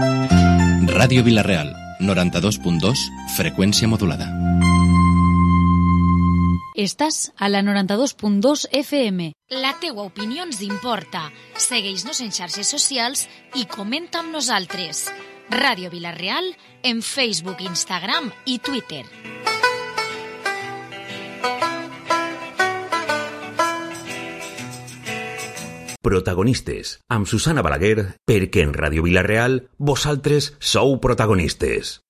Ràdio Vila-real, 92.2, freqüència modulada. Estàs a la 92.2 FM. La teua opinió ens importa. Segueix-nos en xarxes socials i comenta amb nosaltres. Ràdio Vila-real en Facebook, Instagram i Twitter. Protagonistes, amb Susana Balaguer, perquè en Ràdio Vila-real vosaltres sou protagonistes.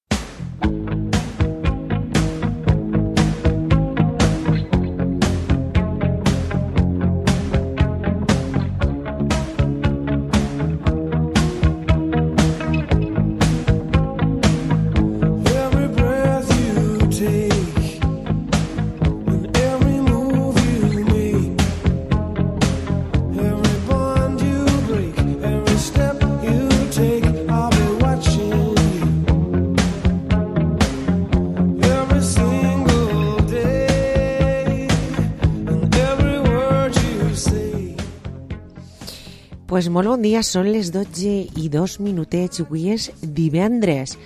Pues molt bon dia, són les 12:02. Avui és divendres.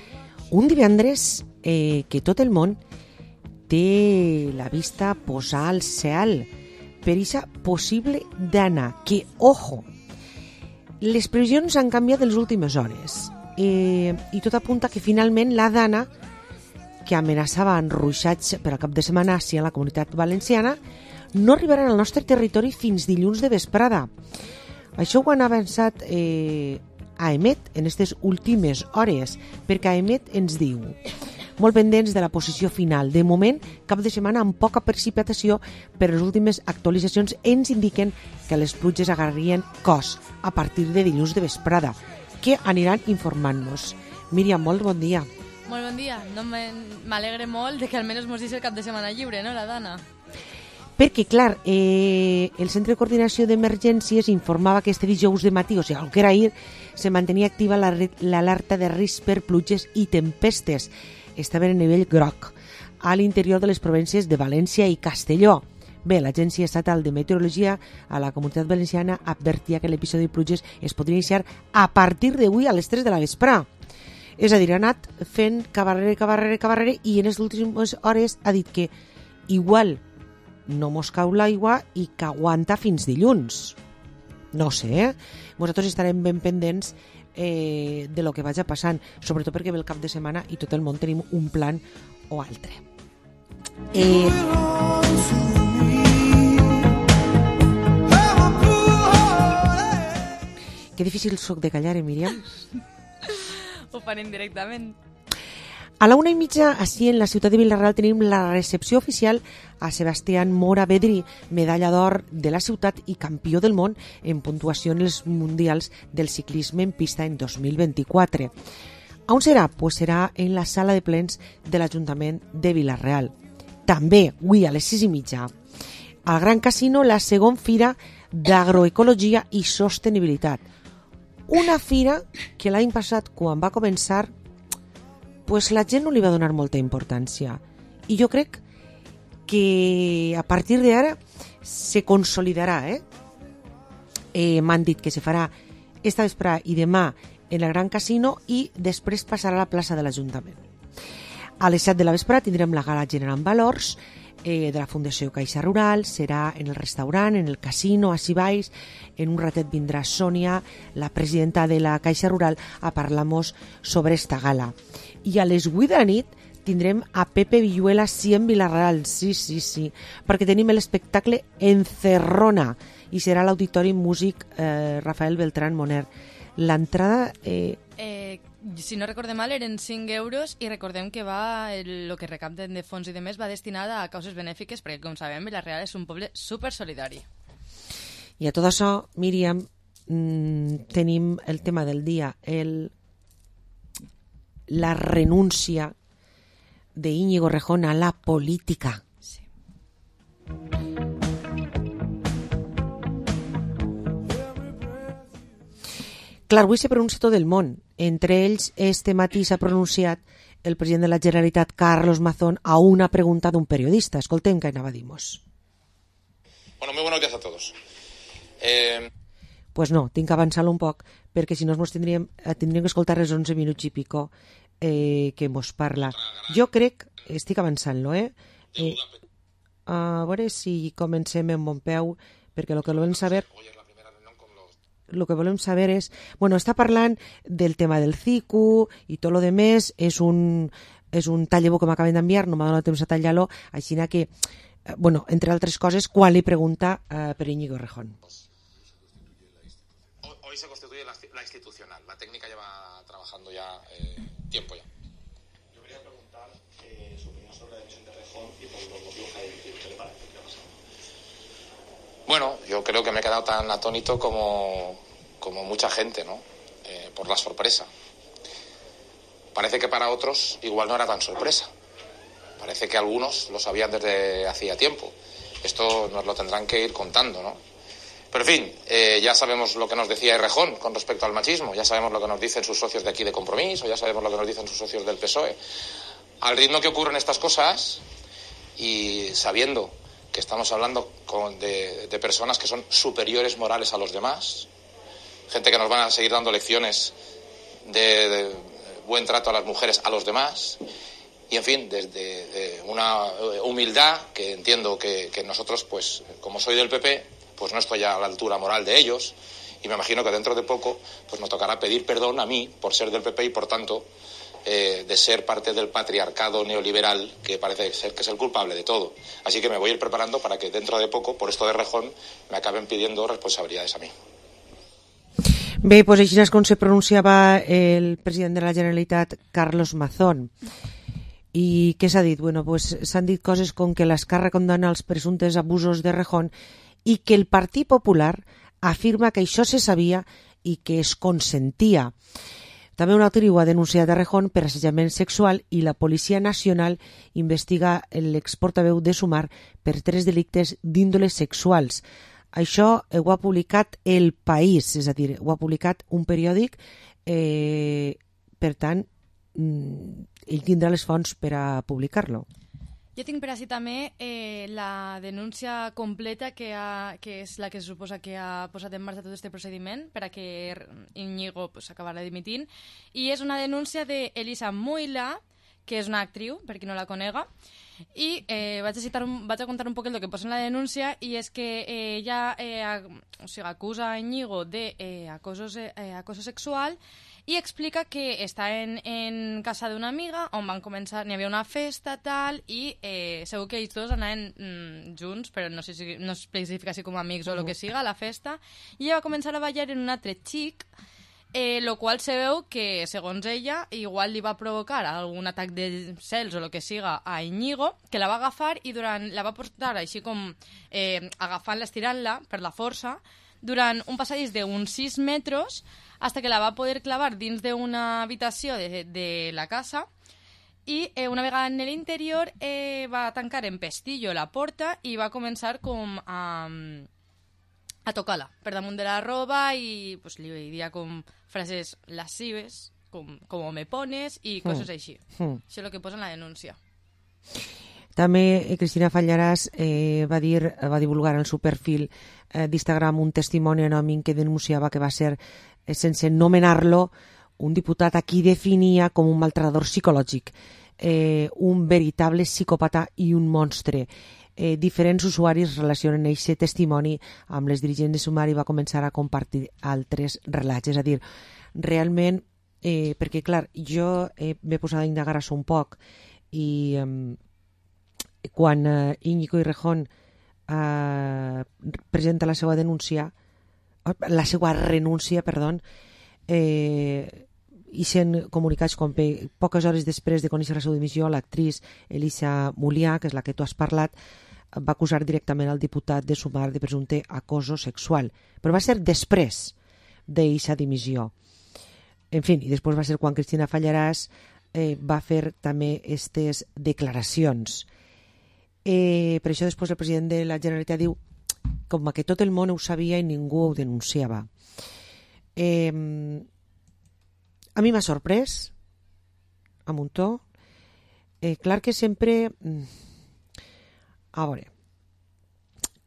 Un divendres que tot el món té la vista posada al cel per aquesta possible dana, que, ojo, les previsions han canviat en les últimes hores i tot apunta que finalment la dana que amenaçaven ruixats per al cap de setmana a la Comunitat Valenciana no arribaran al nostre territori fins dilluns de vesprada. Això ho han avançat AEMET en aquestes últimes hores, perquè AEMET ens diu, molt pendents de la posició final. De moment, cap de setmana amb poca precipitació, però les últimes actualitzacions ens indiquen que les pluges agarrarien cos a partir de dilluns de vesprada, que aniran informant-nos. Míriam, molt bon dia. Molt bon dia. No m'alegre molt de que almenys mos deixi el cap de setmana lliure, no, la Dana? Perquè, clar, el Centre de Coordinació d'Emergències informava que este dijous de matí, o sigui, el que era ahir, se mantenia activa l'alerta de risc per pluges i tempestes. Estaven a nivell groc, a l'interior de les províncies de València i Castelló. Bé, l'Agència Estatal de Meteorologia a la Comunitat Valenciana advertia que l'episodi de pluges es podria iniciar a partir d'avui a les 3 de la vesprà. És a dir, ha anat fent cabarrere i en les últimes hores ha dit que igual no mos cau l'aigua i que aguanta fins dilluns. No sé, nosaltres estarem ben pendents de lo que vagi passant, sobretot perquè ve el cap de setmana i tot el món tenim un plan o altre. Que difícil soc de callar, Míriam? Ho farem directament. A la 1:30, així en la ciutat de Vila-real, tenim la recepció oficial a Sebastián Mora Bedri, medalla d'or de la ciutat i campió del món en puntuació en els mundials del ciclisme en pista en 2024. On serà? Pues serà en la sala de plens de l'Ajuntament de Vila-real. També, avui a les 6:30, al Gran Casino, la segona fira d'agroecologia i sostenibilitat. Una fira que l'any passat, quan va començar, pues la gent no li va donar molta importància. I jo crec que a partir d'ara se consolidarà. M'han dit que se farà esta vesprà i demà en el Gran Casino i després passarà a la plaça de l'Ajuntament. A les 7 de la vesprà tindrem la gala generant valors de la Fundació Caixa Rural, serà en el restaurant, en el casino, així baix. En un ratet vindrà Sònia, la presidenta de la Caixa Rural, a parlar-nos sobre esta gala. I a les 8 de la nit tindrem a Pepe Villuela, sí, en Vila-real, sí, perquè tenim l'espectacle Encerrona i serà a l'Auditori Músic Rafael Beltrán Moner. L'entrada... Si no recordem mal, eren 5 euros i recordem que el que recapten de fons i de més va destinada a causes benèfiques perquè, com sabem, Vila-real és un poble supersolidari. I a tot això, Míriam, tenim el tema del dia, la renúncia de Íñigo Rejón a la política. Sí. Clar, avui se pronuncia tot el món. Entre ells, este matí s'ha pronunciat el president de la Generalitat, Carlos Mazón, a una pregunta d'un periodista. Escoltem què anava a dir-nos. Bueno, muy buenos días a todos. Pues no, tinc que avançar-lo un poc, perquè si no mos tindríem que escoltar els 11 minuts i pico que mos parla. Jo crec, estic avançant-lo, a veure si comencem en bon peu, perquè el que volem saber és... Bueno, està parlant del tema del CICU i tot lo demés, és un tall-de-veu que m'acaben d'enviar, no m'ha donat temps a tallar-lo, així que, bueno, entre altres coses, quan li pregunta per Íñigo Errejón. Hoy se constituye la institucional. La técnica lleva trabajando ya tiempo ya. Yo quería preguntar su opinión sobre la decisión de Errejón y por los motivos que ha dicho. ¿Qué le parece? ¿Qué ha pasado? Bueno, yo creo que me he quedado tan atónito como mucha gente, ¿no? Por la sorpresa. Parece que para otros igual no era tan sorpresa. Parece que algunos lo sabían desde hacía tiempo. Esto nos lo tendrán que ir contando, ¿no? Pero en fin, ya sabemos lo que nos decía Errejón con respecto al machismo, ya sabemos lo que nos dicen sus socios de aquí de Compromiso, ya sabemos lo que nos dicen sus socios del PSOE. Al ritmo que ocurren estas cosas y sabiendo que estamos hablando de personas que son superiores morales a los demás, gente que nos van a seguir dando lecciones de buen trato a las mujeres, a los demás, y en fin, desde una humildad que entiendo que nosotros, pues como soy del PP, pues no estoy a la altura moral de ellos, y me imagino que dentro de poco pues nos tocará pedir perdón a mí por ser del PP y por tanto de ser parte del patriarcado neoliberal que parece ser que es el culpable de todo. Así que me voy a ir preparando para que dentro de poco, por esto de Errejón, me acaben pidiendo responsabilidades a mí. Bé, doncs així és com se pronunciava el president de la Generalitat, Carlos Mazón. I què s'ha dit? Bueno, pues s'han dit coses com que l'Esquerra condemna els presumptes abusos d'Errejón i que el Partit Popular afirma que això se sabia i que es consentia. També un altre ho ha denunciat Errejón per assetjament sexual i la Policia Nacional investiga l'exportaveu de Sumar per 3 delictes d'índoles sexuals. Això ho ha publicat El País, és a dir, ho ha publicat un periòdic, per tant, ell tindrà les fonts per a publicar-lo. Jo tinc per així també la denúncia completa que és la que se suposa que ha posat en marxa tot aquest procediment per a que Íñigo acabarà dimitint, i és una denúncia d'Elisa Muila, que és una actriu, per qui no la conega, i vaig a contar un poc el que posa en la denúncia, i és que ella acusa a Íñigo d'acoso sexual i explica que està en casa d'una amiga on van començar, n'hi havia una festa tal, i segur que ells dos anaven junts, però no sé si no es especifica si com amics o el que siga, a la festa, i ella va començar a ballar en un altre xic, lo qual se veu que, segons ella, igual li va provocar algun atac de cels o el que siga a Íñigo, que la va agafar i la va portar així com agafant-la, estirant-la per la força, durant un passadís d'uns 6 metres, hasta que la va poder clavar dins d'una habitació de la casa, i una vegada en l'interior va tancar en pestillo la porta i va començar com a tocar-la per damunt de la roba i pues, li diria com frases lascives, com me pones i coses així. Això és el que posa en la denúncia. També Cristina Fallarás va divulgar en el seu perfil d'Instagram un testimoni anònim que denunciava que va ser, sense nomenar-lo, un diputat a qui definia com un maltratador psicològic, un veritable psicòpata i un monstre. Diferents usuaris relacionen aquest testimoni amb les dirigents de Sumar i va començar a compartir altres relats. És a dir, realment, perquè clar, jo m'he posat a indagar això un poc i quan Íñigo Errejón presenta la seva renúncia, i sent comunicats com poques hores després de conèixer la seva dimissió, l'actriz Elisa Mulià, que és la que tu has parlat, va acusar directament al diputat de Sumar de presumpte acoso sexual. Però va ser després d'aquesta dimissió. En fi, i després va ser quan Cristina Fallarás va fer també aquestes declaracions. Per això després el president de la Generalitat diu com que tot el món ho sabia i ningú ho denunciava. A mi m'ha sorprès, a muntó. Clar que sempre... A veure,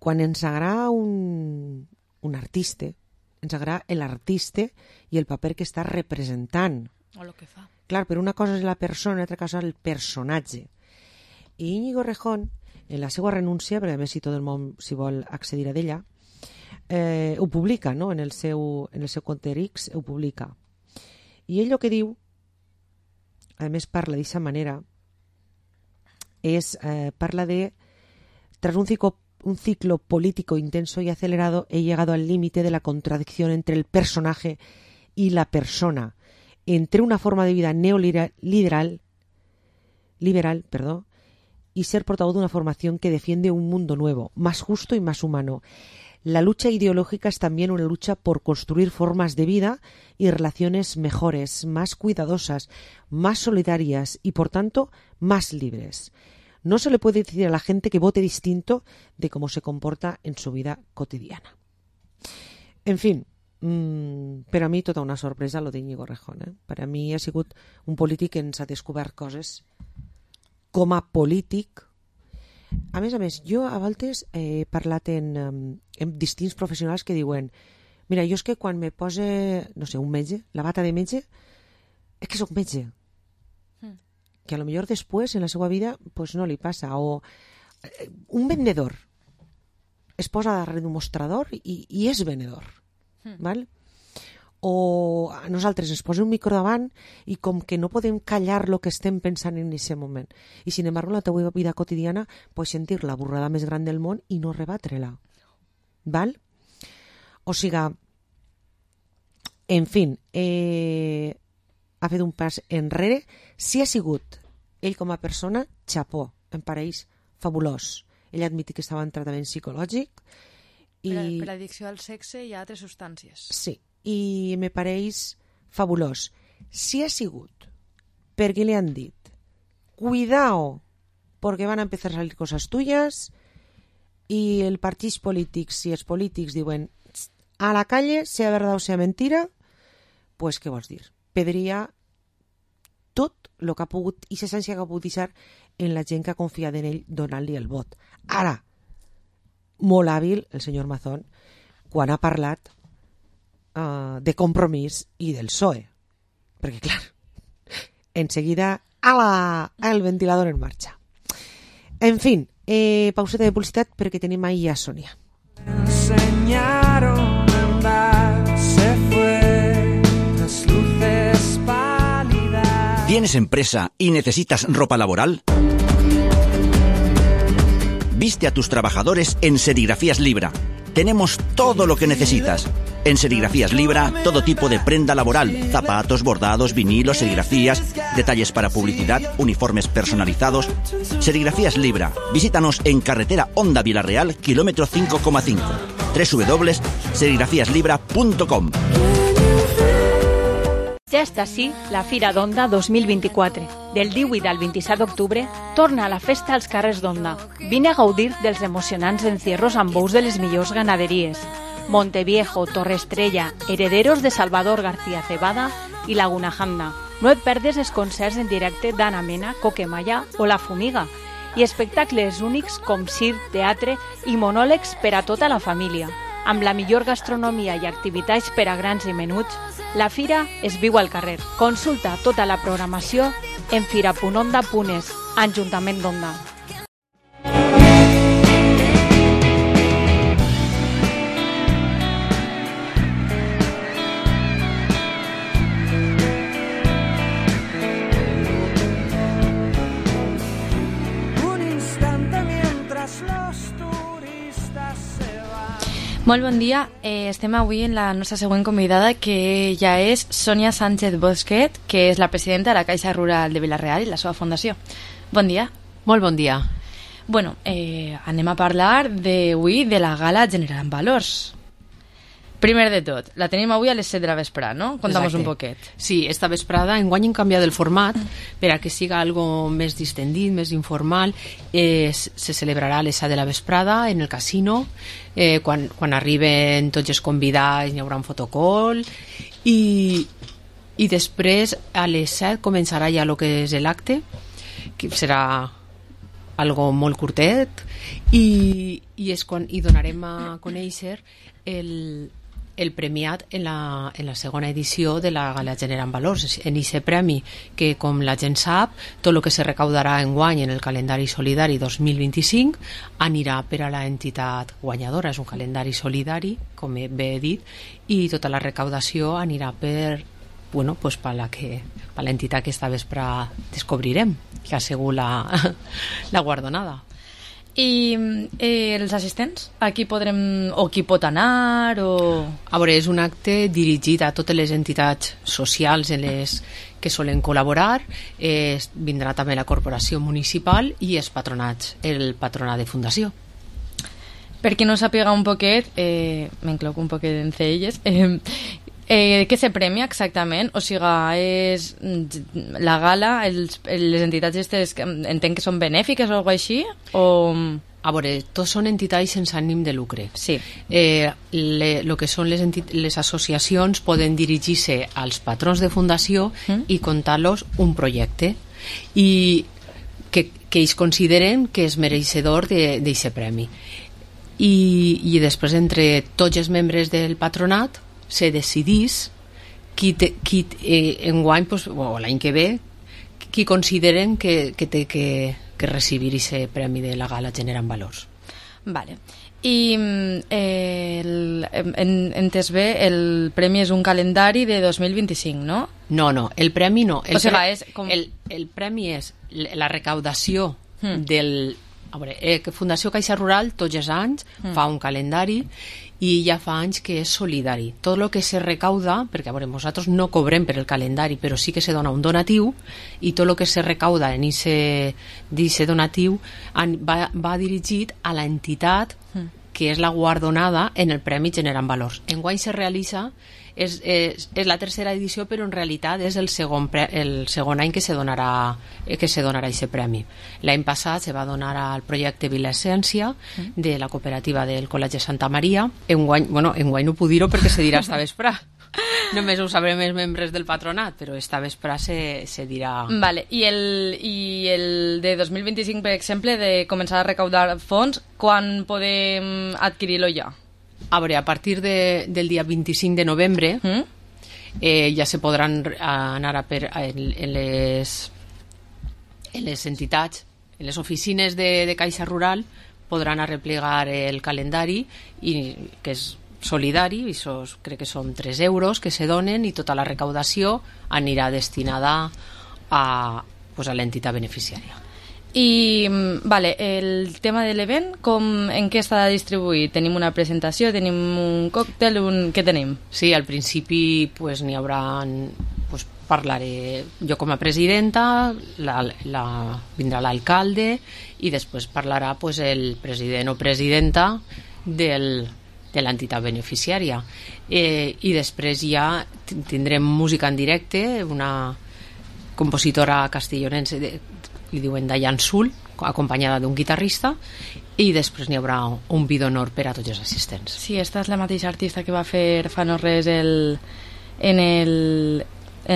quan ens agrada un artista, ens agrada l'artista i el paper que està representant. O el que fa. Clar, però una cosa és la persona, altra cosa és el personatge. I Íñigo Errejón, en la seva renúncia, perquè a més si tot el món s'hi vol accedir a d'ella, ho publica, no? en el seu compte X, ho publica. I ell el que diu, a més parla d'aquesta manera, parla de tras un ciclo político intenso y acelerado he llegado al límite de la contradicción entre el personaje y la persona, entre una forma de vida liberal, y ser portavoz de una formación que defiende un mundo nuevo, más justo y más humano. La lucha ideológica es también una lucha por construir formas de vida y relaciones mejores, más cuidadosas, más solidarias y, por tanto, más libres. No se le puede decir a la gente que vote distinto de cómo se comporta en su vida cotidiana. En fin, per a mi tota una sorpresa lo d'Íñigo Errejón. Per a mi ha sigut un polític que ens ha descobert coses com a polític. A més, jo a voltes he parlat amb distints professionals que diuen mira, jo és que quan me posa, no sé, un metge, la bata de metge, és que soc metge. Que a lo millor després en la seva vida pues no li passa. O un vendedor es posa darrere d'un mostrador i és venedor. Val? O a nosaltres ens posa un micro davant i com que no podem callar el que estem pensant en aquest moment. I sin embargo en la teva vida quotidiana pots sentir la burrada més gran del món i no rebatre-la. Val? O sigui, en fi, ha fet un pas enrere. Si ha sigut ell com a persona, xapó, em pareix fabulós. Ell admiti que estava en tractament psicològic. Per addicció al sexe i a altres substàncies. Sí, i me pareix fabulós. Si ha sigut perquè li han dit cuidao perquè van a empezar a salir cosas tuyas i el partits polítics, si els polítics diuen a la calle, sea verdad o sea mentira, pues què vols dir? Pedria tot el que ha pogut i l'essència que ha pogut deixar en la gent que ha confiat en ell donant-li el vot. Ara, molt hàbil el senyor Mazón quan ha parlat de Compromís i del PSOE. Perquè, clar, enseguida el ventilador en marxa. En fin, pauseta de publicitat perquè tenim ahí a Sonia. Enseñaron a andar, se fue, las luces pálidas. ¿Tienes empresa y necesitas ropa laboral? Viste a tus trabajadores en Serigrafías Libra. Tenemos todo lo que necesitas. En Serigrafías Libra, todo tipo de prenda laboral, zapatos, bordados, vinilos, serigrafías, detalles para publicidad, uniformes personalizados. Serigrafías Libra. Visítanos en carretera Honda Vilarreal, kilómetro 5,5. www.serigrafiaslibra.com. Ja està així la Fira d'Onda 2024. Del 18 al 27 d'octubre torna la festa als carrers d'Onda. Vine a gaudir dels emocionants encierros amb bous de les millors ganaderies. Monteviejo, Torre Estrella, herederos de Salvador García Cebada i Laguna Janda. No et perdes els concerts en directe d'Anna Mena, Coquemaya o La Fumiga i espectacles únics com circ, teatre i monòlegs per a tota la família. Amb la millor gastronomia i activitats per a grans i menuts, la fira es viu al carrer. Consulta tota la programació en fira.onda.es, Ajuntament d'Onda. Molt bon dia, estem avui en la nostra següent convidada, que ja és Sònia Sánchez Bosquet, que és la presidenta de la Caixa Rural de Vila-real i la seva fundació. Bon dia. Molt bon dia. Bueno, anem a parlar d'avui de la gala Generant Valors. Primer de tot, la tenim avui a les 7 de la vesprada, no? Contamos un poquet. Sí, esta vesprada enguany hem canviat el format per a que siga algo més distendit, més informal. Se celebrarà a les 7 de la vesprada en el casino. Quan arriben tots els convidats hi haurà un fotocall i després a les 7 començarà ja el que és l'acte, que serà algo molt curtet i donarem a conèixer el premiat en la segona edició de la Gala Generant Valors, en aquest premi que, com la gent sap, tot el que se recaudarà enguany en el calendari solidari 2025 anirà per a l'entitat guanyadora. És un calendari solidari, com bé he dit, i tota la recaudació anirà per l'entitat que esta vespre descobrirem, que ha sigut la guardonada. I els assistents? A qui podrem, o qui pot anar? A veure, és un acte dirigit a totes les entitats socials en les que solen col·laborar. Vindrà també la corporació municipal i els patronats, el patronat de fundació. Per qui no sàpiga un poquet, m'encloc un poquet entre elles, què se premia exactament? O sigui, és la gala, les entitats aquestes entenc que són benèfiques o alguna cosa així? A veure, tots són entitats sense ànim de lucre. Sí. El que són les associacions poden dirigir-se als patrons de fundació i contar-los un projecte i que ells consideren que és mereixedor d'aquest premi. I després, entre tots els membres del patronat, se decidís qui enguany, o l'any que ve, qui consideren que té que recibir aquest premi de la Gala Generant Valors. Vale. I entès bé, el premi és un calendari de 2025, no? No, el premi no. El premi és la recaudació del... A veure, Fundació Caixa Rural tots els anys fa un calendari i ja fa anys que és solidari. Tot el que se recauda, perquè a veure, nosaltres no cobrem per el calendari, però sí que se dona un donatiu, i tot el que se recauda en aquest donatiu va dirigit a l'entitat que és la guardonada en el Premi Generant Valors. Enguany se realitza, és la tercera edició, però en realitat és el segon any que se donarà aquest premi. L'any passat se va donar al projecte Vila Essència de la cooperativa del Col·legi Santa Maria. Enguany no puc dir-ho perquè se dirà esta vespre. Només ho sabrem els membres del patronat, però esta vespre se dirà... Vale. I el de 2025, per exemple, de començar a recaudar fons, quan podem adquirir-lo ja? A veure, a partir del dia 25 de novembre ja se podran anar en les entitats, en les oficines de Caixa Rural, podran arreplegar el calendari, que és solidari, i crec que són 3 euros que se donen, i tota la recaudació anirà destinada a l'entitat beneficiària. I el tema de l'event, en què està distribuït? Tenim una presentació, tenim un còctel, què tenim? Sí, al principi n'hi haurà, parlaré jo com a presidenta, vindrà l'alcalde i després parlarà el president o presidenta de l'entitat beneficiària. I després ja tindrem música en directe, una compositora castellonense, li diuen Dayan Sul, acompanyada d'un guitarrista, i després n'hi haurà un vi d'honor per a tots els assistents. Sí, esta és la mateixa artista que va fer fa no res en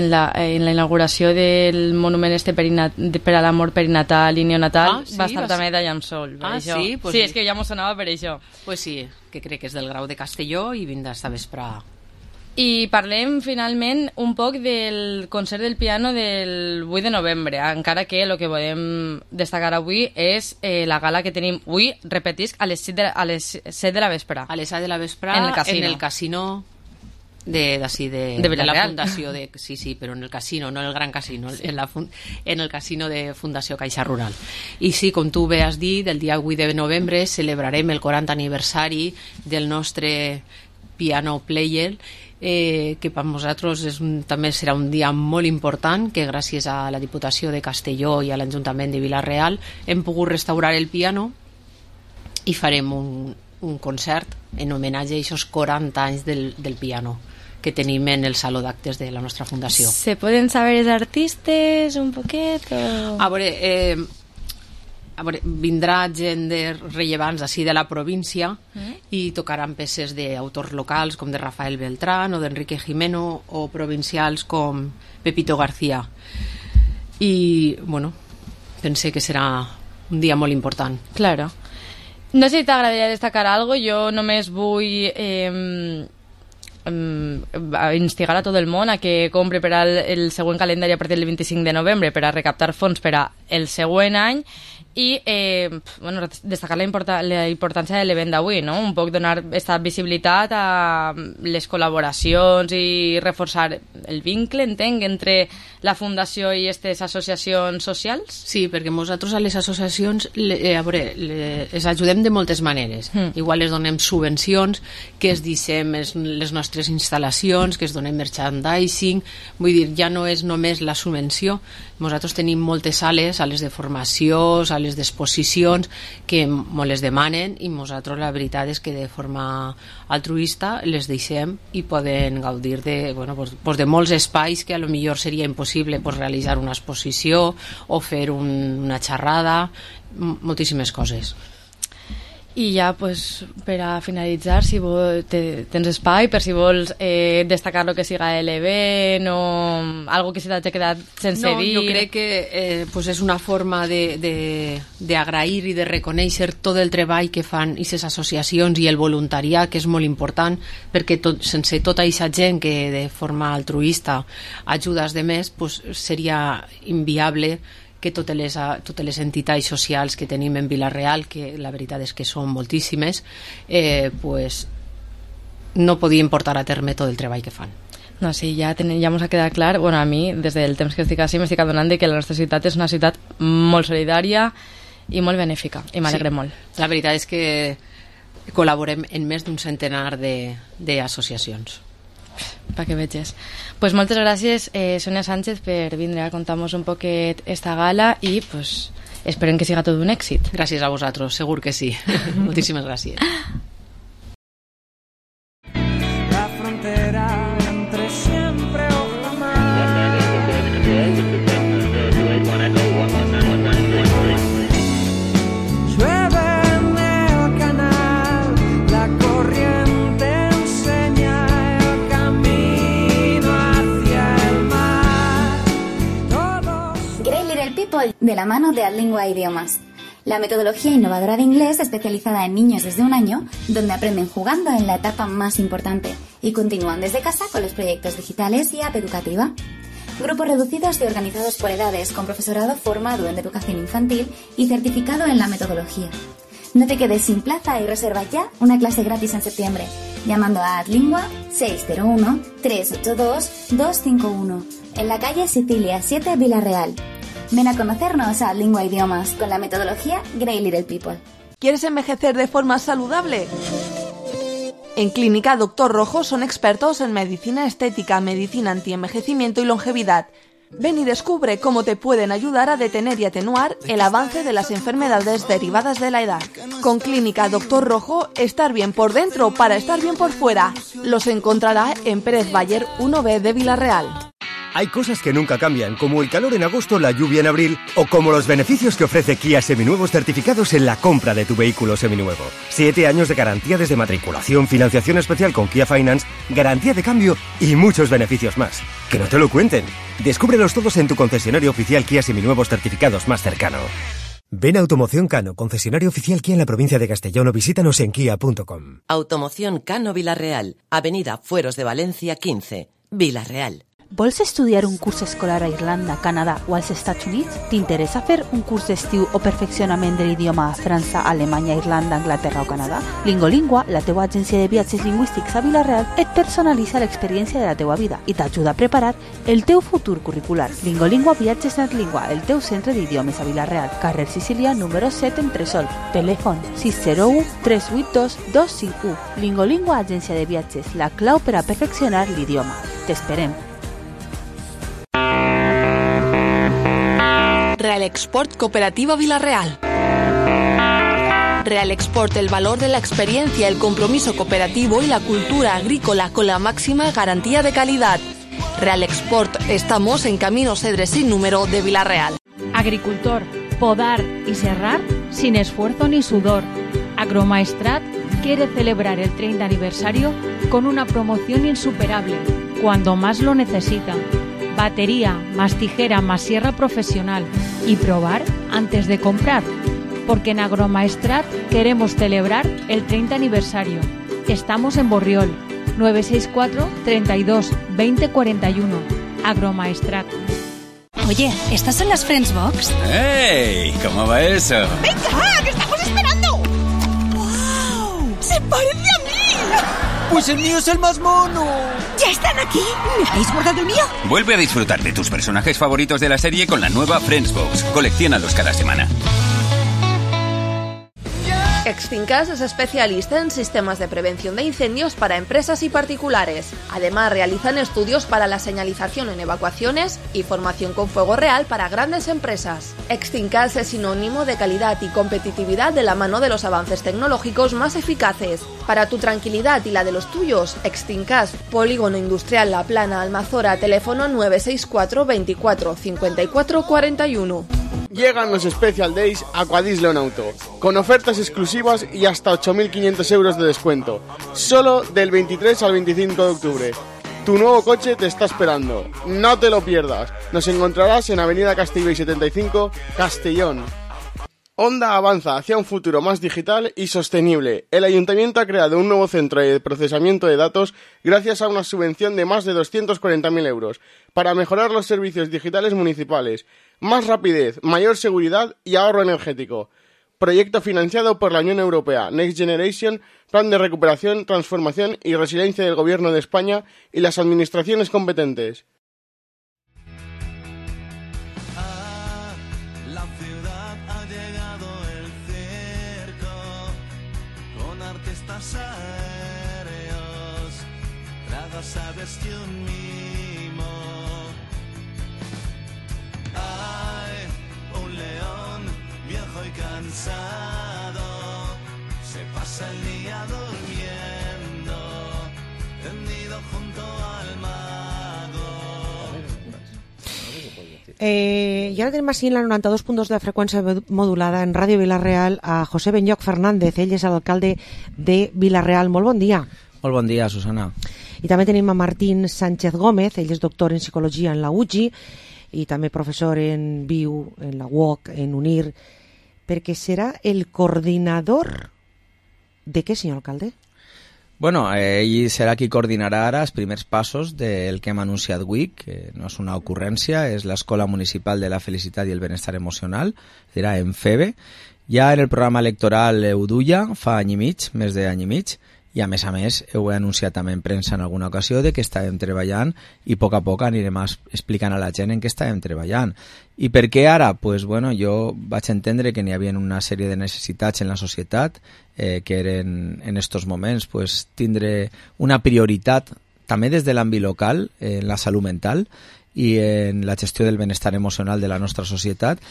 la inauguració del monument per a l'amor perinatal i neonatal. Va estar també Dayan Sul. Sí? Sí, és que ja m'ho sonava per això. Pues sí, que crec que és del Grau de Castelló i vindrà esta vespre. I parlem finalment un poc del concert del piano del 8 de novembre, encara que el que podem destacar avui és la gala que tenim avui, repetisc, a les 7 de la vespre. A les 7 de la vespre en el casino de la Fundació sí, però en el casino, no en el gran casino, sí. En el casino de Fundació Caixa Rural. I sí, com tu bé has dit, el dia 8 de novembre celebrarem el 40 aniversari del nostre piano player, que per nosaltres també serà un dia molt important, que gràcies a la Diputació de Castelló i a l'Ajuntament de Vila-real hem pogut restaurar el piano i farem un concert en homenatge a aquests 40 anys del piano que tenim en el saló d'actes de la nostra fundació. ¿Se poden saber els artistes un poquet? A veure, vindrà gent de rellevants així de la província i tocaran peces d'autors locals com de Rafael Beltrán o d'Enrique Jimeno, o provincials com Pepito García. I, pensé que serà un dia molt important. Claro. No sé si t'agradaria destacar algo, jo només vull instigar a tot el món a que compri per al següent calendari a partir del 25 de novembre per a recaptar fons per a el següent any i destacar la importància de l'event d'avui, no? Un poc donar aquesta visibilitat a les col·laboracions i reforçar el vincle, entenc, entre la Fundació i aquestes associacions socials? Sí, perquè nosaltres a les associacions les ajudem de moltes maneres. Igual les donem subvencions, que es deixem les nostres instal·lacions, que es donem merchandising, vull dir, ja no és només la subvenció. Nosaltres tenim moltes sales de formació, sales d'exposicions que ens les demanen i nosaltres la veritat és que de forma altruista les deixem i poden gaudir de molts espais que a lo millor seria impossible realitzar una exposició o fer una xerrada, moltíssimes coses. I ja, per a finalitzar, si tens espai, per si vols destacar el que siga l'event o algo que se t'ha quedat sense dir. Jo crec que és una forma d'agrair i de reconèixer tot el treball que fan aquestes associacions i el voluntariat, que és molt important, perquè sense tota aquesta gent que de forma altruista ajuda als demés, seria inviable que totes les entitats socials que tenim en Vila-real, que la veritat és que són moltíssimes, no podien portar a terme tot el treball que fan. No, sí, ja ens ha quedat clar. Bueno, a mi, des del temps que estic així, m'estic adonant que la nostra ciutat és una ciutat molt solidària i molt benèfica, i m'alegrem molt. La veritat és que col·laborem en més d'un centenar d'associacions. Perquè veges. Pues moltes gràcies, Sònia Sánchez, per vindre a contar-nos un poquet esta gala i esperem que siga tot un èxit. Gràcies a vosaltres, segur que sí. Moltíssimes gràcies. La frontera entre siempre o jamás. Llueve en el canal, la corriente enseña el camino hacia el mar. Grey Little People, de la mano de Adlingua Idiomas. La metodología innovadora de inglés especializada en niños desde 1 año, donde aprenden jugando en la etapa más importante y continúan desde casa con los proyectos digitales y app educativa. Grupos reducidos y organizados por edades, con profesorado formado en educación infantil y certificado en la metodología. No te quedes sin plaza y reserva ya una clase gratis en septiembre, llamando a Adlingua 601-382-251, en la calle Sicilia 7, Vila-real. Ven a conocernos a Adlingua Idiomas con la metodología Grey Little People. ¿Quieres envejecer de forma saludable? En Clínica Dr. Rojo son expertos en medicina estética, medicina antienvejecimiento y longevidad. Ven y descubre cómo te pueden ayudar a detener y atenuar el avance de las enfermedades derivadas de la edad. Con Clínica Dr. Rojo, estar bien por dentro para estar bien por fuera. Los encontrará en Pérez Bayer 1B de Vila-real. Hay cosas que nunca cambian, como el calor en agosto, la lluvia en abril, o como los beneficios que ofrece Kia Seminuevos certificados en la compra de tu vehículo seminuevo. 7 años de garantía desde matriculación, financiación especial con Kia Finance, garantía de cambio y muchos beneficios más. Que no te lo cuenten. Descúbrelos todos en tu concesionario oficial Kia Seminuevos certificados más cercano. Ven a Automoción Cano, concesionario oficial Kia en la provincia de Castellón, o visítanos en kia.com. Automoción Cano Vila-real, Avenida Fueros de Valencia 15, Vila-real. Vols estudiar un curs escolar a Irlanda, Canadà o als Estats Units? T'interessa fer un curs d'estiu o perfeccionament de l'idioma a França, Alemanya, Irlanda, Anglaterra o Canadà? Lingolingua, la teua agència de viatges lingüístics a Vila-real, et personalitza l'experiència de la teua vida i t'ajuda a preparar el teu futur curricular. Lingolingua Viatges Netlingua, el teu centre d'idiomes a Vila-real, carrer Sicília, número 7, Entresol. Telèfon 601 382 251. Lingolingua, agència de viatges, la clau per a perfeccionar l'idioma. T'esperem. Real Export Cooperativa Vila-real. Real Export, el valor de la experiencia, el compromiso cooperativo y la cultura agrícola con la máxima garantía de calidad. Real Export, estamos en Camino Cedres sin número de Vila-real. Agricultor, podar y serrar sin esfuerzo ni sudor. Agromaestrat quiere celebrar el 30 aniversario con una promoción insuperable, cuando más lo necesitan. Batería, más tijera, más sierra profesional y probar antes de comprar, porque en Agromaestrat queremos celebrar el 30 aniversario. Estamos en Borriol, 964 32 20 41. Agromaestrat. Oye, ¿estas son las Friends Box? ¡Ey! ¿Cómo va eso? ¡Venga, que estamos esperando! ¡Wow! ¡Se parece a mí! ¡Pues el mío es el más mono! ¿Ya están aquí? ¿Me habéis guardado el mío? Vuelve a disfrutar de tus personajes favoritos de la serie con la nueva Friends Box. Colecciónalos cada semana. Extincas es especialista en sistemas de prevención de incendios para empresas y particulares. Además, realizan estudios para la señalización en evacuaciones y formación con fuego real para grandes empresas. Extincas es sinónimo de calidad y competitividad de la mano de los avances tecnológicos más eficaces. Para tu tranquilidad y la de los tuyos, Extincas, Polígono Industrial La Plana, Almazora, teléfono 964 24 54 41. Llegan los Special Days Aquadis León Auto, con ofertas exclusivas y hasta 8.500 euros de descuento, solo del 23 al 25 de octubre. Tu nuevo coche te está esperando, no te lo pierdas. Nos encontrarás en Avenida Castellbell 75, Castellón. Honda avanza hacia un futuro más digital y sostenible. El Ayuntamiento ha creado un nuevo centro de procesamiento de datos gracias a una subvención de más de 240.000 euros para mejorar los servicios digitales municipales. Más rapidez, mayor seguridad y ahorro energético. Proyecto financiado por la Unión Europea, Next Generation, Plan de Recuperación, Transformación y Resiliencia del Gobierno de España y las administraciones competentes. La ciudad ha llegado el circo, con artistas aéreos, tragas aves y un mimo. Hay un león viejo y cansado, se pasa el día durmiendo, tendido junto al mago. Y ara tenim així en la 92.2 de freqüència modulada en Ràdio Vila-real a José Benlloc Fernández. Ell és l'alcalde de Vila-real. Molt bon dia. Molt bon dia, Susana. I també tenim a Martín Sánchez Gómez. Ell és doctor en psicologia en la UGI i també professor en VIU, en la UOC, en UNIR, perquè serà el coordinador de què, senyor alcalde? Bueno, ell serà qui coordinarà ara els primers passos del que hem anunciat avui, que no és una ocurrència, és l'Escola Municipal de la Felicitat i el Benestar Emocional, dirà en FEBE. Ja en el programa electoral ho duia fa any i mig, més d'any i mig, i a més, ho he anunciat també en premsa en alguna ocasió de que estàvem treballant i a poc anirem explicant a la gent en què estàvem treballant. I per què ara? Pues, bueno, jo vaig entendre que n'hi havia una sèrie de necessitats en la societat que eren en estos moments pues, tindre una prioritat també des de l'àmbit local en la salut mental i en la gestió del benestar emocional de la nostra societat.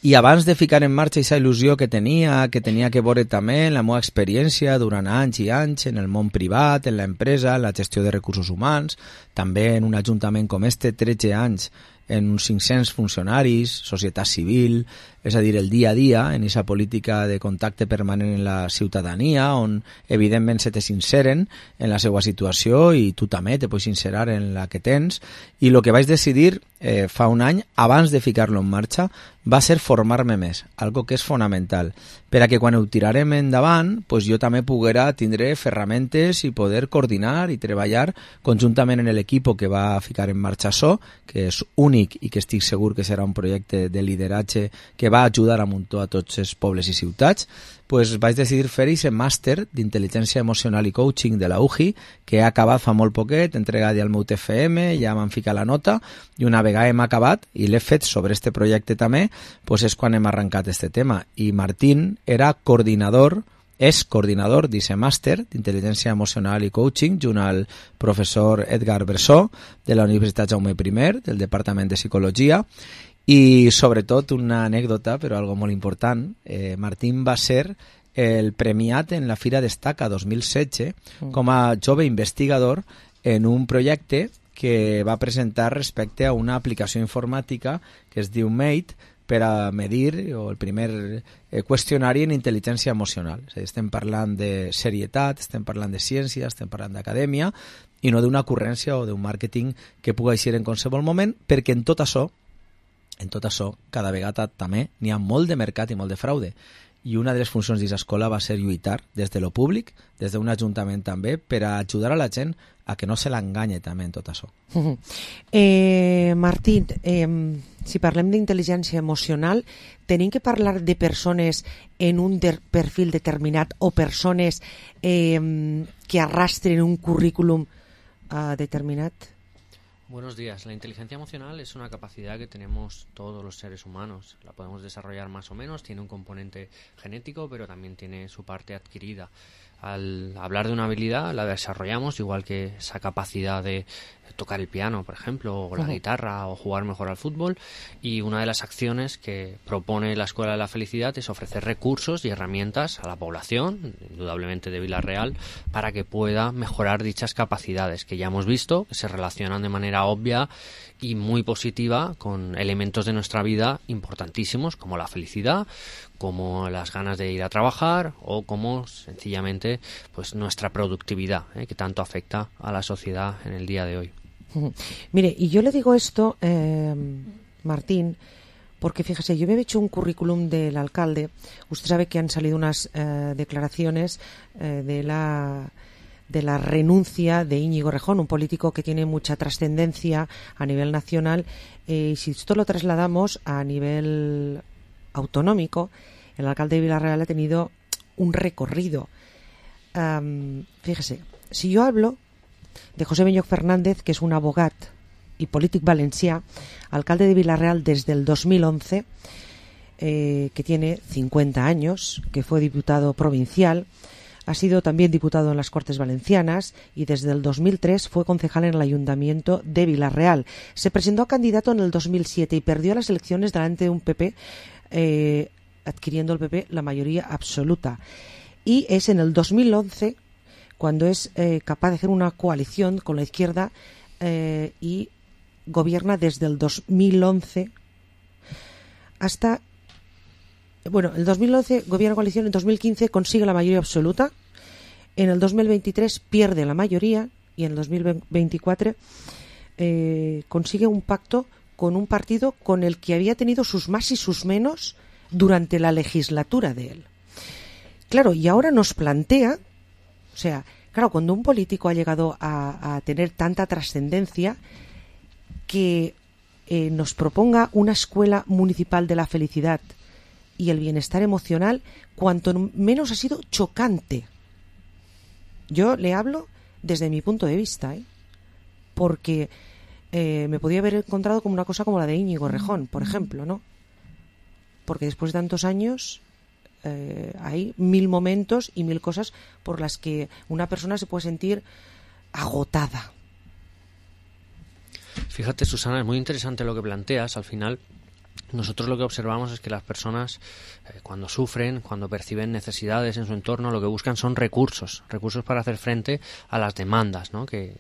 I abans de ficar en marxa aquesta il·lusió que tenia que veure també en la meva experiència durant anys i anys en el món privat, en l'empresa, en la gestió de recursos humans, també en un ajuntament com este, 13 anys, en uns 500 funcionaris, societat civil, és a dir, el dia a dia, en aquesta política de contacte permanent en la ciutadania, on evidentment se te sinceren en la seva situació i tu també te pots sincerar en la que tens. I el que vaig decidir fa un any, abans de ficar-lo en marxa, va ser formar-me més, algo que és fonamental, per a que quan ho tirarem endavant, pues jo també poguera tindre ferramentes i poder coordinar i treballar conjuntament en l'equip que va ficar en marxa això, que és únic i que estic segur que serà un projecte de lideratge que va ajudar a muntó a tots els pobles i ciutats. Pues vaig decidir fer aquest màster d'intel·ligència emocional i coaching de la UGI, que he acabat fa molt poquet, entregat ja al meu TFM, ja m'han ficat la nota, i una vegada hem acabat, i l'he fet sobre este projecte també, pues és quan hem arrencat este tema. I Martín era coordinador, és coordinador d'aquest màster d'intel·ligència emocional i coaching, junt al professor Edgar Bressó, de la Universitat Jaume I, del Departament de Psicologia. I sobretot una anècdota, però algo molt important, Martín va ser el premiat en la Fira Destaca 2016 com a jove investigador en un projecte que va presentar respecte a una aplicació informàtica que es diu Mate per a medir el primer qüestionari en intel·ligència emocional. És a dir, estem parlant de serietat, estem parlant de ciència, estem parlant d'acadèmia i no d'una ocurrència o d'un màrqueting que pugui ser en qualsevol moment, perquè en tot això En tot això, cada vegada també n'hi ha molt de mercat i molt de fraude. I una de les funcions d'aquesta escola va ser lluitar des de lo públic, des d'un ajuntament també, per a ajudar a la gent a que no se l'enganye també en tot això. Martín, si parlem d'intel·ligència emocional, tenim que parlar de persones en un perfil determinat o persones que arrastren un currículum determinat? Buenos días. La inteligencia emocional es una capacidad que tenemos todos los seres humanos. La podemos desarrollar más o menos, tiene un componente genético, pero también tiene su parte adquirida. Al hablar de una habilidad, la desarrollamos igual que esa capacidad de tocar el piano, por ejemplo, o la guitarra, o jugar mejor al fútbol. Y una de las acciones que propone la Escuela de la Felicidad es ofrecer recursos y herramientas a la población, indudablemente de Vila-real, para que pueda mejorar dichas capacidades que ya hemos visto, que se relacionan de manera obvia y muy positiva con elementos de nuestra vida importantísimos, como la felicidad, como las ganas de ir a trabajar o como sencillamente pues nuestra productividad, que tanto afecta a la sociedad en el día de hoy. Mire, y yo le digo esto, Martín, porque fíjese, yo me he hecho un currículum del alcalde. Usted sabe que han salido unas declaraciones de la renuncia de Íñigo Errejón, un político que tiene mucha trascendencia a nivel nacional, y si esto lo trasladamos a nivel autonómico, el alcalde de Vila-real ha tenido un recorrido. Fíjese, si yo hablo de José Benyoch Fernández, que es un abogat y polític valencià, alcalde de Vila-real desde el 2011, que tiene 50 años, que fue diputado provincial, ha sido también diputado en las Cortes Valencianas y desde el 2003 fue concejal en el Ayuntamiento de Vila-real. Se presentó a candidato en el 2007 y perdió las elecciones delante de un PP, adquiriendo el PP la mayoría absoluta. Y es en el 2011 cuando es capaz de hacer una coalición con la izquierda y gobierna desde el 2011 hasta... Bueno, el 2011 gobierna coalición, en 2015 consigue la mayoría absoluta, en el 2023 pierde la mayoría y en el 2024 consigue un pacto con un partido con el que había tenido sus más y sus menos durante la legislatura de él. Claro, y ahora nos plantea, o sea, claro, cuando un político ha llegado a tener tanta trascendencia, que nos proponga una escuela municipal de la felicidad y el bienestar emocional, cuanto menos ha sido chocante. Yo le hablo desde mi punto de vista, porque me podía haber encontrado como una cosa como la de Íñigo Errejón, por ejemplo, ¿no? Porque después de tantos años hay 1000 momentos y 1000 cosas por las que una persona se puede sentir agotada. Fíjate, Susana, es muy interesante lo que planteas. Al final, nosotros lo que observamos es que las personas cuando sufren, cuando perciben necesidades en su entorno, lo que buscan son recursos para hacer frente a las demandas, ¿no? que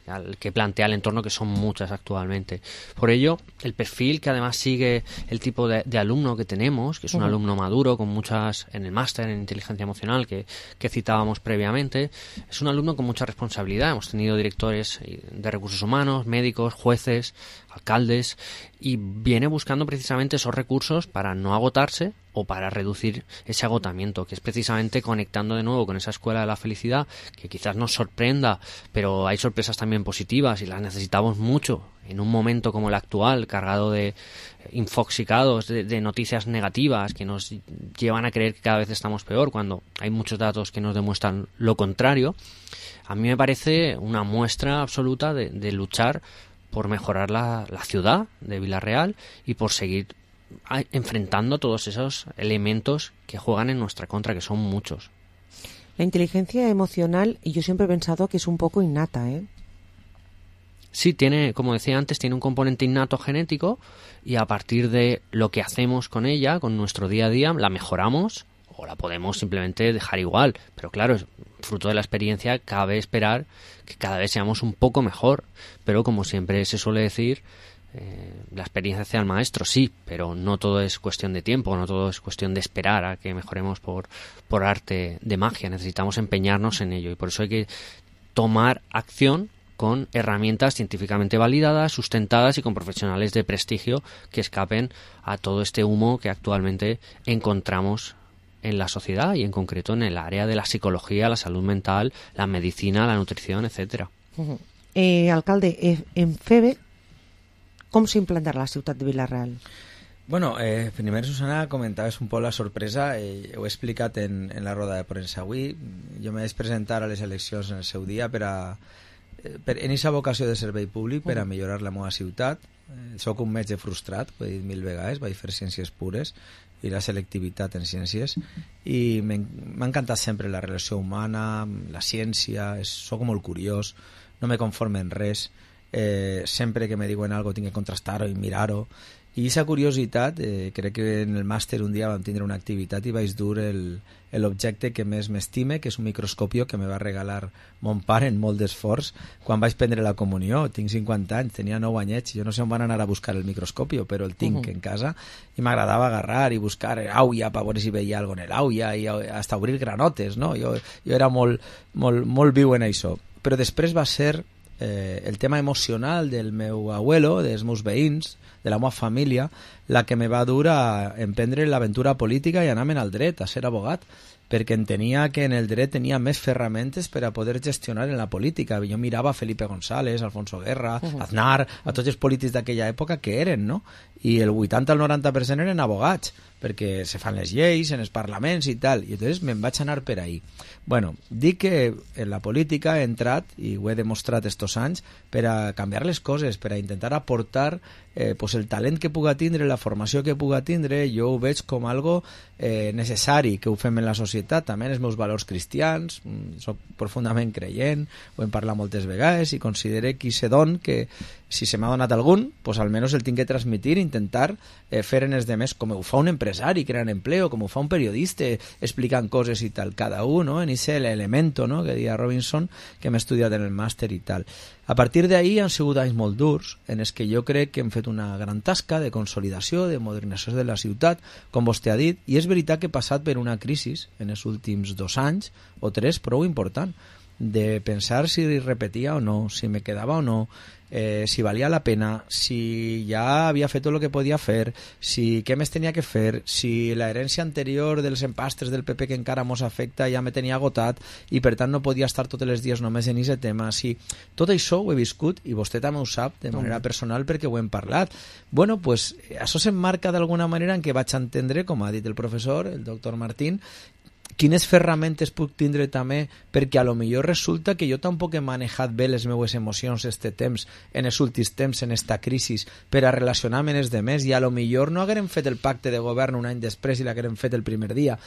plantea el entorno, que son muchas actualmente. Por ello, el perfil que además sigue el tipo de alumno que tenemos, que es un alumno maduro con muchas, en el máster en inteligencia emocional que citábamos previamente, es un alumno con mucha responsabilidad. Hemos tenido directores de recursos humanos, médicos, jueces, alcaldes, y viene buscando precisamente esos recursos para no agotarse o para reducir ese agotamiento, que es precisamente conectando de nuevo con esa escuela de la felicidad, que quizás nos sorprenda, pero hay sorpresas también positivas y las necesitamos mucho en un momento como el actual, cargado de infoxicados, de noticias negativas que nos llevan a creer que cada vez estamos peor, cuando hay muchos datos que nos demuestran lo contrario. A mí me parece una muestra absoluta de luchar por mejorar la ciudad de Vila-real y por seguir enfrentando todos esos elementos que juegan en nuestra contra, que son muchos. La inteligencia emocional, y yo siempre he pensado que es un poco innata, Sí, tiene, como decía antes, tiene un componente innato genético, y a partir de lo que hacemos con ella, con nuestro día a día, la mejoramos o la podemos simplemente dejar igual. Pero claro, fruto de la experiencia, cabe esperar que cada vez seamos un poco mejor. Pero como siempre se suele decir, la experiencia hace al maestro, sí, pero no todo es cuestión de tiempo, no todo es cuestión de esperar a que mejoremos por arte de magia. Necesitamos empeñarnos en ello, y por eso hay que tomar acción con herramientas científicamente validadas, sustentadas y con profesionales de prestigio que escapen a todo este humo que actualmente encontramos en la sociedad y en concreto en el área de la psicología, la salud mental, la medicina, la nutrición, etcétera. Alcalde, en FEBE, com s'implantarà la ciutat de Vila-real? Bueno, primer, Susana, comentaves un poc la sorpresa, ho he explicat en la roda de premsa avui. Jo me vaig presentar a les eleccions en el seu dia en aquesta vocació de servei públic per a millorar la meva ciutat. Soc un metge frustrat, ho he dit 1000 vegades, vaig fer ciències pures i la selectivitat en ciències, i m'ha encantat sempre la relació humana, la ciència, soc molt curiós, no me conforme en res, sempre que me diuen alguna cosa tinc que contrastar-ho i mirar-ho. I aquesta curiositat, crec que en el màster un dia vam tindre una activitat i vaig dur l'objecte que més m'estime, que és un microscopio que me va regalar mon pare en molt d'esforç quan vaig prendre la comunió. Tinc 50 anys, tenia 9 anyets, jo no sé on van anar a buscar el microscopio, però el tinc en casa i m'agradava agarrar i buscar aulla per veure si veia alguna cosa en l'aulla i hasta obrir granotes, no? Jo era molt viu en això. Però després va ser el tema emocional del meu abuelo, dels meus veïns, de la meva família, la que me va dur a emprendre l'aventura política i anar-me'n al dret, a ser abogat, perquè entenia que en el dret tenia més ferramentes per a poder gestionar en la política. Jo mirava a Felipe González, Alfonso Guerra, Aznar, a tots els polítics d'aquella època que eren, no? I el 80 al 90% eren abogats, perquè se fan les lleis en els parlaments i tal, i llavors me'n vaig anar per ahí. Bueno, dic que en la política he entrat, i ho he demostrat estos anys, per a canviar les coses, per a intentar aportar el talent que puga tindre, la formació que puga tindre. Jo ho veig com algo necessari que ho fem en la societat, també en els meus valors cristians, soc profundament creient, ho hem parlat moltes vegades i considero que se don que si se m'ha donat algun, pues almenys el tinc que transmitir, intentar fer en els demés com ho fa un empresari creant empleo, com ho fa un periodista explicant coses i tal, cada un, no? En ese elemento, no? Que deia Robinson, que hem estudiat en el màster i tal. A partir d'ahí han sigut anys molt durs en els que jo crec que hem fet una gran tasca de consolidació, de modernització de la ciutat, com vostè ha dit, i és veritat que he passat per una crisi en els últims 2 anys o 3 prou important, de pensar si repetia o no, si me quedava o no, si valia la pena, si ja havia fet tot el que podia fer, si què més tenia que fer, si la herència anterior dels empastres del PP que encara mos afecta ja me tenia agotat i per tant no podia estar tots els dies només en aquest tema. Si tot això ho he viscut i vostè també ho sap de manera personal perquè ho hem parlat. Bueno, pues això s'emmarca d'alguna manera en què vaig entendre, com ha dit el professor, el doctor Martín, quines ferramentes puc tindre també, perquè a lo millor resulta que jo tampoc he manejat bé les meues emocions en els últims temps, en esta crisi, per a relacionar-me amb els demés, i a lo millor no haguérem fet el pacte de govern un any després i l'haguérem fet el primer dia.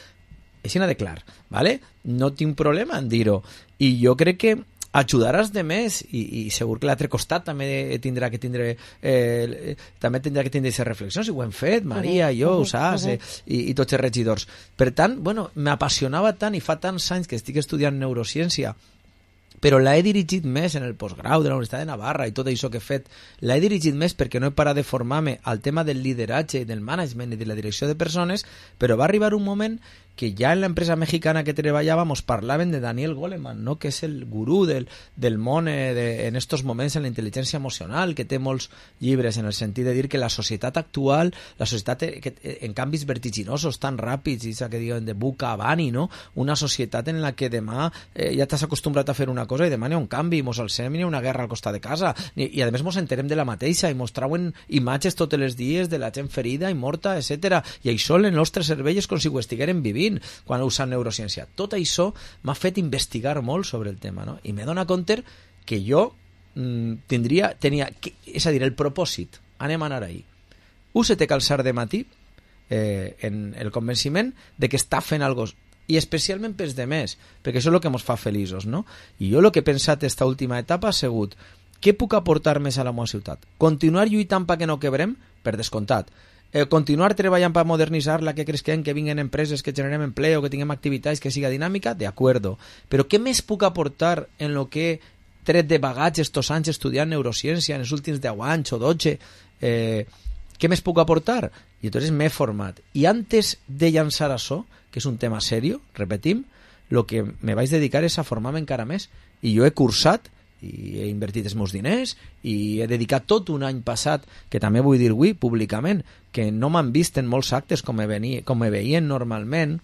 Així n'ha de clar, ¿vale? No tinc problema en dir-ho. I jo crec que ajudaràs de més i segur que l'altre costat també tindrà que tindre aquestes reflexions, i ho hem fet, Maria, jo, ho saps, i tots els regidors. Per tant, bueno, m'apassionava tant i fa tants anys que estic estudiant neurociència, però l'he dirigit més en el postgrau de la Universitat de Navarra i tot això que he fet, l'he dirigit més perquè no he parat de formar-me al tema del lideratge, del management i de la direcció de persones, però va arribar un moment que ja en l'empresa mexicana que treballava mos parlaven de Daniel Goleman, no? Que és el gurú del món en estos moments en la intel·ligència emocional, que té molts llibres en el sentit de dir que la societat actual, la societat en canvis vertiginosos tan ràpids, i que diuen de buca a bani, no? Una societat en la que demà ja t'has acostumbrat a fer una cosa i demà n'hi ha un canvi, mos alcem i n'hi ha una guerra al costat de casa, i a més mos enterem de la mateixa i mos trauen imatges tots els dies de la gent ferida i morta, etc. I això en el nostre cervell és com si ho estigueren vivint quan usant neurociència. Tot això m'ha fet investigar molt sobre el tema, no? I m'he donat compte que jo tenia, és a dir, el propòsit, anem a anar ahí. Us he de calçar de matí en el convenciment de que està fent alguna cosa, i especialment pels demés, perquè això és el que ens fa feliços, no? I jo el que he pensat esta última etapa ha sigut què puc aportar més a la meva ciutat? Continuar lluitant perquè no quebrem? Per descomptat. Continuar treballant per modernitzar-la, que cresquem, que vinguin empreses, que generem empleo, que tinguem activitats, que siga dinàmica, de acuerdo. Però què més puc aportar en lo que he tret de bagatge estos anys estudiant neurociència en els últims 10 anys o 12? Què més puc aportar? I llavors m'he format. I antes de llançar això, que és un tema serio, repetim, el que me vaig dedicar és a formar-me encara més. I jo he cursat i he invertit els meus diners i he dedicat tot un any passat, que també vull dir avui públicament, que no m'han vist en molts actes com me veien normalment.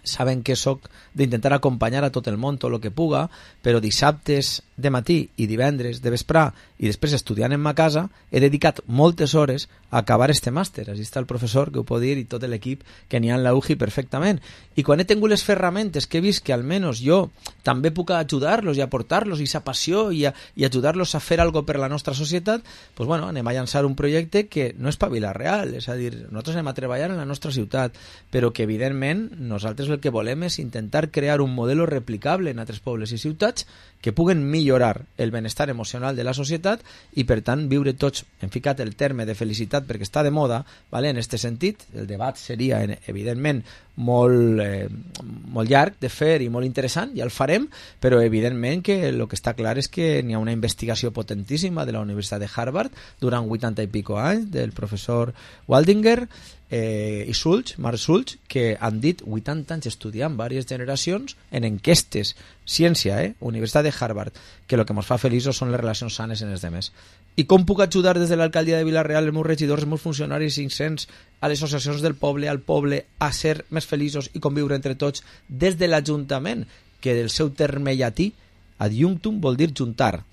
Saben que sóc d'intentar acompanyar a tot el món tot el que puga, però dissabtes de matí i divendres de vesprà i després estudiant en ma casa he dedicat moltes hores a acabar este màster. Així està el professor que ho pot dir i tot l'equip que n'hi ha en la UJI perfectament. I quan he tingut les ferramentes que he vist que almenys jo també puc ajudar-los i aportar-los i sa passió i ajudar-los a fer alguna per la nostra societat, doncs bueno, anem a llançar un projecte que no és pa Vila-real, és a dir, nosaltres anem a treballar en la nostra ciutat, però que evidentment nosaltres el que volem és intentar crear un model replicable en altres pobles i ciutats que puguen millorar el benestar emocional de la societat i per tant viure tots, hem ficat el terme de felicitat perquè està de moda, vale? En aquest sentit el debat seria evidentment molt llarg de fer i molt interessant, ja el farem, però evidentment que el que està clar és que n'hi ha una investigació potentíssima de la Universitat de Harvard durant 80 i pico anys del professor Waldinger i Mark Schultz, que han dit 80 anys estudiant diverses generacions en enquestes, ciència, Universitat de Harvard, que el que ens fa feliços són les relacions sanes en els demés. I com puc ajudar des de l'alcaldia de Vila-real, els meus regidors, els meus funcionaris 500, a les associacions del poble, al poble, a ser més feliços i conviure entre tots des de l'Ajuntament, que del seu terme llatí, adjunctum vol dir juntar.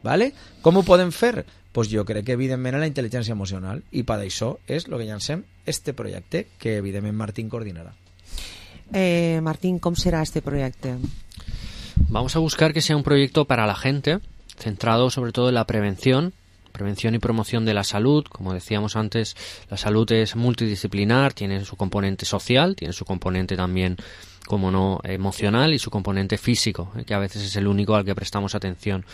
Vale? Com ho podem fer? Pues jo crec que evidentment en la intel·ligència emocional, i per això és el que llancem este projecte que evidentment Martín coordinará. Martín, ¿cómo será este proyecto? Vamos a buscar que sea un proyecto para la gente, centrado sobre todo en la prevención y promoción de la salud. Como decíamos antes, la salud es multidisciplinar, tiene su componente social, tiene su componente también, como no, emocional y su componente físico, que a veces es el único al que prestamos atención.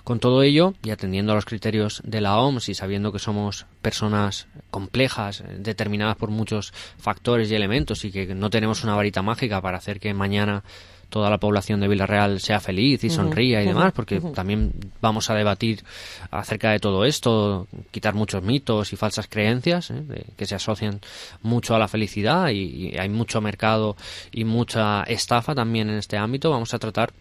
Con todo ello, y atendiendo a los criterios de la OMS y sabiendo que somos personas complejas, determinadas por muchos factores y elementos y que no tenemos una varita mágica para hacer que mañana toda la población de Vila-real sea feliz y sonría y demás, porque también vamos a debatir acerca de todo esto, quitar muchos mitos y falsas creencias que se asocian mucho a la felicidad y hay mucho mercado y mucha estafa también en este ámbito. Vamos a tratar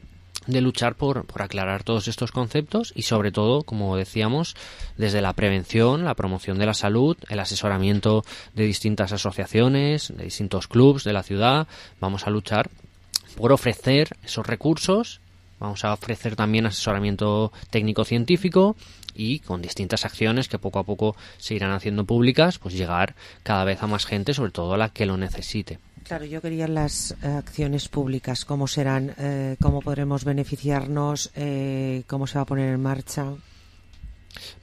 de luchar por aclarar todos estos conceptos y sobre todo, como decíamos, desde la prevención, la promoción de la salud, el asesoramiento de distintas asociaciones, de distintos clubs de la ciudad. Vamos a luchar por ofrecer esos recursos, vamos a ofrecer también asesoramiento técnico-científico y con distintas acciones que poco a poco se irán haciendo públicas, pues llegar cada vez a más gente, sobre todo a la que lo necesite. Claro, yo quería las acciones públicas, cómo serán, cómo podremos beneficiarnos, cómo se va a poner en marcha.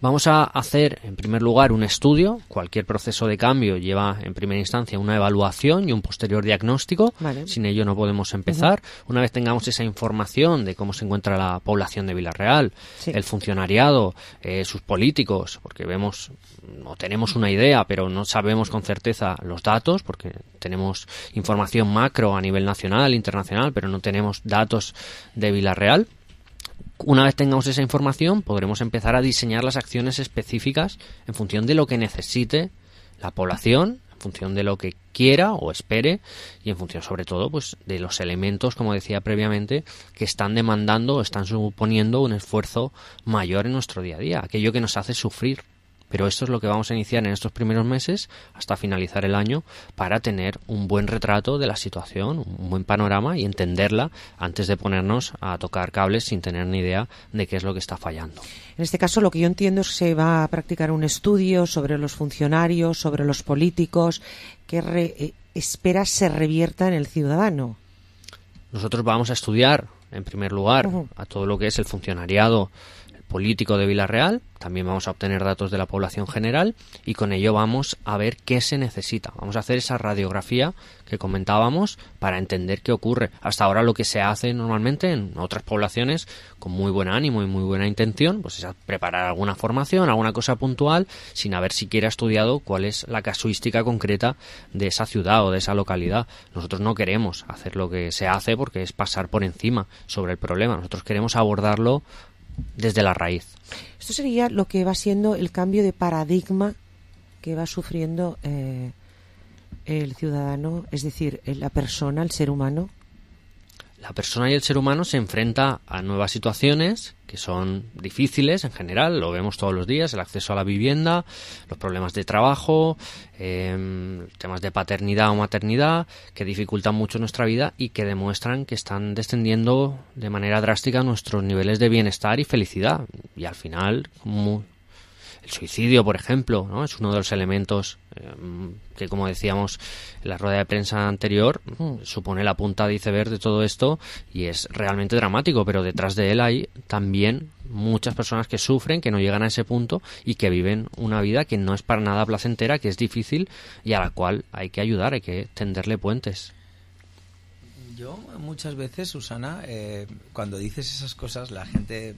Vamos a hacer, en primer lugar, un estudio. Cualquier proceso de cambio lleva, en primera instancia, una evaluación y un posterior diagnóstico. Vale. Sin ello no podemos empezar. Una vez tengamos esa información de cómo se encuentra la población de Vila-real, el funcionariado, sus políticos, porque vemos o tenemos una idea, pero no sabemos con certeza los datos, porque tenemos información macro a nivel nacional, internacional, pero no tenemos datos de Vila-real. Una vez tengamos esa información, podremos empezar a diseñar las acciones específicas en función de lo que necesite la población, en función de lo que quiera o espere y en función, sobre todo, pues de los elementos, como decía previamente, que están demandando o están suponiendo un esfuerzo mayor en nuestro día a día, aquello que nos hace sufrir. Pero esto es lo que vamos a iniciar en estos primeros meses hasta finalizar el año para tener un buen retrato de la situación, un buen panorama y entenderla antes de ponernos a tocar cables sin tener ni idea de qué es lo que está fallando. En este caso, lo que yo entiendo es que se va a practicar un estudio sobre los funcionarios, sobre los políticos, que espera se revierta en el ciudadano. Nosotros vamos a estudiar, en primer lugar, a todo lo que es el funcionariado político de Vila-real. También vamos a obtener datos de la población general y con ello vamos a ver qué se necesita. Vamos a hacer esa radiografía que comentábamos para entender qué ocurre. Hasta ahora lo que se hace normalmente en otras poblaciones con muy buen ánimo y muy buena intención, pues es preparar alguna formación, alguna cosa puntual, sin haber siquiera estudiado cuál es la casuística concreta de esa ciudad o de esa localidad. Nosotros no queremos hacer lo que se hace porque es pasar por encima sobre el problema. Nosotros queremos abordarlo desde la raíz. Esto sería lo que va siendo el cambio de paradigma que va sufriendo el ciudadano, es decir, la persona, el ser humano. la persona y el ser humano se enfrenta a nuevas situaciones que son difíciles en general, lo vemos todos los días, el acceso a la vivienda, los problemas de trabajo, temas de paternidad o maternidad que dificultan mucho nuestra vida y que demuestran que están descendiendo de manera drástica nuestros niveles de bienestar y felicidad. Y al final, el suicidio, por ejemplo, ¿no? Es uno de los elementos que, como decíamos en la rueda de prensa anterior, supone la punta de iceberg de todo esto y es realmente dramático, pero detrás de él hay también muchas personas que sufren, que no llegan a ese punto y que viven una vida que no es para nada placentera, que es difícil y a la cual hay que ayudar, hay que tenderle puentes. Yo muchas veces, Susana, cuando dices esas cosas, la gente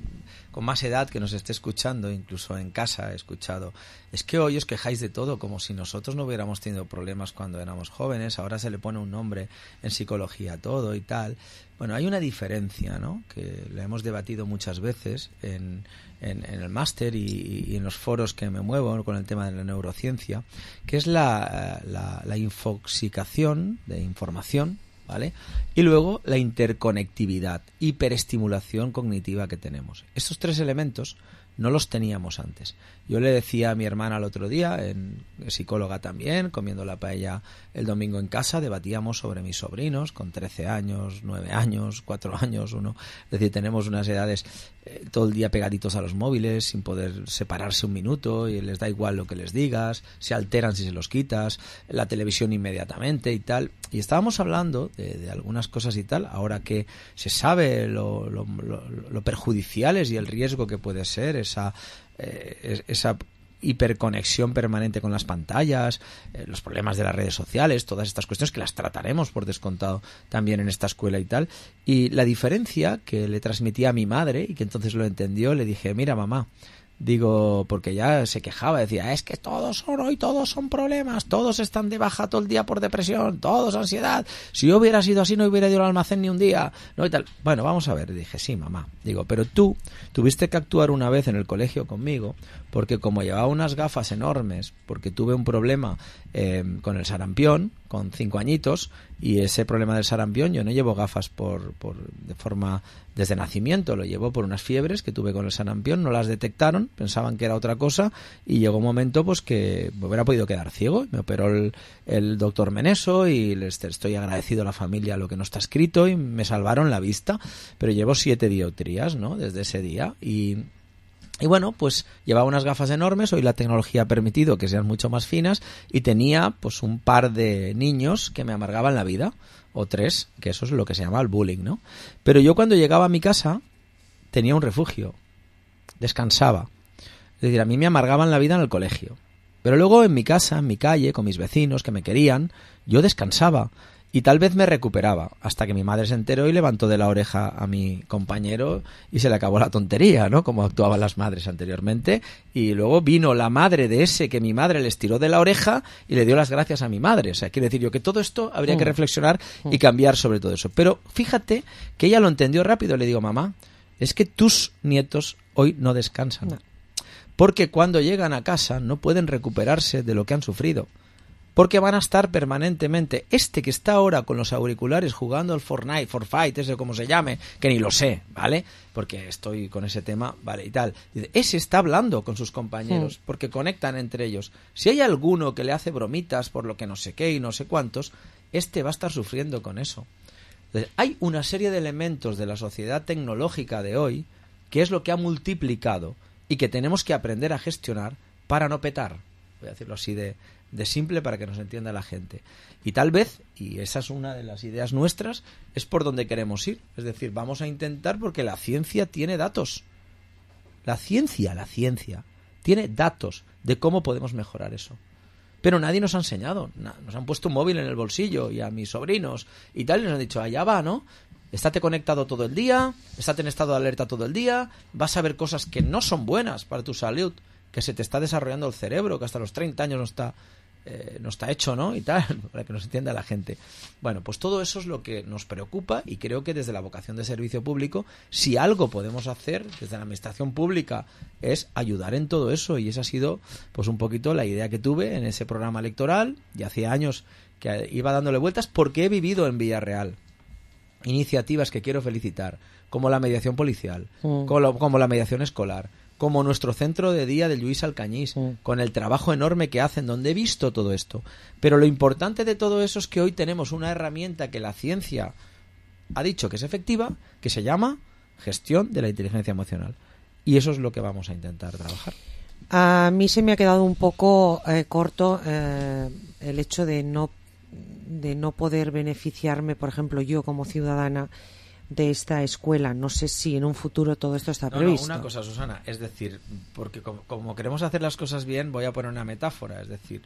con más edad que nos esté escuchando, incluso en casa he escuchado, es que hoy os quejáis de todo, como si nosotros no hubiéramos tenido problemas cuando éramos jóvenes, ahora se le pone un nombre en psicología a todo y tal. Bueno, hay una diferencia, ¿no?, que la hemos debatido muchas veces en el máster y en los foros que me muevo con el tema de la neurociencia, que es la infoxicación de información, ¿vale? Y luego la interconectividad, hiperestimulación cognitiva que tenemos. Estos tres elementos no los teníamos antes. Yo le decía a mi hermana el otro día, psicóloga también, comiendo la paella el domingo en casa, debatíamos sobre mis sobrinos con 13 años, 9 años, 4 años, 1. Es decir, tenemos unas edades todo el día pegaditos a los móviles, sin poder separarse un minuto, y les da igual lo que les digas, se alteran si se los quitas, la televisión inmediatamente y tal. Y estábamos hablando de algunas cosas y tal, ahora que se sabe lo perjudiciales y el riesgo que puede ser esa hiperconexión permanente con las pantallas, los problemas de las redes sociales, todas estas cuestiones que las trataremos por descontado también en esta escuela y tal. Y la diferencia que le transmití a mi madre, y que entonces lo entendió, le dije: mira, mamá, digo, porque ya se quejaba, decía, es que todos son problemas, todos están de baja todo el día por depresión, todos ansiedad, si yo hubiera sido así no hubiera ido al almacén ni un día, no, y tal. Bueno, vamos a ver, dije, sí, mamá, digo, pero tú tuviste que actuar una vez en el colegio conmigo, porque como llevaba unas gafas enormes, porque tuve un problema con el sarampión, con 5 añitos, y ese problema del sarampión, yo no llevo gafas de forma desde nacimiento, lo llevo por unas fiebres que tuve con el sarampión, no las detectaron, pensaban que era otra cosa, y llegó un momento pues que me hubiera podido quedar ciego. Me operó el doctor Meneso y les estoy agradecido a la familia lo que no está escrito, y me salvaron la vista, pero llevo 7 dioptrías, ¿no?, desde ese día. Y bueno, pues llevaba unas gafas enormes, hoy la tecnología ha permitido que sean mucho más finas, y tenía pues un par de niños que me amargaban la vida, o 3, que eso es lo que se llama el bullying, ¿no? Pero yo cuando llegaba a mi casa tenía un refugio, descansaba. Es decir, a mí me amargaban la vida en el colegio, pero luego en mi casa, en mi calle, con mis vecinos que me querían, yo descansaba. Y tal vez me recuperaba, hasta que mi madre se enteró y levantó de la oreja a mi compañero y se le acabó la tontería, ¿no?, como actuaban las madres anteriormente. Y luego vino la madre de ese que mi madre les tiró de la oreja y le dio las gracias a mi madre. O sea, quiero decir yo que todo esto habría que reflexionar y cambiar sobre todo eso. Pero fíjate que ella lo entendió rápido. Le digo, mamá, es que tus nietos hoy no descansan. No. Porque cuando llegan a casa no pueden recuperarse de lo que han sufrido. Porque van a estar permanentemente. Este que está ahora con los auriculares jugando al Fortnite, ese como se llame, que ni lo sé, ¿vale? Porque estoy con ese tema, ¿vale? Y tal. Ese está hablando con sus compañeros, porque conectan entre ellos. Si hay alguno que le hace bromitas por lo que no sé qué y no sé cuántos, este va a estar sufriendo con eso. Entonces, hay una serie de elementos de la sociedad tecnológica de hoy que es lo que ha multiplicado y que tenemos que aprender a gestionar para no petar. Voy a decirlo así de simple para que nos entienda la gente. Y tal vez, y esa es una de las ideas nuestras, es por donde queremos ir. Es decir, vamos a intentar, porque la ciencia tiene datos. La ciencia tiene datos de cómo podemos mejorar eso. Pero nadie nos ha enseñado. Nos han puesto un móvil en el bolsillo, y a mis sobrinos y tal, y nos han dicho, allá va, ¿no? Estate conectado todo el día, estate en estado de alerta todo el día, vas a ver cosas que no son buenas para tu salud, que se te está desarrollando el cerebro, que hasta los 30 años no está hecho, ¿no? Y tal, para que nos entienda la gente. Bueno, pues todo eso es lo que nos preocupa, y creo que desde la vocación de servicio público, si algo podemos hacer desde la administración pública es ayudar en todo eso, y esa ha sido pues un poquito la idea que tuve en ese programa electoral, y hacía años que iba dándole vueltas, porque he vivido en Villarreal. iniciativas que quiero felicitar, como la mediación policial, como la mediación escolar, como nuestro centro de día de Lluís Alcañís, con el trabajo enorme que hacen, donde he visto todo esto. Pero lo importante de todo eso es que hoy tenemos una herramienta que la ciencia ha dicho que es efectiva, que se llama gestión de la inteligencia emocional. Y eso es lo que vamos a intentar trabajar. A mí se me ha quedado un poco corto el hecho de no poder beneficiarme, por ejemplo, yo como ciudadana de esta escuela. No sé si en un futuro todo esto está previsto. No, una cosa, Susana, es decir, porque como queremos hacer las cosas bien, voy a poner una metáfora, es decir,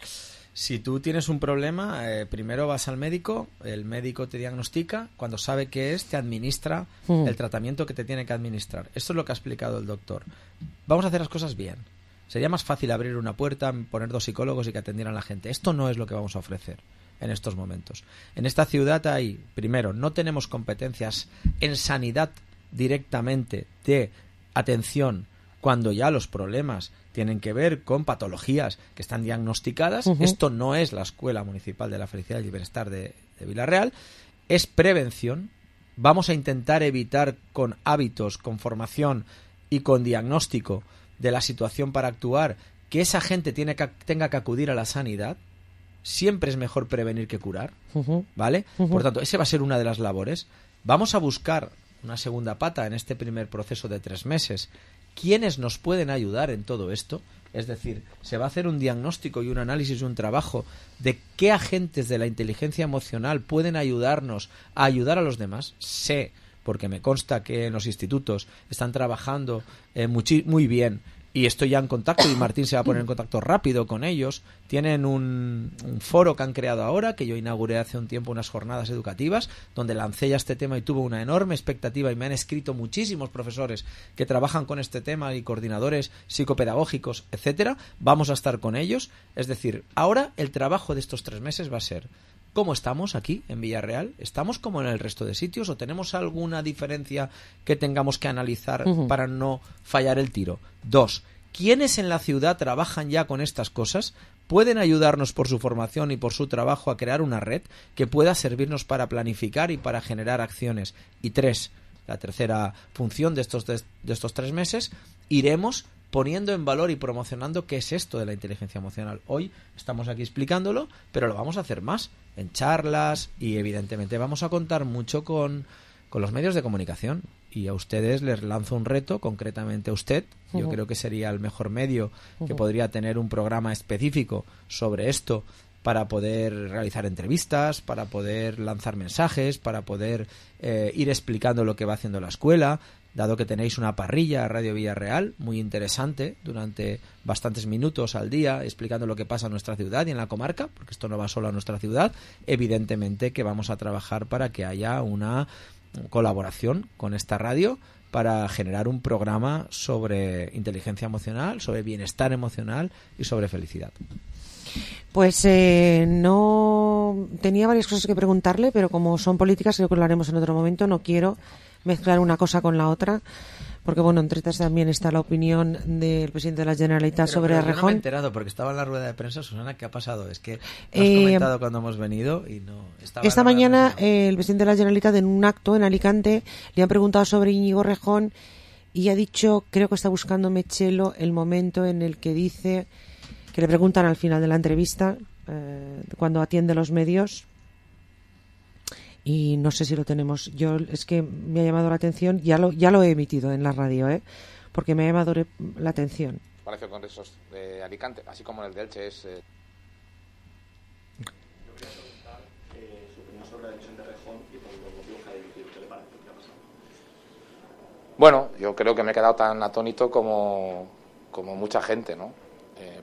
si tú tienes un problema, primero vas al médico, el médico te diagnostica, cuando sabe qué es, te administra el tratamiento que te tiene que administrar. Esto es lo que ha explicado el doctor. Vamos a hacer las cosas bien. Sería más fácil abrir una puerta, poner 2 psicólogos y que atendieran a la gente. Esto no es lo que vamos a ofrecer en estos momentos. En esta ciudad primero, no tenemos competencias en sanidad directamente de atención cuando ya los problemas tienen que ver con patologías que están diagnosticadas. Esto no es la Escuela Municipal de la Felicidad y el Bienestar de Vila-real. Es prevención. Vamos a intentar evitar con hábitos, con formación y con diagnóstico de la situación para actuar que esa gente tenga que acudir a la sanidad. Siempre es mejor prevenir que curar, ¿vale? Por tanto, esa va a ser una de las labores. Vamos a buscar una segunda pata en este primer proceso de 3 meses. ¿Quiénes nos pueden ayudar en todo esto? Es decir, se va a hacer un diagnóstico y un análisis, un trabajo de qué agentes de la inteligencia emocional pueden ayudarnos a ayudar a los demás. Sé, porque me consta que en los institutos están trabajando muy bien, y estoy ya en contacto, y Martín se va a poner en contacto rápido con ellos. Tienen un foro que han creado ahora, que yo inauguré hace un tiempo, unas jornadas educativas, donde lancé ya este tema y tuvo una enorme expectativa, y me han escrito muchísimos profesores que trabajan con este tema y coordinadores psicopedagógicos, etcétera. Vamos a estar con ellos. Es decir, ahora el trabajo de estos 3 meses va a ser: ¿cómo estamos aquí en Villarreal? ¿Estamos como en el resto de sitios o tenemos alguna diferencia que tengamos que analizar para no fallar el tiro? 2. ¿Quiénes en la ciudad trabajan ya con estas cosas? ¿Pueden ayudarnos por su formación y por su trabajo a crear una red que pueda servirnos para planificar y para generar acciones? Y 3. La tercera función de estos 3 meses, iremos poniendo en valor y promocionando qué es esto de la inteligencia emocional. Hoy estamos aquí explicándolo, pero lo vamos a hacer más en charlas, y evidentemente vamos a contar mucho con los medios de comunicación. Y a ustedes les lanzo un reto, concretamente a usted. Yo creo que sería el mejor medio que podría tener un programa específico sobre esto, para poder realizar entrevistas, para poder lanzar mensajes, para poder ir explicando lo que va haciendo la escuela, dado que tenéis una parrilla Radio Villarreal muy interesante durante bastantes minutos al día explicando lo que pasa en nuestra ciudad y en la comarca, porque esto no va solo a nuestra ciudad. Evidentemente que vamos a trabajar para que haya una colaboración con esta radio para generar un programa sobre inteligencia emocional, sobre bienestar emocional y sobre felicidad. Pues no tenía varias cosas que preguntarle, pero como son políticas, creo que lo haremos en otro momento. No quiero mezclar una cosa con la otra, porque bueno, entre estas también está la opinión del presidente de la Generalitat sobre Errejón. No me he enterado porque estaba en la rueda de prensa, Susana. ¿Qué ha pasado? Es que lo has comentado cuando hemos venido y no estaba. Esta mañana el presidente de la Generalitat, en un acto en Alicante, le han preguntado sobre Íñigo Errejón y ha dicho, creo que está buscando Mechelo, el momento en el que dice, que le preguntan al final de la entrevista, cuando atiende los medios, y no sé si lo tenemos. Yo, es que me ha llamado la atención, ya lo he emitido en la radio, porque me ha llamado la atención. Palacio de Congresos de Alicante, así como en el de Elche, es... Yo quería preguntar su opinión sobre la decisión de Errejón y por los motivos que ha dirigido. ¿Qué le parece? ¿Qué ha pasado? Bueno, yo creo que me he quedado tan atónito como mucha gente, ¿no?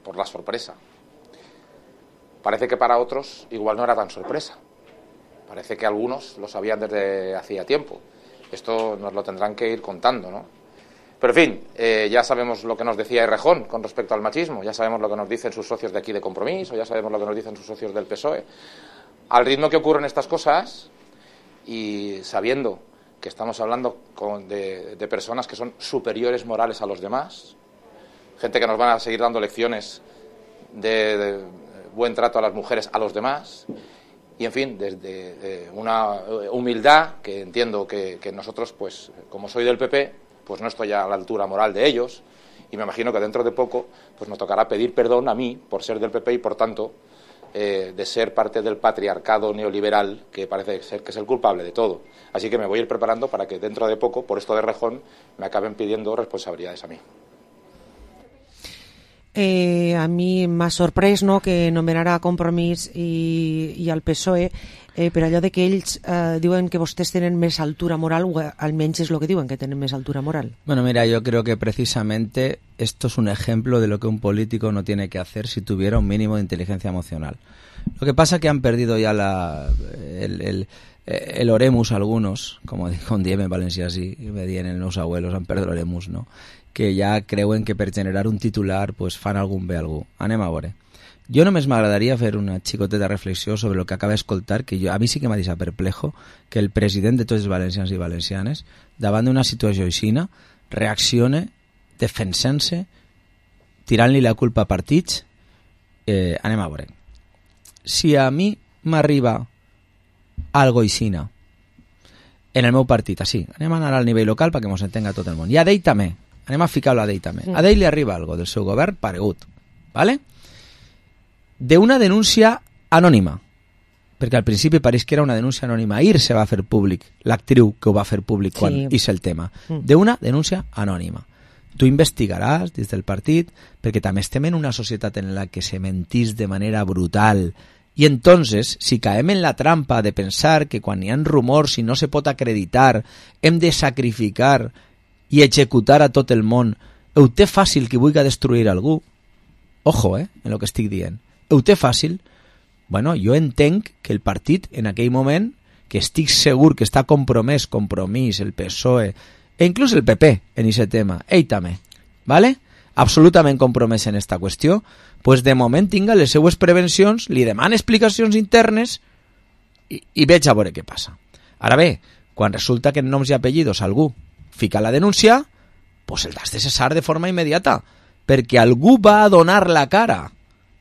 Por la sorpresa. Parece que para otros igual no era tan sorpresa. Parece que algunos lo sabían desde hacía tiempo. Esto nos lo tendrán que ir contando, ¿no? Pero en fin, ya sabemos lo que nos decía Errejón con respecto al machismo, ya sabemos lo que nos dicen sus socios de aquí de Compromís, o ya sabemos lo que nos dicen sus socios del PSOE. Al ritmo que ocurren estas cosas, y sabiendo que estamos hablando de personas que son superiores morales a los demás, gente que nos van a seguir dando lecciones de buen trato a las mujeres, a los demás, y en fin, desde una humildad que entiendo que nosotros, pues como soy del PP, pues no estoy a la altura moral de ellos, y me imagino que dentro de poco pues me tocará pedir perdón a mí por ser del PP y por tanto de ser parte del patriarcado neoliberal que parece ser que es el culpable de todo. Así que me voy a ir preparando para que dentro de poco, por esto de Rejón, me acaben pidiendo responsabilidades a mí. A mi m'ha sorprès, no?, que nomenarà Compromís i el PSOE, per allò de que ells diuen que vostès tenen més altura moral, o almenys és el que diuen, que tenen més altura moral. Bueno, mira, yo creo que precisamente esto es un ejemplo de lo que un político no tiene que hacer si tuviera un mínimo de inteligencia emocional. Lo que pasa es que han perdido ya el oremus algunos, com diem en valencià, sí, me dien els meus abuelos, han perdut l'oremus, no?, que ja creuen que per generar un titular pues, fan algun bé a algú. Anem a veure. Jo només m'agradaria fer una xicoteta reflexió sobre el que acaba d'escoltar, que a mi sí que m'ha deixat perplejo que el president de tots els valencians i valencianes, davant d'una situació aixina, reaccione defensant-se, tirant-li la culpa a partits. Anem a veure. Si a mi m'arriba algo aixina en el meu partit, així, anem a anar al nivell local perquè mos entenga tot el món, i a d'ell també, anem a ficar-lo a d'ell també. A d'ell li arriba algo del seu govern paregut, ¿vale? D'una denúncia anònima, perquè al principi pareix que era una denúncia anònima. Ahir se va fer públic, l'actriu que ho va fer públic quan és el tema, d'una denúncia anònima. Tu investigaràs des del partit, perquè també estem en una societat en la que se mentís de manera brutal, i entonces, si caem en la trampa de pensar que quan hi ha rumors i no se pot acreditar, hem de sacrificar i executar a tot el món, ho té fàcil qui vulgui destruir algú. Ojo, en el que estic dient. Ho té fàcil. Bueno, jo entenc que el partit, en aquell moment, que estic segur que està compromès, Compromís, el PSOE, e inclús el PP en aquest tema, ell també, ¿vale? Absolutament compromès en esta qüestió, pues de moment tinga les seues prevencions, li demana explicacions internes i veig a veure què passa. Ara bé, quan resulta que en noms i apellidos algú fica la denúncia, pues el has de cessar de forma immediata, perquè algú va a donar la cara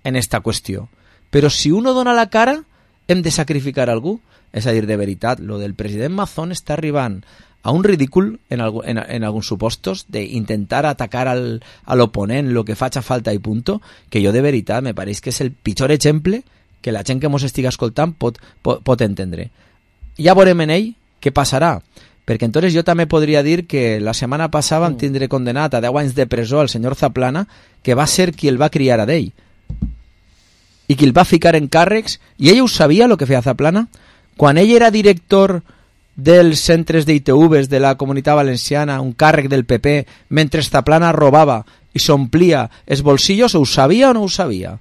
en esta qüestió. Però si uno dona la cara, hem de sacrificar algú. És a dir, de veritat, lo del president Mazón està arribant a un ridícul en alguns supostos d'intentar atacar a l'oponent lo que faci falta i punto, que jo de veritat me pareix que és el pitjor exemple que la gent que mos estiga escoltant pot entendre. Ja veurem en ell què passarà, perquè entonces jo també podria dir que la setmana passada vam tindre condenat a 10 anys de presó al senyor Zaplana, que va ser qui el va criar a d'ell i qui el va ficar en càrrecs, i ell ho sabia el que feia Zaplana quan ell era director dels centres d'ITVs de la Comunitat Valenciana, un càrrec del PP, mentre Zaplana robava i s'omplia els bolsillos. Ho sabia o no ho sabia?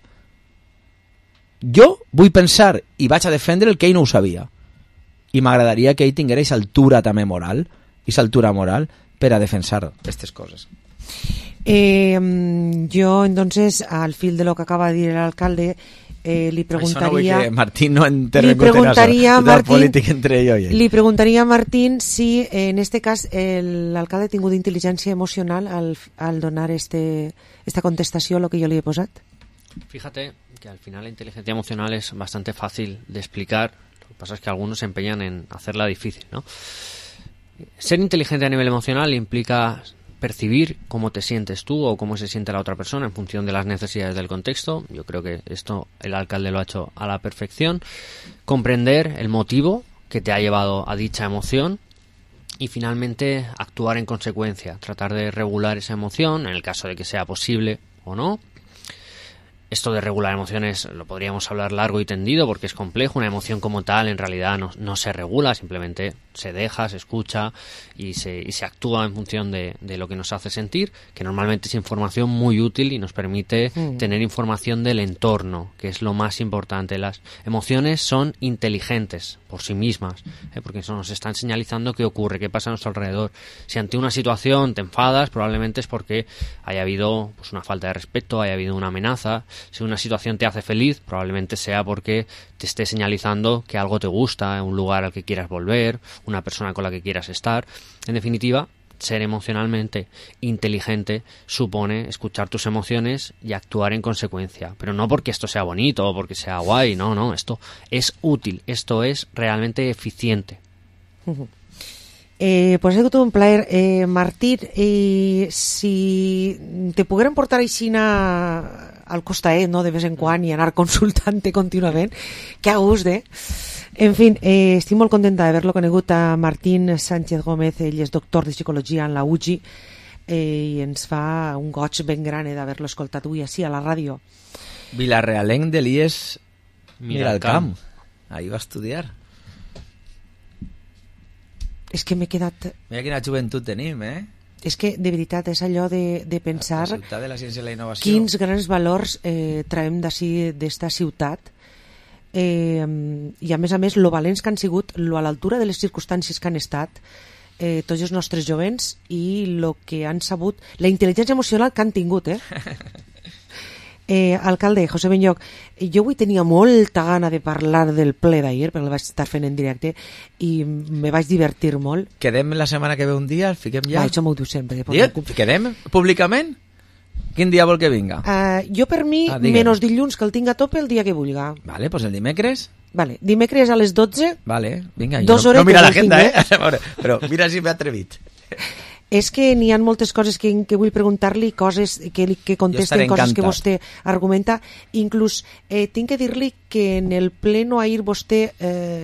Jo vull pensar i vaig a defendre el que ell no ho sabia, i m'agradaria que ell tingués altura també moral, i altura moral per a defensar aquestes coses. Yo entonces, al fil de lo que acaba de decir el alcalde, li preguntaria... Que Martín no interpretarà la política entre ell i ell. Li preguntaria a Martín si en este cas l'alcalde ha tingut intel·ligència emocional al donar esta contestació a lo que yo le he posat. Fíjate que al final la inteligencia emocional es bastante fácil de explicar. Lo que pasa es que algunos se empeñan en hacerla difícil, ¿no? Ser inteligente a nivel emocional implica percibir cómo te sientes tú o cómo se siente la otra persona en función de las necesidades del contexto. Yo creo que esto el alcalde lo ha hecho a la perfección. Comprender el motivo que te ha llevado a dicha emoción y finalmente actuar en consecuencia, tratar de regular esa emoción en el caso de que sea posible o no. Esto de regular emociones lo podríamos hablar largo y tendido porque es complejo. Una emoción como tal en realidad no se regula, simplemente se deja, se escucha y se actúa en función de lo que nos hace sentir, que normalmente es información muy útil y nos permite tener información del entorno, que es lo más importante. Las emociones son inteligentes por sí mismas, porque eso nos están señalizando qué ocurre, qué pasa a nuestro alrededor. Si ante una situación te enfadas, probablemente es porque haya habido pues, una falta de respeto, haya habido una amenaza. Si una situación te hace feliz, probablemente sea porque te esté señalizando que algo te gusta, un lugar al que quieras volver, una persona con la que quieras estar. En definitiva, ser emocionalmente inteligente supone escuchar tus emociones y actuar en consecuencia. Pero no porque esto sea bonito o porque sea guay, no, esto es útil, esto es realmente eficiente. Pues ha sigut un plaer. Martín, si te pogueren portar aixina al costaet, no?, de vez en quan i anar consultant-te contínuament, que a gust, En fin, estic molt contenta d'haver-lo conegut a Martín Sánchez Gómez. Ell és doctor de psicologia en la UGI i ens fa un goig ben gran d'haver-lo escoltat avui així a la ràdio. Vilarrealenc de l'IES Miralcamp. Ahí va estudiar. És que m'he quedat... Mira quina joventut tenim, És que, de veritat, és allò de pensar la ciutat de la ciència i la innovació. Quins grans valors traiem d'ací, d'esta ciutat, i a més, lo valents que han sigut, lo a l'altura de les circumstàncies que han estat, tots els nostres jovents i lo que han sabut, la intel·ligència emocional que han tingut, Alcalde, José Benlloch, jo avui tenia molta gana de parlar del ple d'ahir, perquè el vaig estar fent en directe i me vaig divertir molt. Quedem la setmana que ve un dia, el fiquem ja? Això m'ho diu sempre. Quedem públicament? Quin dia vol que vinga? Jo per mi, menys dilluns, que el tinc a tope el dia que vulga. Vale, pues el dimecres? Vale, dimecres a les 12. Vale, vinga. No mira l'agenda, però mira si m'he atrevit. És que n'hi ha moltes coses que vull preguntar-li, coses que contesten, coses que vostè argumenta. Inclús tinc que dir-li que en el pleno ahir vostè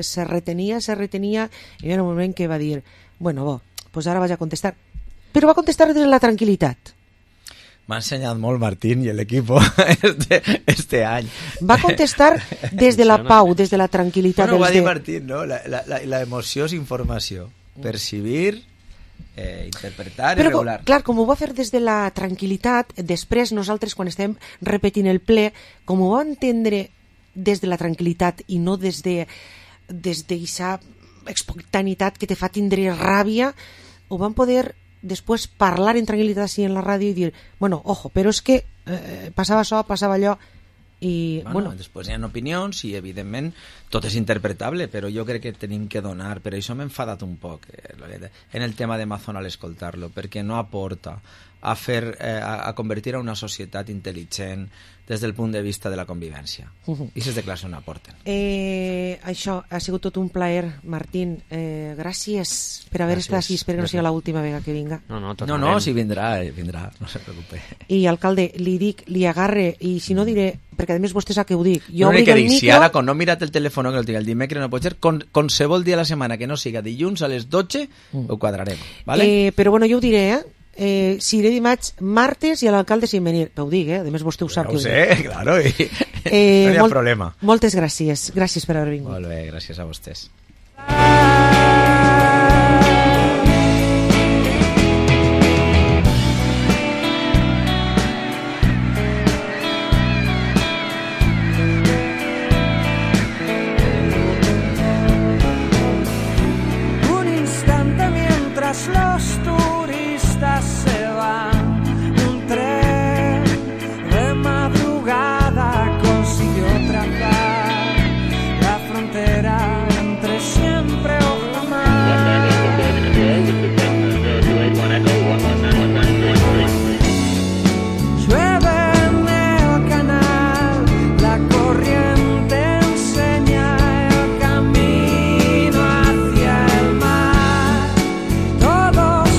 se retenia, i en un moment que va dir, bueno, pues ara vaig a contestar. Però va contestar des de la tranquil·litat. M'ha ensenyat molt Martín i l'equipo este any. Va contestar des de la pau, des de la tranquil·litat. Bueno, ho va dir Martín, no? La emoció és informació. Percibir, interpretar i regular. Clar, com ho va fer des de la tranquil·litat, després nosaltres quan estem repetint el ple, com ho va entendre des de la tranquil·litat i no des d'aquesta espontaneïtat que te fa tindre ràbia, ho van poder després parlar en tranquil·litat així en la ràdio i dir, bueno, ojo, però és que passava això, passava allò, i bueno. Després hi ha opinions i evidentment tot és interpretable, però jo crec que tenim que donar, per això m'he enfadat un poc en el tema d'Amazon al escoltar-lo, perquè no aporta a convertir a una societat intel·ligent des del punt de vista de la convivència. I aquestes declaracions no aporten. Això ha sigut tot un plaer, Martín. Gràcies per haver estat així. Espero que no sigui l'última vegada que vinga. No, sí, vindrà, no se preocupe. I, alcalde, li dic, li agarre, i si no diré, perquè a més vostè sap que ho dic. Jo obri el micro... Si ara, quan no mirat el telèfon que el tinc el dimecres, no pot ser, qualsevol dia de la setmana que no siga dilluns a les 12, ho quadrarem. Vale? Però bueno, jo ho diré, si iré dimarts, martes i a l'alcalde sin venir. Ho dic, a més vostè ho sap. Ho sé, claro, no hi ha problema. Moltes gràcies per haver vingut. Molt bé, gràcies a vostès. Un instante mientras los turistas se van, un tren de madrugada consiguió trazar la frontera entre siempre o jamás. Llueve en el canal, la corriente enseña el camino hacia el mar. Todos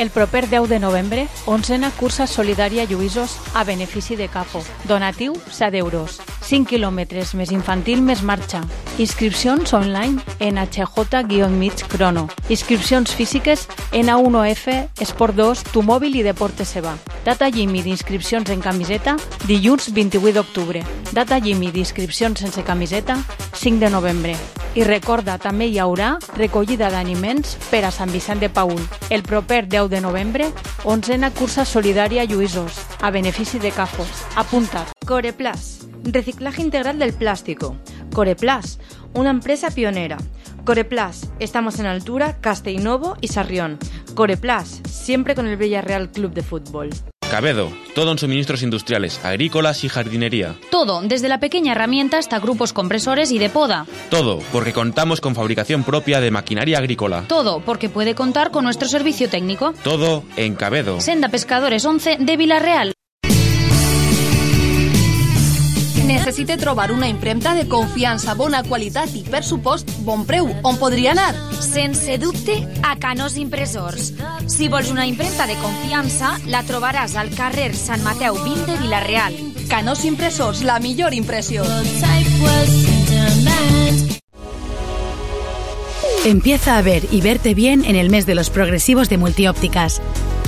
El proper 10 de novembre, 11a cursa solidària Lluïsos a benefici de CAFO. Donatiu, 7 euros. 5 quilòmetres més infantil més marxa. Inscripcions online en HJ-Mig Crono. Inscripcions físiques en A1F, Esport 2, Tu Mòbil i Deportes Seba. Data límit d'inscripcions en camiseta, dilluns 28 d'octubre. Data límit d'inscripcions sense camiseta, 5 de novembre. I recorda, també hi haurà recollida d'aliments per a Sant Vicent de Paül. El proper 10 de novembre, 11a cursa solidària Lluïsos, a benefici de CAFO. Apunta't. Coreplas, reciclaje integral del plástico. Coreplas, una empresa pionera. Coreplas, estamos en Altura, Castellnovo y Sarrión. Coreplas, siempre con el Villarreal Club de Fútbol. Cabedo, todo en suministros industriales, agrícolas y jardinería. Todo, desde la pequeña herramienta hasta grupos compresores y de poda. Todo, porque contamos con fabricación propia de maquinaria agrícola. Todo, porque puede contar con nuestro servicio técnico. Todo en Cabedo. Senda Pescadores 11 de Vilareal. Necessite trobar una impremta de confiança, bona qualitat i, per supost, bon preu. On podria anar? Sense dubte, a Canós Impressors. Si vols una impremta de confiança, la trobaràs al carrer Sant Mateu 20 de Vilareal. Canós Impressors, la millor impressió. Empieza a ver y verte bien en el mes de los progresivos de Multiópticas.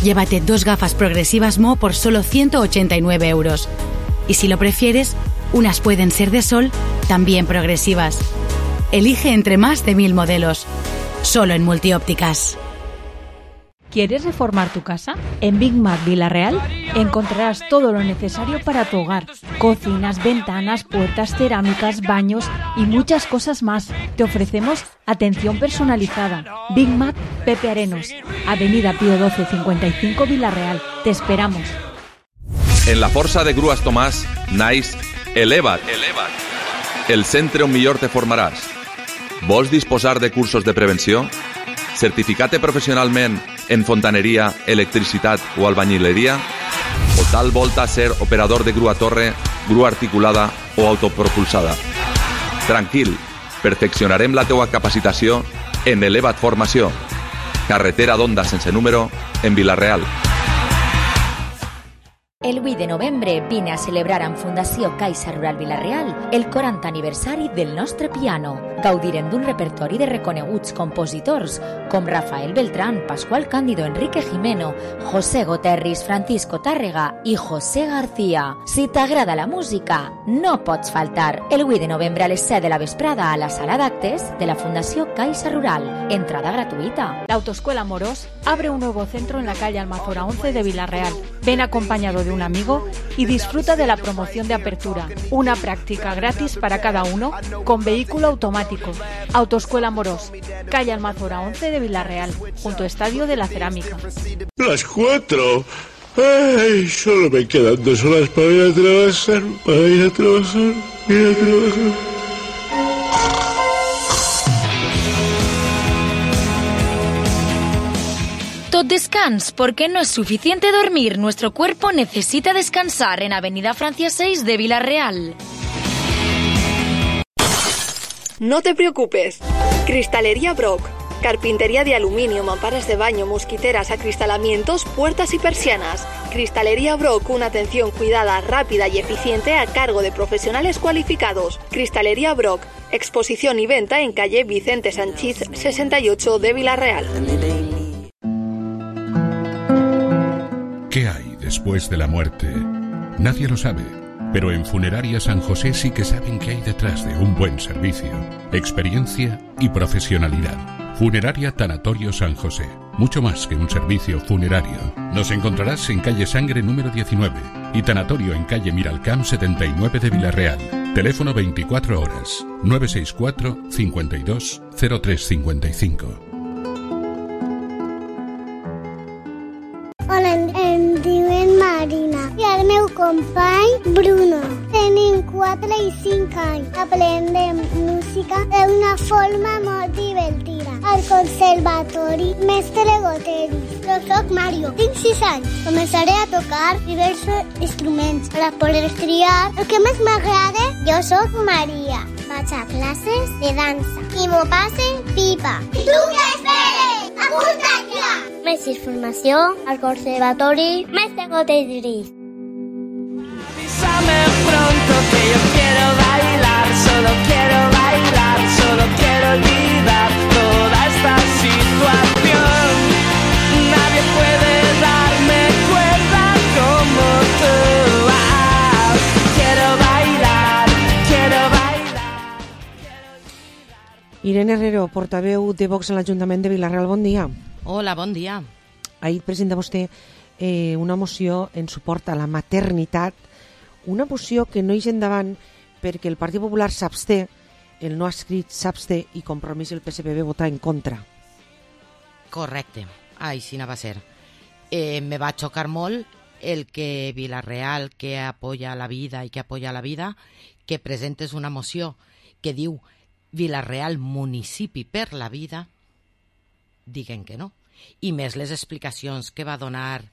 Llévate 2 gafas progresivas Mo por solo 189 euros. Y si lo prefieres, unas pueden ser de sol, también progresivas. Elige entre más de 1000 modelos. Solo en Multiópticas. ¿Quieres reformar tu casa? En Big Mac Vilareal encontrarás todo lo necesario para tu hogar. Cocinas, ventanas, puertas, cerámicas, baños y muchas cosas más. Te ofrecemos atención personalizada. Big Mac Pepe Arenos, Avenida Pío 12 55 Vilareal. Te esperamos. En la Força de Grues Tomàs naix Eleva't, el centre on millor te formaràs. Vols disposar de cursos de prevenció? Certificat professionalment en fontaneria, electricitat o albañileria? O tal volta ser operador de grua torre, grua articulada o autopropulsada? Tranquil, perfeccionarem la teua capacitació en Eleva't Formació. Carretera d'Onda sense número en Vilareal. El 8 de novembre vine a celebrar amb Fundació Caixa Rural Vilareal el 40 aniversari del nostre piano. Gaudirem d'un repertori de reconeguts compositors com Rafael Beltrán, Pascual Cándido, Enrique Jimeno, José Goterris, Francisco Tàrrega i José García. Si t'agrada la música, no pots faltar. El 8 de novembre a les 7 de la vesprada a la sala d'actes de la Fundació Caixa Rural. Entrada gratuita. La Autoescuela Morós abre un nuevo centro en la calle Almazora 11 de Vilareal. Ven acompañado de un amigo y disfruta de la promoción de apertura. Una práctica gratis para cada uno con vehículo automático. Autoescuela Morós, calle Almazora 11 de Vilareal, junto a Estadio de la Cerámica. Las 4. Ay, solo me quedan 2 horas para ir a trabajar. Tot descans, porque no es suficiente dormir. Nuestro cuerpo necesita descansar en Avenida Francia 6 de Vilareal. No te preocupes. Cristalería Brock. Carpintería de aluminio, mamparas de baño, mosquiteras, acristalamientos, puertas y persianas. Cristalería Brock, una atención cuidada, rápida y eficiente a cargo de profesionales cualificados. Cristalería Brock, exposición y venta en calle Vicente Sanchís 68 de Vilareal. ¿Qué hay después de la muerte? Nadie lo sabe, pero en Funeraria San José sí que saben qué hay detrás de un buen servicio, experiencia y profesionalidad. Funeraria Tanatorio San José, mucho más que un servicio funerario. Nos encontrarás en calle Sangre número 19 y Tanatorio en calle Miralcamp 79 de Vilareal. Teléfono 24 horas, 964 52 0355. Hola, em diuen Marina i el meu company Bruno. Tenim 4 i 5 anys. Aprendem música d'una forma molt divertida. Al conservatori Mestre Goteris. Jo soc Mario, tinc 6 anys. Començaré a tocar diversos instruments per a poder triar el que més m'agrada. Jo soc Maria. Vaig a classes de dansa i m'ho passe pipa. I tu què esperes? Apunta't ja! més informació al Conservatori Mestre Gotegris. Avísame pronto que yo quiero bailar, solo quiero bailar, solo quiero olvidar toda esta situación. Nadie puede darme cuerda como tú. Quiero bailar, quiero bailar. Irene Herrero, portaveu de Vox en l'Ajuntament de Vila-real, bon dia. Hola, bon dia. Ahir presenta vostè una moció en suport a la maternitat, una moció que no hi endavant perquè el Partit Popular s'absté, el no escrit s'absté i Compromís el PSPB vota en contra. Correcte, així va ser. Me va xocar molt el que Vila-real, que apoya la vida i que apoya la vida, que presentes una moció que diu Vila-real municipi per la vida, diguen que no. I més les explicacions que va donar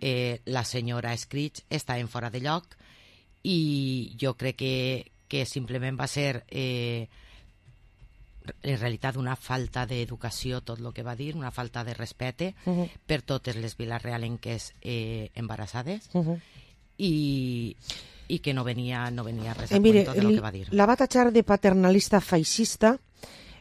la senyora Escritx estaven fora de lloc i jo crec que simplement va ser en realitat una falta d'educació tot el que va dir, una falta de respecte per totes les vilarealenques embarassades i que no venia res a cuento de lo que va dir. La va tachar de paternalista feixista,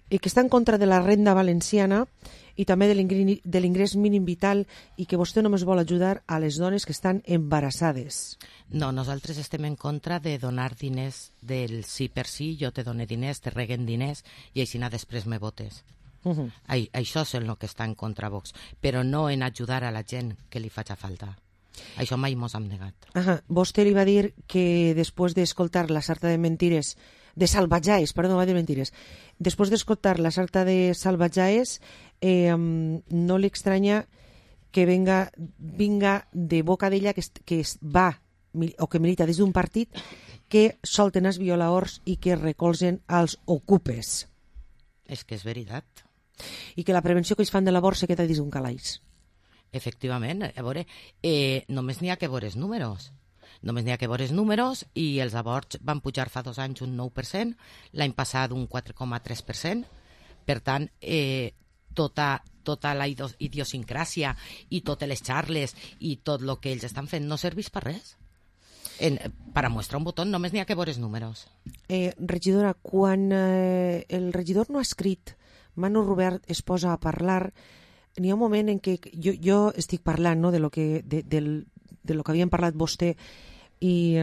que està en contra de la renda valenciana i també de l'ingrés mínim vital i que vostè només vol ajudar a les dones que estan embarassades. No, nosaltres estem en contra de donar diners del sí per sí, jo te dono diners, te reguen diners i així després me votes. Això és el que està en contra Vox, però no en ajudar a la gent que li faci falta. Això mai mos hem negat. Vostè li va dir que després d'escoltar la sarta de mentires de Salvatjaes, perdó, va dir mentires. Després d'escoltar la sarta de Salvatjaes, no li estranya que vinga de boca d'ella que va o que milita des d'un partit que solten els violaors i que recolzen els ocupes. És que és veritat. I que la prevenció que ells fan de l'abort se queda dins d'un calaix. Efectivament, a veure, només n'hi ha que veure els números. Només n'hi ha que veure els números i els aborts van pujar fa 2 anys un 9%, l'any passat un 4,3%. Per tant, tota la idiosincràsia i totes les xarles i tot el que ells estan fent no serveix per res. Per a mostrar un botó només n'hi ha que veure els números. Regidora, quan el regidor no ha escrit, Manu Robert es posa a parlar, n'hi ha un moment en què jo estic parlant de lo que havien parlat vostè i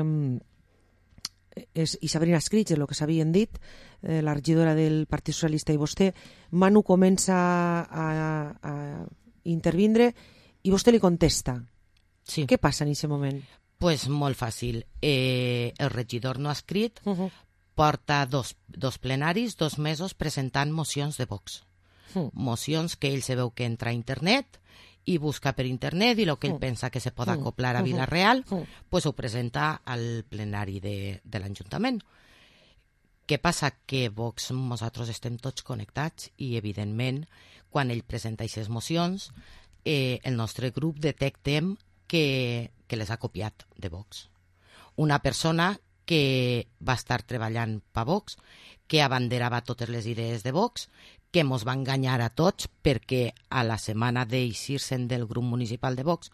Sabrina Escritx, el que s'havien dit, la regidora del Partit Socialista i vostè. Manu comença a intervindre i vostè li contesta. Sí. Què passa en aquest moment? Pues molt fàcil. El regidor no ha escrit, porta dos plenaris, 2 mesos presentant mocions de Vox. Mocions que ell se veu que entra a internet i busca per internet i el que ell pensa que se pot acoplar a Vila-real, pues ho presenta al plenari de l'Ajuntament. Què passa? Que Vox, nosaltres estem tots connectats i, evidentment, quan ell presenta aquestes mocions, el nostre grup detectem que les ha copiat de Vox. Una persona que va estar treballant per Vox, que abanderava totes les idees de Vox, que mos va enganyar a tots perquè a la setmana d'eixir-se'n del grup municipal de Vox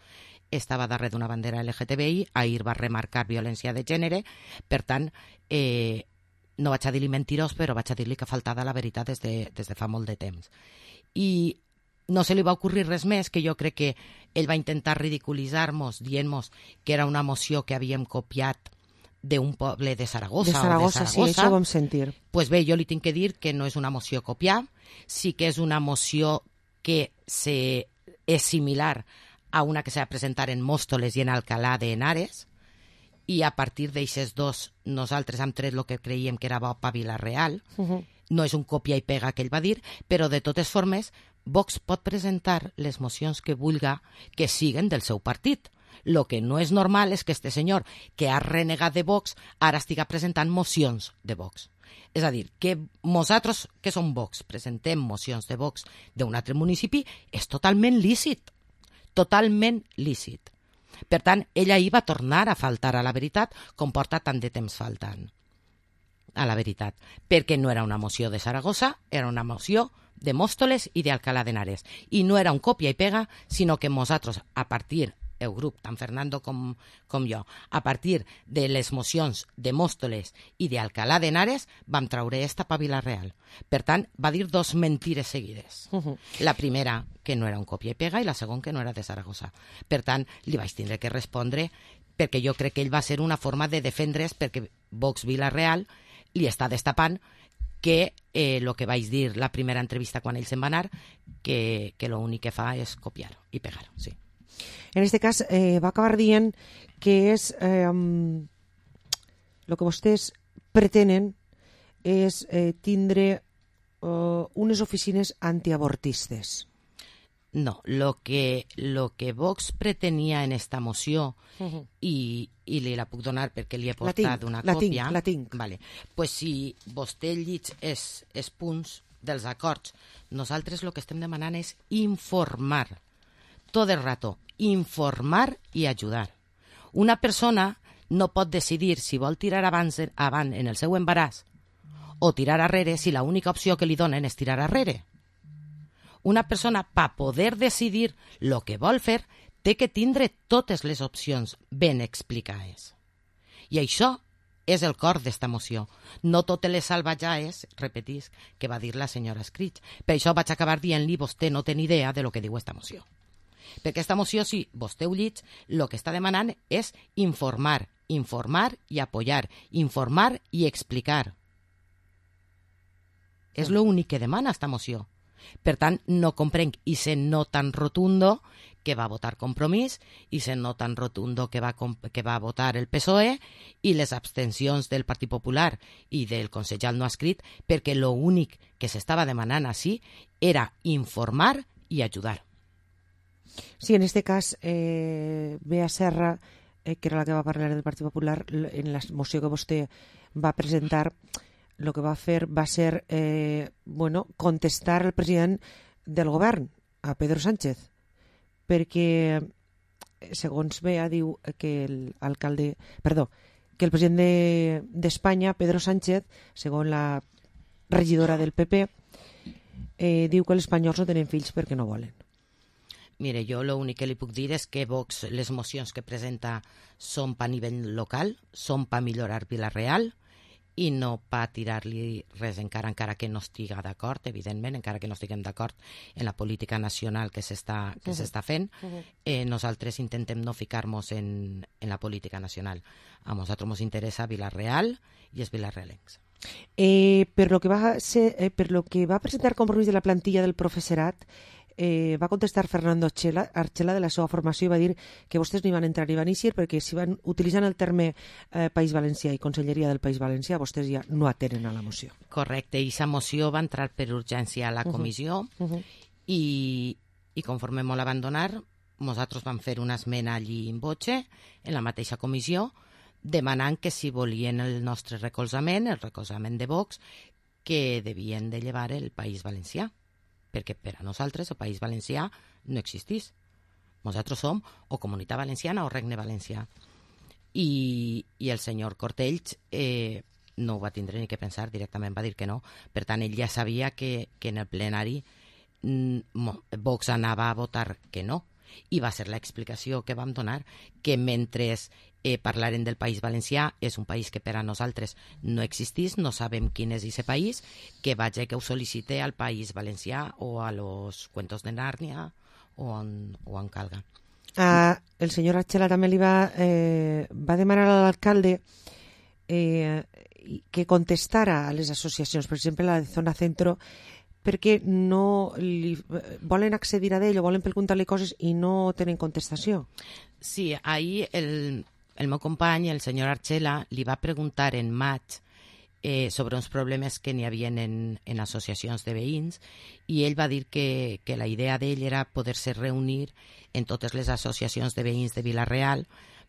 estava darrere d'una bandera LGTBI, ahir va remarcar violència de gènere, per tant, no vaig a dir-li mentirós, però vaig a dir-li que faltava la veritat des de fa molt de temps. I no se li va ocurrir res més, que jo crec que ell va intentar ridiculitzar-nos dient-nos que era una moció que havíem copiat d'un poble de Saragossa. De Saragossa, sí, això ho vam sentir. Pues bé, jo li tinc que dir que no és una moció copiar, sí que és una moció que és similar a una que s'ha de presentar en Móstoles i en Alcalá de Henares, i a partir d'aixes dos nosaltres hem tret el que creiem que era bo per Vila-real. No és un copia i pega que ell va dir, però de totes formes Vox pot presentar les mocions que vulga que siguen del seu partit. Lo que no és normal és que este senyor, que ha renegat de Vox, ara estiga presentant mocions de Vox. És a dir, que nosaltres, que som Vox, presentem mocions de Vox d'un altre municipi, és totalment lícit. Totalment lícit. Per tant, ella ahir va tornar a faltar a la veritat com porta tant de temps faltant a la veritat. Perquè no era una moció de Saragossa, era una moció de Móstoles i d'Alcalá de Henares. I no era un còpia i pega, sinó que nosaltres, a partir, el grup, tant Fernando com jo, a partir de les mocions de Móstoles i d'Alcalá de Henares, vam traure esta pa Vila-real. Per tant, va dir dos mentires seguides. La primera, que no era un còpia i pega, i la segona, que no era de Saragossa. Per tant, li vaig tindre que respondre, perquè jo crec que ell va ser una forma de defendre's, perquè Vox Vila-real li està destapant que el que vaig dir la primera entrevista quan ell se'n va anar, que l'únic que fa és copiar i pegar, sí. En este cas, va acabar dient que és el que vostès pretenen és tindre unes oficines antiabortistes. No, lo que Vox pretenia en esta moció, i li la puc donar perquè li he portat una còpia. La tinc. Vale. Pues si vostè llig els punts dels acords, nosaltres el que estem demanant és informar. Tot el rato, informar i ajudar. Una persona no pot decidir si vol tirar avant en el seu embaràs o tirar arrere si l'única opció que li donen és tirar arrere. Una persona, per poder decidir el que vol fer, té que tindre totes les opcions ben explicades. I això és el cor d'esta moció. No totes les salvatjaes, repetisc, que va dir la senyora Scritch. Per això vaig acabar dient-li, vostè no té ni idea de lo que diu esta moció. Perquè esta moció, si vostè ho llig, el que està demanant és informar i apoyar, informar i explicar. És l'únic que demana esta moció. Per tant, no comprenc, i se no tan rotundo que va votar Compromís, i se no tan rotundo que va votar el PSOE, i les abstencions del Partit Popular i del consellal no escrit, perquè l'únic que s'estava demanant així era informar i ajudar. Sí, en este cas, Bea Serra, que era la que va parlar del Partit Popular, en la moció que vostè va presentar, el que va fer va ser contestar al president del govern, a Pedro Sánchez, perquè, segons Bea, diu que el president d'Espanya, Pedro Sánchez, segons la regidora del PP, diu que els espanyols no tenen fills perquè no volen. Mire, jo l'únic que li puc dir és que Vox, les mocions que presenta són per nivell local, són per millorar Vila-real i no per tirar-li res encara que no estiga d'acord, evidentment, encara que no estiguem d'acord en la política nacional que s'està fent. Nosaltres intentem no ficar-nos en la política nacional. A nosaltres ens interessa Vila-real i els vilarrealencs. Per lo que va presentar Compromís de la plantilla del professorat, va contestar Fernando Archela de la seva formació i va dir que vostès no hi van entrar ni van eixir perquè si van utilitzant el terme País Valencià i Conselleria del País Valencià vostès ja no atenen a la moció. Correcte, i aquesta moció va entrar per urgència a la comissió i conforme me la van donar nosaltres vam fer una esmena allí in voce en la mateixa comissió demanant que si volien el nostre recolzament, el recolzament de Vox, que devien de llevar el País Valencià, perquè per a nosaltres el País Valencià no existís. Nosaltres som o Comunitat Valenciana o Regne Valencià. I el senyor Cortells no ho va tindre ni que pensar, directament va dir que no. Per tant, ell ja sabia que en el plenari Vox anava a votar que no. I va ser l'explicació que vam donar, que mentre parlaren del País Valencià, és un país que per a nosaltres no existís, no sabem quin és aquest país, que vaig que ho sol·licite al País Valencià o a los Cuentos de Nàrnia o en calga. El senyor Archela també li va demanar a l'alcalde que contestara a les associacions, per exemple la de Zona Centro, perquè no volen accedir a ell o volen preguntar-li coses i no tenen contestació. Sí, ahir el meu company, el senyor Archela, li va preguntar en maig sobre uns problemes que n'hi havia en associacions de veïns i ell va dir que la idea d'ell era poder-se reunir en totes les associacions de veïns de Vila-real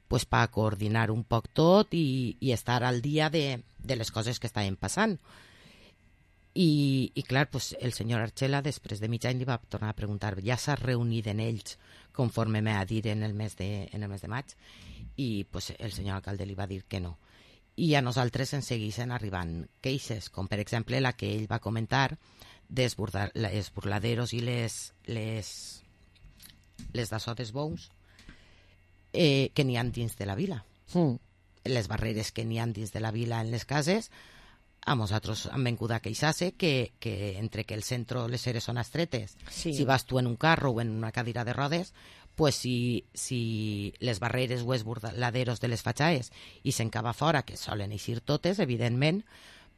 pues, per coordinar un poc tot i estar al dia de les coses que estaven passant. I clar, pues, el senyor Archela després de mig any li va tornar a preguntar ja s'ha reunit en ells conforme m'ha dit en el mes de maig i pues, el senyor alcalde li va dir que no. I a nosaltres ens segueixen arribant queixes, com per exemple la que ell va comentar dels burladeros i les d'això dels bous que n'hi ha dins de la vila. Les barreres que n'hi ha dins de la vila en les cases, a nosaltres hem vengut a queixar-se que entre que el centre les eres són estretes, si vas tu en un carro o en una cadira de rodes, pues si les barreres o els burladeros de les fatxaes i s'encava fora, que solen eixir totes, evidentment,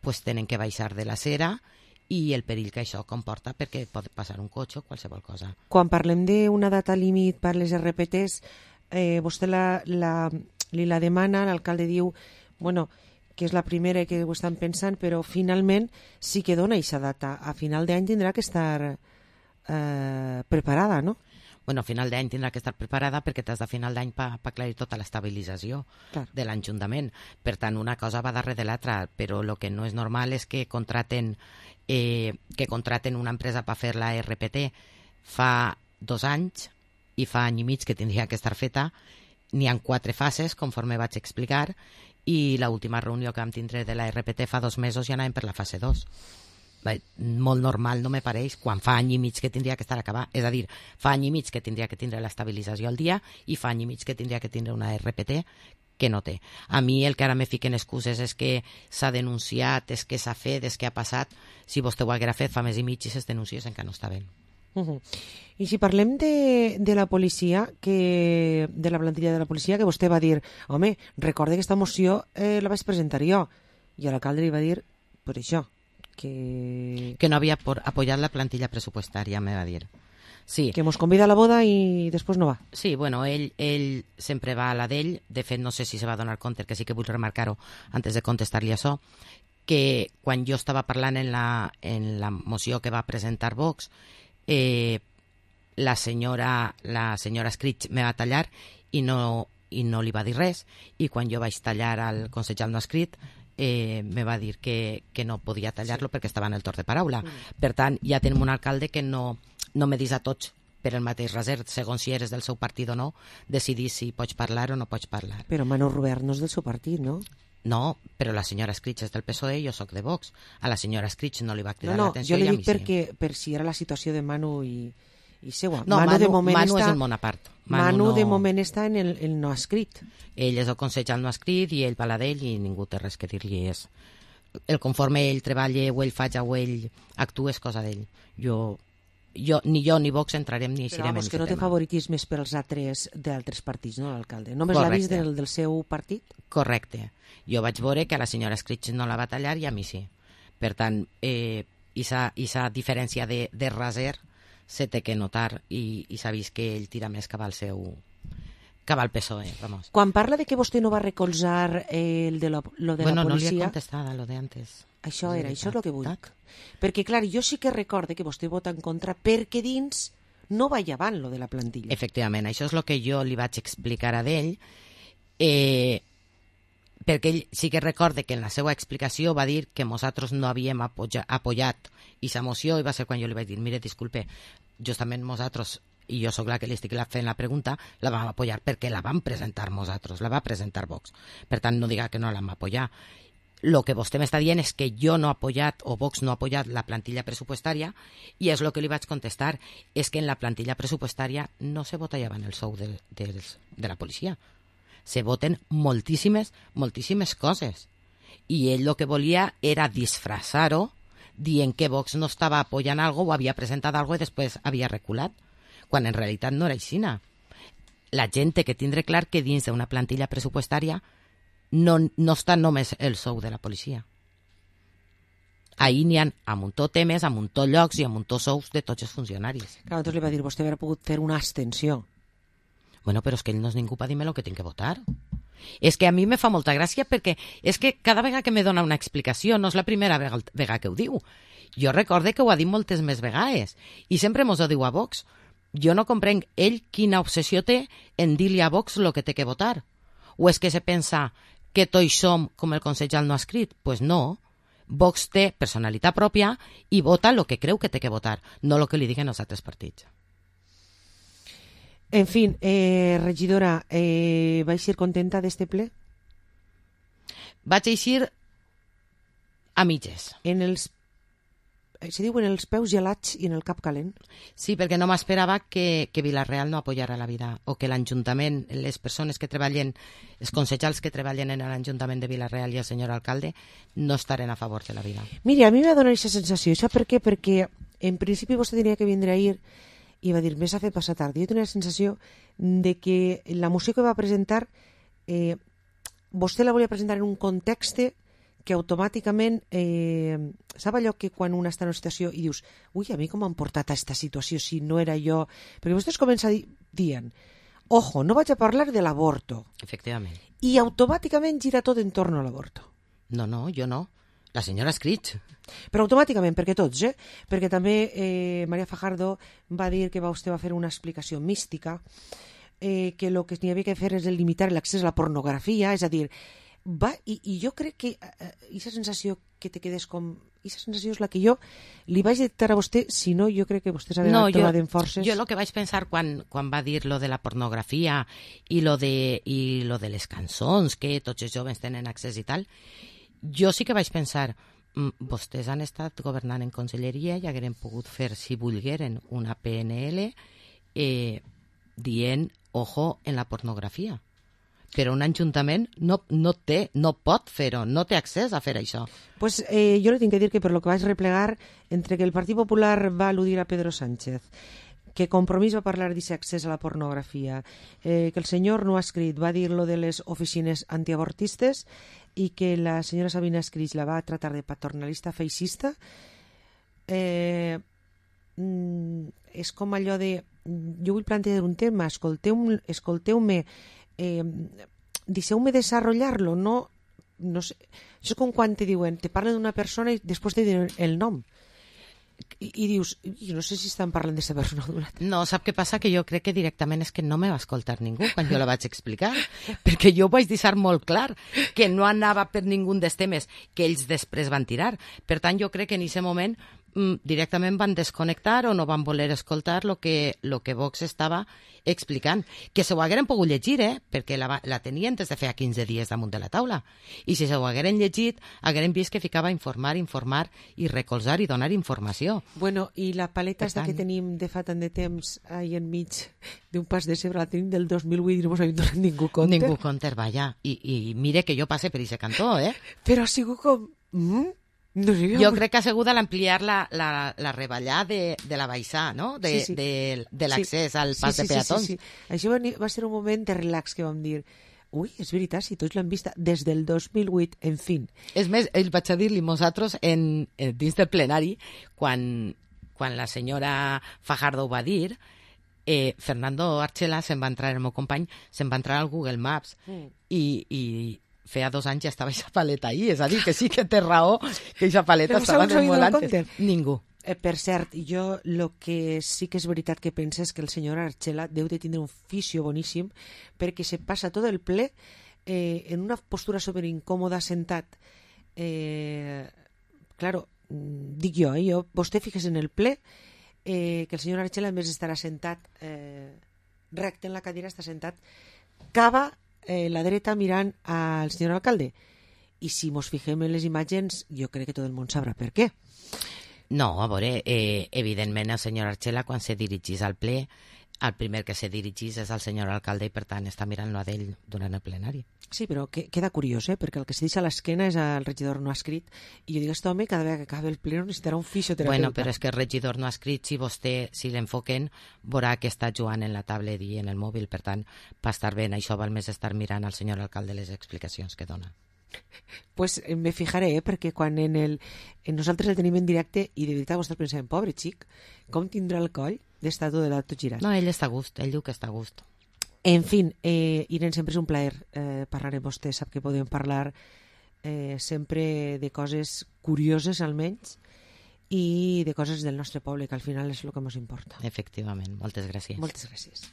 pues tenen que baixar de la cera i el perill que això comporta perquè pot passar un cotxe o qualsevol cosa. Quan parlem d'una data límit per les RPTs, vostè li la demana, l'alcalde diu, bueno, que és la primera que ho estan pensant, però finalment sí que dona aquesta data. A final d'any tindrà que estar preparada, no? Bueno, a final d'any tindrà que estar preparada perquè t'has de final d'any per aclarir tota l'estabilització de l'Ajuntament. Per tant, una cosa va darrere de l'altra, però el que no és normal és que contraten una empresa per fer la RPT fa 2 anys i fa any i mig que tindria que estar feta. N'hi ha 4 fases, conforme vaig explicar, i l'última reunió que vam tindre de la RPT fa 2 mesos ja anàvem per la fase 2. Molt normal no me pareix quan fa any i mig que tindria que estar acabat. És a dir, fa any i mig que tindria que tindre l'estabilització al dia i fa any i mig que tindria que tindre una RPT que no té. A mi el que ara me fiquen excuses és que s'ha denunciat, és que s'ha fet, és que ha passat. Si vostè ho haguera fet fa més i mig i ses denuncies encara no està bé. I si parlem de la policia, de la plantilla de la policia, que vostè va dir, home, recorde que aquesta moció la vaig presentar jo, i l'alcalde li va dir, per això, que no havia apoyat la plantilla pressupostària, me va dir. Sí. Que mos convida a la boda i després no va. Sí, bueno, ell sempre va a la d'ell. De fet, no sé si se va donar compte, que sí que vull remarcar-ho antes de contestar-li això, que quan jo estava parlant en la moció que va presentar Vox, la senyora Scritch me va tallar i no li va dir res, i quan jo vaig tallar al consellal no escrit me va dir que no podia tallar-lo perquè estava en el torn de paraula. Per tant, ja tenim un alcalde que no me dis a tots per el mateix raser, segons si eres del seu partit o no, decidir si pots parlar o no pots parlar. Però Manu Robert no és del seu partit, no? No, però la senyora Scritch és del PSOE i jo sóc de Vox. A la senyora Scritch no li va cridar l'atenció. Jo li dic perquè per si era la situació de Manu i seua. No, Manu és el món a part. Manu de moment està en el no escrit. Ell és el consellal no escrit i ell va a la d'ell i ningú té res que dir-li. El conforme ell treballa o ell faig o ell actua és cosa d'ell. Ni jo ni Vox entrarem ni eixirem en aquest tema. Però que no té favoritismes per als d'altres partits, no, l'alcalde? Només l'ha vist del seu partit? Correcte. Jo vaig veure que a la senyora Scritch no la va tallar i a mi sí. Per tant, aquesta diferència de raser se té que notar i s'ha vist que ell tira més cap al PSOE. Vamos. Quan parla de que vostè no va recolzar lo de la policia... No li he contestat lo de antes. Això és el que vull. Perquè, clar, jo sí que recorde que vostè vota en contra perquè dins no va llevant lo de la plantilla. Efectivament, això és el que jo li vaig explicar a ell, perquè ell sí que recorde que en la seva explicació va dir que nosaltres no havíem apoyat aquesta moció i va ser quan jo li vaig dir, mire, disculpe, justament nosaltres, i jo sóc la que li estic fent la pregunta, la vam apoyar perquè la vam presentar nosaltres, la va presentar Vox. Per tant, no diga que no la vam apoyar. Lo que vostè m'està dient és que jo no he apoyat o Vox no ha apoyat la plantilla pressupostària i és el que li vaig contestar, és que en la plantilla pressupostària no se votava en el sou de la policia. Se voten moltíssimes coses. I ell el que volia era disfressar-ho dient que Vox no estava apoyant algo o havia presentat algo i després havia reculat, quan en realitat no era així. La gent té que tindre clar que dins d'una plantilla pressupostària no està només el sou de la policia. Ahir n'hi ha a muntó temes, a muntó llocs i a muntó sous de tots els funcionaris. Clar, doncs li va dir, vostè hauria pogut fer una abstenció. Bueno, però és que ell no és ningú per dir-me el que tinc que votar. És que a mi me fa molta gràcia perquè és que cada vegada que me dona una explicació no és la primera vegada que ho diu. Jo recorde que ho ha dit moltes més vegades i sempre mos ho diu a Vox. Jo no comprenc ell quina obsessió té en dir-li a Vox el que té que votar. O és que se pensa que tots som com el consellal no ha escrit? Pues no. Vox té personalitat pròpia i vota el que creu que té que votar, no el que li diguen els altres partits. En fi, regidora, vaig ser contenta d'este ple? Vaig eixir a mitges. En els se diuen els peus gelats i en el cap calent. Sí, perquè no m'esperava que Vila-real no apoyara la vida, o que l'Ajuntament, les persones que treballen, els consellers que treballen en l'Ajuntament de Vila-real i el senyor alcalde, no estaren a favor de la vida. Mira, a mi m'ha donat aquesta sensació. Sap per què? Perquè en principi vostè tenia que vindre ahir i va dir, més ha fet passar tard. Jo tenia la sensació de que la moció que va presentar, vostè la volia presentar en un context que automàticament, sap allò que quan una està en una situació i dius, ui, a mi com m'han portat a aquesta situació si no era jo? Perquè vostès comença dient, ojo, no vaig a parlar de l'avorto. Efectivament. I automàticament gira tot en torno a l'avorto. No, jo no. La senyora ha escrit. Però automàticament, perquè tots, perquè també María Fajardo va dir que vostè va fer una explicació mística, que el que n'hi havia que fer és limitar l'accés a la pornografia, és a dir, i jo crec que aquesta sensació que te quedes com... Aquesta sensació és la que jo li vaig detectar a vostè, si no, jo crec que vostè s'ha trobat en forces. Jo el que vaig pensar quan va dir lo de la pornografia i lo de les cançons, que tots els joves tenen accés i tal, jo sí que vaig pensar, vostès han estat governant en conselleria i hagueren pogut fer, si volgueren, una PNL dient, ojo, en la pornografia. Però un ajuntament no pot fer-ho, no té accés a fer això. Pues jo li tinc que dir que per lo que vaig replegar, entre que el Partit Popular va al·ludir a Pedro Sánchez, que Compromís va parlar d'aquest accés a la pornografia, que el senyor no ha escrit, va dir lo de les oficines antiavortistes i que la senyora Sabina Escrig la va tratar de paternalista feixista, és com allò de... Jo vull plantejar un tema, escolteu-me, deixeu-me desenvolupar-lo, no sé. Això és com quan te diuen, te parlen d'una persona i després te diuen el nom. I dius, jo no sé si estan parlant d'aquesta persona o d'una altra. No, sap què passa? Que jo crec que directament és que no me va escoltar ningú quan jo la vaig explicar, perquè jo vaig deixar molt clar que no anava per ningú dels temes que ells després van tirar. Per tant, jo crec que en aquest moment directament van desconnectar o no van voler escoltar lo que Vox estava explicant, que se ho hagueren pogut llegir, perquè la tenien des de feia 15 dies damunt de la taula, i si se ho hagueren llegit hagueren vist que ficava informar i recolzar i donar informació. Bueno, i la paleta esta que tenim de fa tant de temps ahí enmig d'un pas de cebre, la tenim del 2008 i no ens havíem donat ningú compte. Ningú compte, vaja, i mire que jo passe per aquest cantó, Però ha sigut com... No sé, jo crec que ha sigut a l'ampliar la reballada de la baixà, no? De l'accés al pas de peatons. Sí. Això va ser un moment de relax que vam dir, ui, és veritat, si tots l'han vista des del 2008, en fi. És més, vaig a dir-li nosaltres dins del plenari, quan la senyora Fajardo ho va dir, Fernando Archela se'n va entrar, el meu company, se'n va entrar al Google Maps i feia 2 anys ja estava aquesta paleta ahí, és a dir, que sí que té raó que aquesta paleta estava molt antes. Ningú. Per cert, jo el que sí que és veritat que penso és que el senyor Archela deu de tindre un fisio boníssim perquè se passa tot el ple en una postura superincòmoda sentat. Claro, dic jo, vostè fixes en el ple que el senyor Archela, en vez d'estar assentat recte en la cadira, està sentat cava la dreta mirant al senyor alcalde. I si mos fixem en les imatges, jo crec que tot el món sabrà per què. No, a veure, evidentment el senyor Archela, quan se dirigís al ple, el primer que se dirigís és al senyor alcalde i per tant està mirant-lo a d'ell durant el plenari. Sí, però queda curiós, perquè el que se deixa a l'esquena és el regidor no ha escrit, i jo dic, aquest home cada vegada que acabi el ple necessitarà un fisioterapeuta. Bueno, però és que el regidor no ha escrit, si l'enfoquen, veurà que està jugant en la tablet i en el mòbil, per tant, va estar bé, això val més estar mirant al senyor alcalde les explicacions que dona. Pues me fijaré, perquè quan nosaltres el tenim en directe i de veritat vostès pensem, pobre xic, com tindrà el coll d'estar tot de l'altre girat? No, ell està a gust, ell diu que està a gust. En fi, Irene, sempre és un plaer parlar amb vostè, sap que podem parlar sempre de coses curioses almenys i de coses del nostre poble, que al final és el que ens importa. Efectivament, moltes gràcies. Moltes gràcies.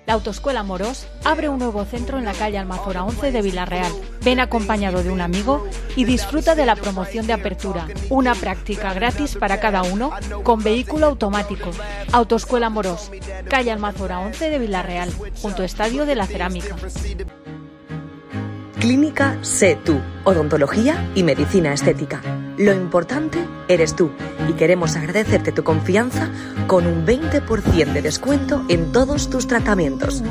La Autoescuela Morós abre un nuevo centro en la calle Almazora 11 de Villarreal. Ven acompañado de un amigo y disfruta de la promoción de apertura. Una práctica gratis para cada uno con vehículo automático. Autoescuela Morós, calle Almazora 11 de Villarreal, junto a Estadio de la Cerámica. Clínica Sé Tú, odontología y medicina estética. Lo importante eres tú y queremos agradecerte tu confianza con un 20% de descuento en todos tus tratamientos.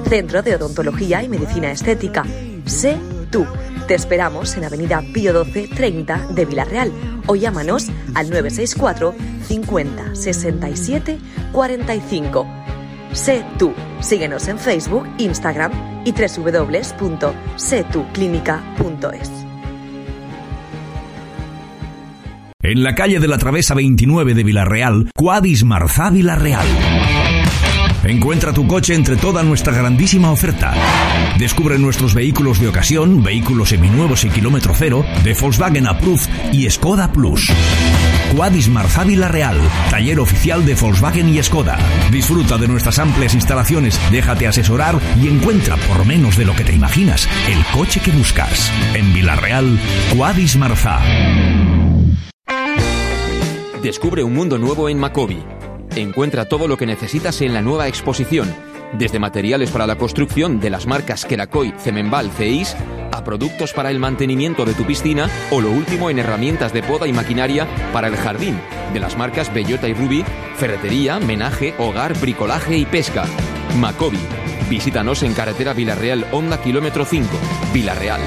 Centro de Odontología y Medicina Estética. Sé Tú. Te esperamos en Avenida Pío 12 30 de Villarreal o llámanos al 964 50 67 45. Sé Tú. Síguenos en Facebook, Instagram y www.setuclinica.es. En la calle de la Travesa 29 de Villarreal, Quadis Marzá Villarreal. Encuentra tu coche entre toda nuestra grandísima oferta. Descubre nuestros vehículos de ocasión, vehículos seminuevos y kilómetro cero, de Volkswagen Approved y Skoda Plus. Quadis Marzá Villarreal, taller oficial de Volkswagen y Skoda. Disfruta de nuestras amplias instalaciones, déjate asesorar y encuentra por menos de lo que te imaginas el coche que buscas. En Villarreal, Quadis Marzá. Descubre un mundo nuevo en Macobi. Encuentra todo lo que necesitas en la nueva exposición, desde materiales para la construcción de las marcas Kerakoy, Cemenbal, Ceis, a productos para el mantenimiento de tu piscina o lo último en herramientas de poda y maquinaria para el jardín, de las marcas Bellota y Ruby, ferretería, menaje, hogar, bricolaje y pesca. Macobi. Visítanos en carretera Villarreal Honda kilómetro 5, Villarreal.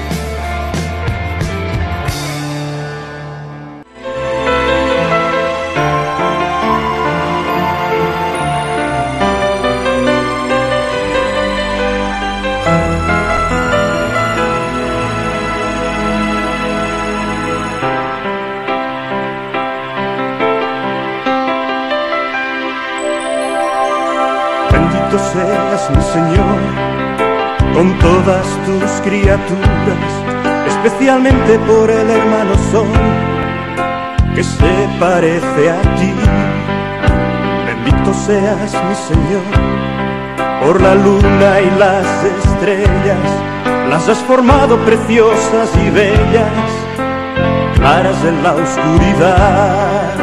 Seas mi Señor con todas tus criaturas, especialmente por el hermano Sol que se parece a ti. Bendito seas mi Señor por la luna y las estrellas, las has formado preciosas y bellas, claras en la oscuridad.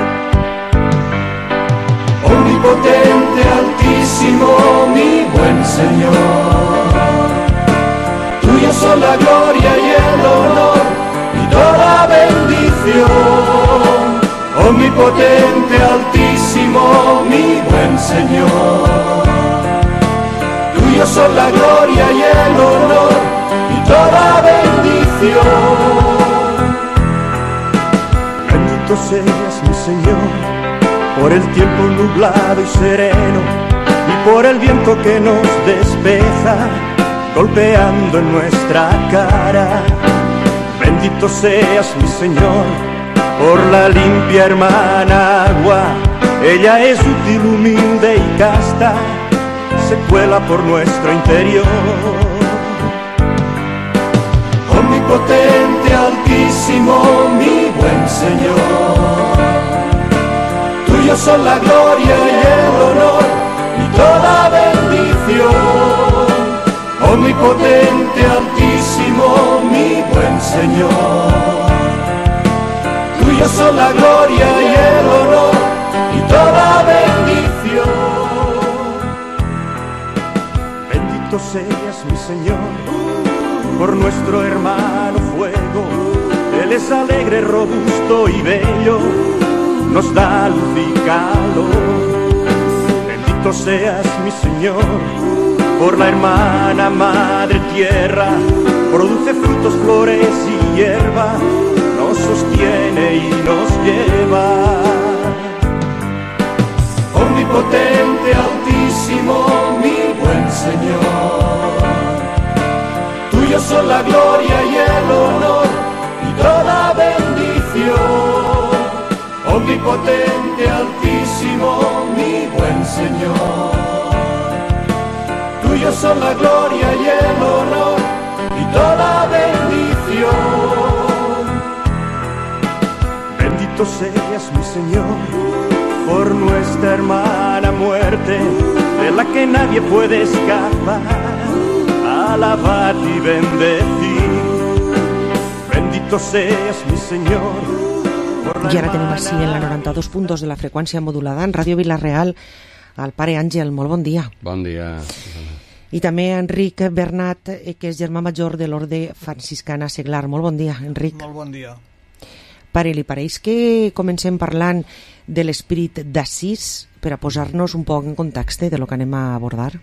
Omnipotente, altísimo, mi buen Señor, tuyo son la gloria y el honor y toda bendición. Omnipotente, altísimo, mi buen Señor, tuyo son la gloria y el honor y toda bendición. Bendito seas mi Señor por el tiempo nublado y sereno y por el viento que nos despeja golpeando en nuestra cara. Bendito seas mi Señor por la limpia hermana agua, ella es útil, humilde y casta, se cuela por nuestro interior. Omnipotente, altísimo, mi buen Señor, tuyos son la gloria y el honor y toda bendición. Omnipotente, altísimo, mi buen Señor, tuyos son la gloria y el honor y toda bendición. Bendito seas mi Señor por nuestro hermano fuego, él es alegre, robusto y bello, nos da luz y calor. Bendito seas mi Señor por la hermana madre tierra, produce frutos, flores y hierba, nos sostiene y nos lleva. Omnipotente, altísimo, mi buen Señor, tuyos son la gloria y el honor y toda bendición. Omnipotente, altísimo, mi buen Señor, tuyos son la gloria y el honor y toda bendición. Bendito seas mi Señor por nuestra hermana muerte, de la que nadie puede escapar. Alabad y bendecid, bendito seas mi Señor. I ara tenim així en la 92 de la freqüència modulada en Ràdio Vila-real el pare Àngel. Molt bon dia. Bon dia. I també Enric Bernat, que és germà major de l'Orde Franciscana Seglar. Molt bon dia, Enric. Molt bon dia. Pare, li pareix que comencem parlant de l'espírit d'Assís per a posar-nos un poc en context de lo que anem a abordar?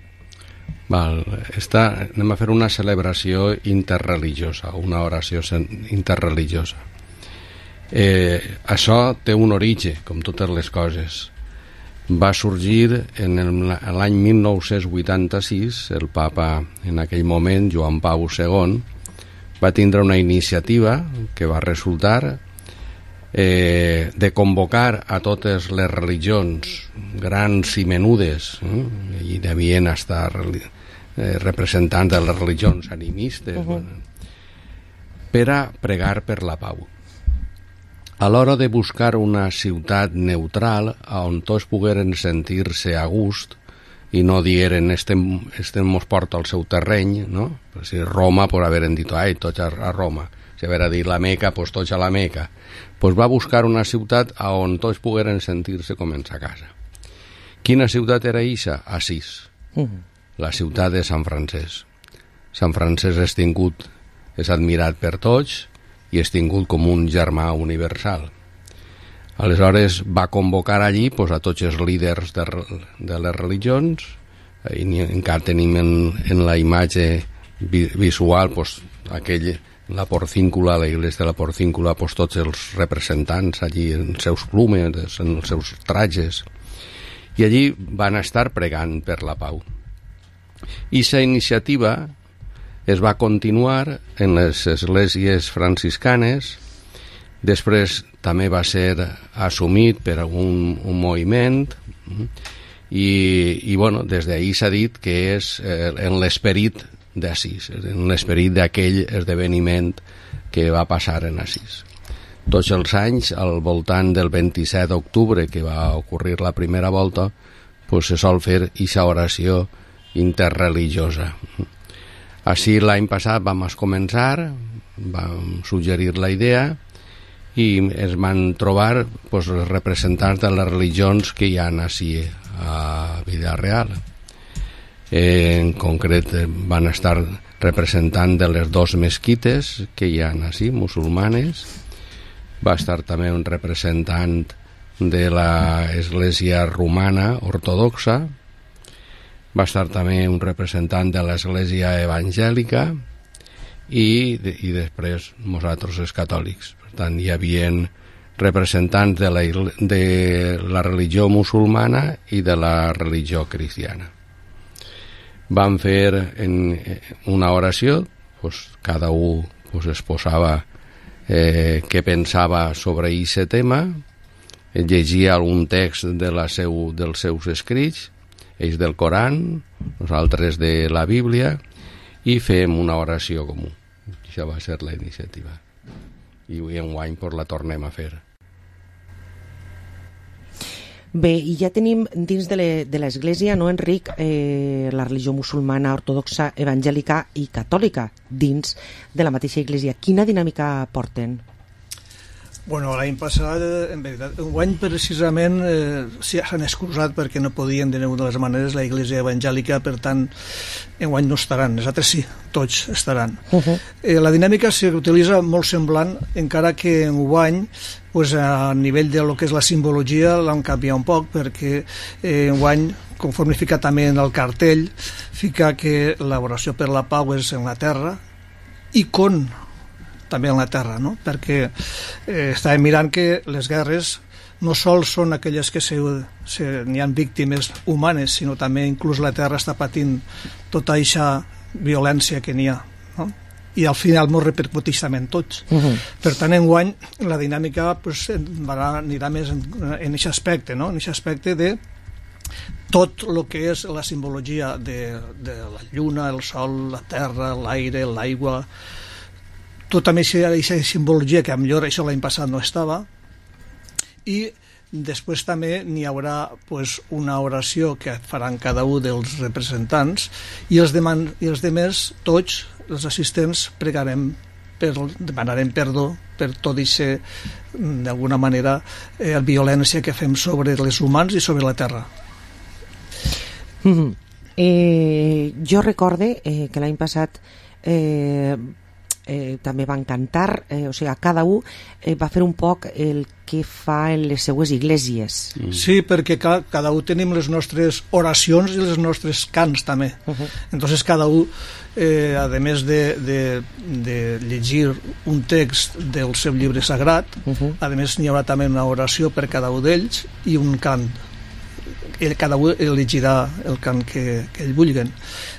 Val, anem a fer una celebració interreligiosa, una oració interreligiosa. Això té un origen, com totes les coses. Va sorgir en l'any 1986, el papa en aquell moment, Joan Pau II, va tindre una iniciativa que va resultar de convocar a totes les religions grans i menudes, i devien estar representants de les religions animistes, per a pregar per la pau. A l'hora de buscar una ciutat neutral on tots pogueren sentir-se a gust i no dieren este mos porta al seu terreny, no? Si Roma, pues haveren dit, ai, tots a Roma. Si havera dit la Meca, pues tots a la Meca. Pues va buscar una ciutat on tots pogueren sentir-se com en sa casa. Quina ciutat era eixa? Assís. La ciutat de Sant Francesc. Sant Francesc és admirat per tots i és tingut com un germà universal. Aleshores va convocar allí a tots els líders de les religions, i encara tenim en la imatge visual la porcíncula, la iglesia de la porcíncula, tots els representants allí en els seus plumes, en els seus trajes, i allí van estar pregant per la pau. I aquesta iniciativa es va continuar en les esglésies franciscanes, després també va ser assumit per un moviment, i bueno, des d'ahir s'ha dit que és en l'esperit d'Assís, en l'esperit d'aquell esdeveniment que va passar en Assís. Tots els anys, al voltant del 27 d'octubre, que va ocorrir la primera volta, se sol fer aquesta oració interreligiosa. Així l'any passat vam començar, vam suggerir la idea i es van trobar els representants de les religions que hi ha així a Vila-real. En concret van estar representant de les dues mesquites que hi ha així, musulmanes. Va estar també un representant de l'església romana ortodoxa. Va estar també un representant de l'església evangèlica i després nosaltres els catòlics. Per tant, hi havia representants de la religió musulmana i de la religió cristiana. Van fer una oració, cada un exposava què pensava sobre aquest tema, llegia algun text dels seus escrits, ells del Coran, nosaltres de la Bíblia, i fem una oració comú. Això va ser la iniciativa. I enguany la tornem a fer. Bé, i ja tenim dins de l'Església, no, Enric, la religió musulmana, ortodoxa, evangèlica i catòlica dins de la mateixa Església. Quina dinàmica porten? Bueno, l'any passat, en veritat, enguany precisament s'han excusat perquè no podien de ninguna de les maneres la Iglesia evangèlica, per tant, enguany no estaran, els altres sí, tots estaran. La dinàmica s'utilitza molt semblant, encara que enguany, a nivell de lo que és la simbologia, l'han canviat un poc, perquè enguany, conforme fica també en el cartell, fica que l'oració per la pau és en la terra, i con també en la terra, no? Perquè estàvem mirant que les guerres no sols són aquelles que n'hi ha víctimes humanes, sinó també inclús la terra està patint tota aquesta violència que n'hi ha, no? I al final ens repercuteix també en tots. Per tant, enguany la dinàmica anirà més en aquest aspecte, no? En aquest aspecte de tot el que és la simbologia de la lluna, el sol, la terra, l'aire, l'aigua, tota aquesta simbologia que millor això l'any passat no estava, i Després també n'hi haurà una oració que faran cada un dels representants i els demés, tots els assistents, demanarem perdó per tot això, d'alguna manera, violència que fem sobre els humans i sobre la terra. Jo recorde que l'any passat també van cantar, o sigui, cada un va fer un poc el que fa en les seues iglesies. Sí, perquè cada un tenim les nostres oracions i els nostres cants també. Entonces cada un, a més de llegir un text del seu llibre sagrat, a més n'hi haurà també una oració per cada un d'ells i un cant. Cada un elegirà el cant que ell vulguen.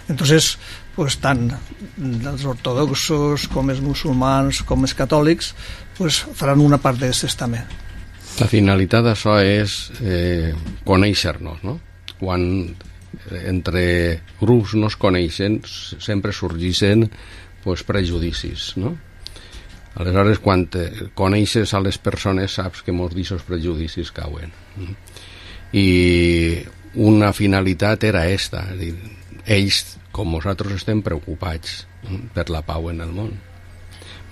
Entonces, pues, tant els ortodoxos com els musulmans com els catòlics pues, faran una part d'aquestes també. La finalitat d'això és conèixer-nos, no? Quan entre grups no es coneixen sempre sorgeixen pues, prejudicis, no? Aleshores, quan coneixes a les persones saps que molts d'aquests prejudicis cauen. I una finalitat era esta, és a dir, ells com nosaltres estem preocupats per la pau en el món,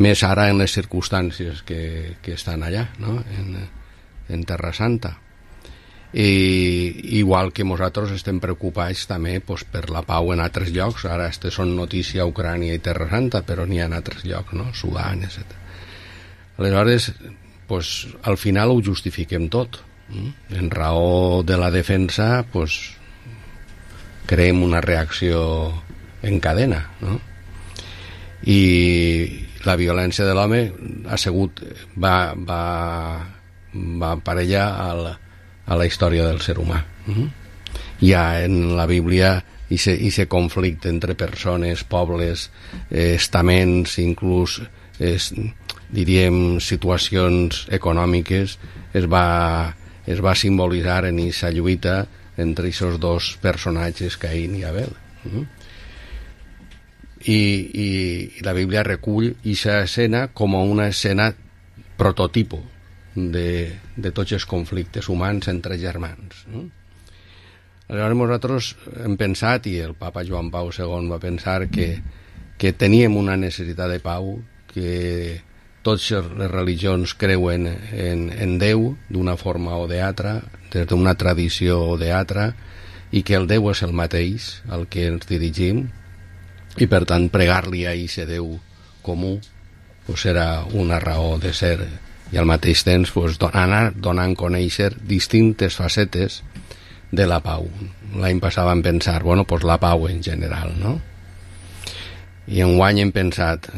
més ara en les circumstàncies que estan allà, no? En Terra Santa, i igual que nosaltres estem preocupats també pues, per la pau en altres llocs. Ara són notícia Ucrània i Terra Santa, però n'hi ha en altres llocs, no? Sudan, etc. Aleshores pues, al final ho justifiquem tot. En raó de la defensa pues, creem una reacció en cadena, no? I la violència de l'home va aparellar a la història del ser humà. Hi ha en la Bíblia aquest conflicte entre persones, pobles, estaments, inclús diríem situacions econòmiques, es va simbolitzar en aquesta lluita entre aquests dos personatges, Caín i Abel. I la Bíblia recull aquesta escena com una escena prototipo de tots els conflictes humans entre germans. Aleshores nosaltres hem pensat, i el papa Joan Pau II va pensar, que teníem una necessitat de pau, que totes les religions creuen en Déu d'una forma o d'altra, des d'una tradició o d'altra, i que el Déu és el mateix al que ens dirigim, i per tant pregar-li a aquest Déu comú pues, serà una raó de ser, i al mateix temps pues, anar donant a conèixer distintes facetes de la pau. L'any passat vam pensar, bueno, pues la pau en general, no? I enguany hem pensat,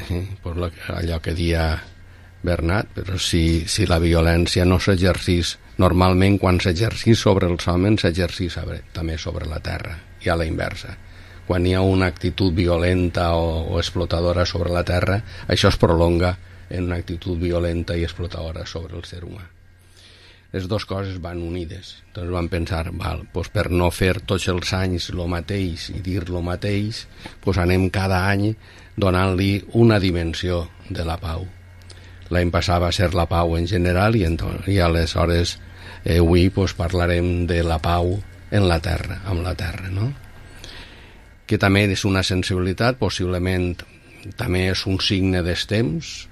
pues, allò que dia Bernat, però si la violència no s'exercís normalment, quan s'exercís sobre els homes s'exercís també sobre la terra, i a la inversa. Quan hi ha una actitud violenta o explotadora sobre la terra, això es prolonga en una actitud violenta i explotadora sobre el ser humà. Les dues coses van unides. Entonces vam pensar, doncs per no fer tots els anys el mateix i dir el mateix, doncs anem cada any donant-li una dimensió de la pau. L'any passat va ser la pau en general i aleshores avui doncs, parlarem de la pau en la terra, amb la terra, no? Que també és una sensibilitat, possiblement també és un signe dels temps.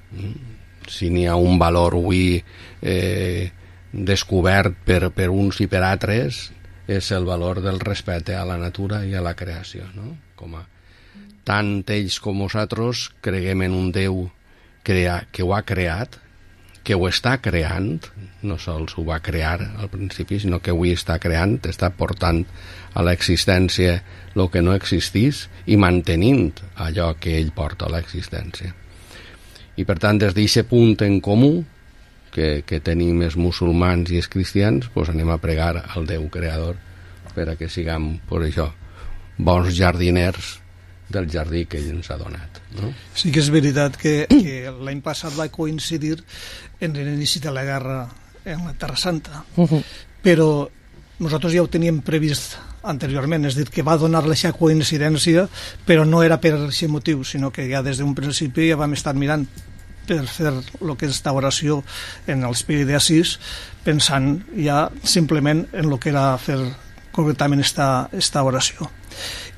Si n'hi ha un valor avui descobert per uns i per altres, és el valor del respecte a la natura i a la creació, no? Tant ells com nosaltres creguem en un Déu que ho ha creat, que ho està creant, no sols ho va crear al principi, sinó que avui està creant, està portant a l'existència el que no existís i mantenint allò que ell porta a l'existència. I per tant, des d'aquest punt en comú que tenim els musulmans i els cristians, doncs anem a pregar al Déu creador per a que siguem, per això, bons jardiners del jardí que ell ens ha donat, no? Sí que és veritat que l'any passat va coincidir en l'inici de la guerra en la Terra Santa, però nosaltres ja ho teníem previst anteriorment, és a dir, que va donar aquesta coincidència, però no era per aquest motiu, sinó que ja des d'un principi ja vam estar mirant per fer el que és esta oració en els Piri de Asís, pensant ja simplement en el que era fer concretament esta oració.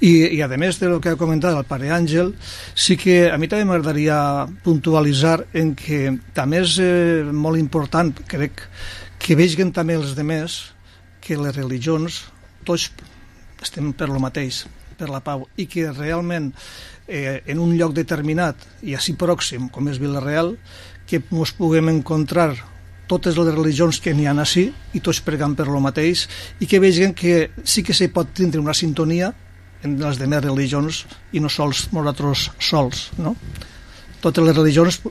I a més de lo que ha comentat el pare Àngel, sí que a mi també m'agradaria puntualitzar en que també és molt important, crec, que vegin també els demés que les religions tots estem per lo mateix, per la pau, i que realment en un lloc determinat i així pròxim com és Vila-real, que ens puguem encontrar totes les religions que n'hi ha així i tots pregant per lo mateix, i que vegin que sí que se pot tindre una sintonia en les demés religions i no sols nosaltres sols, no? Totes les religions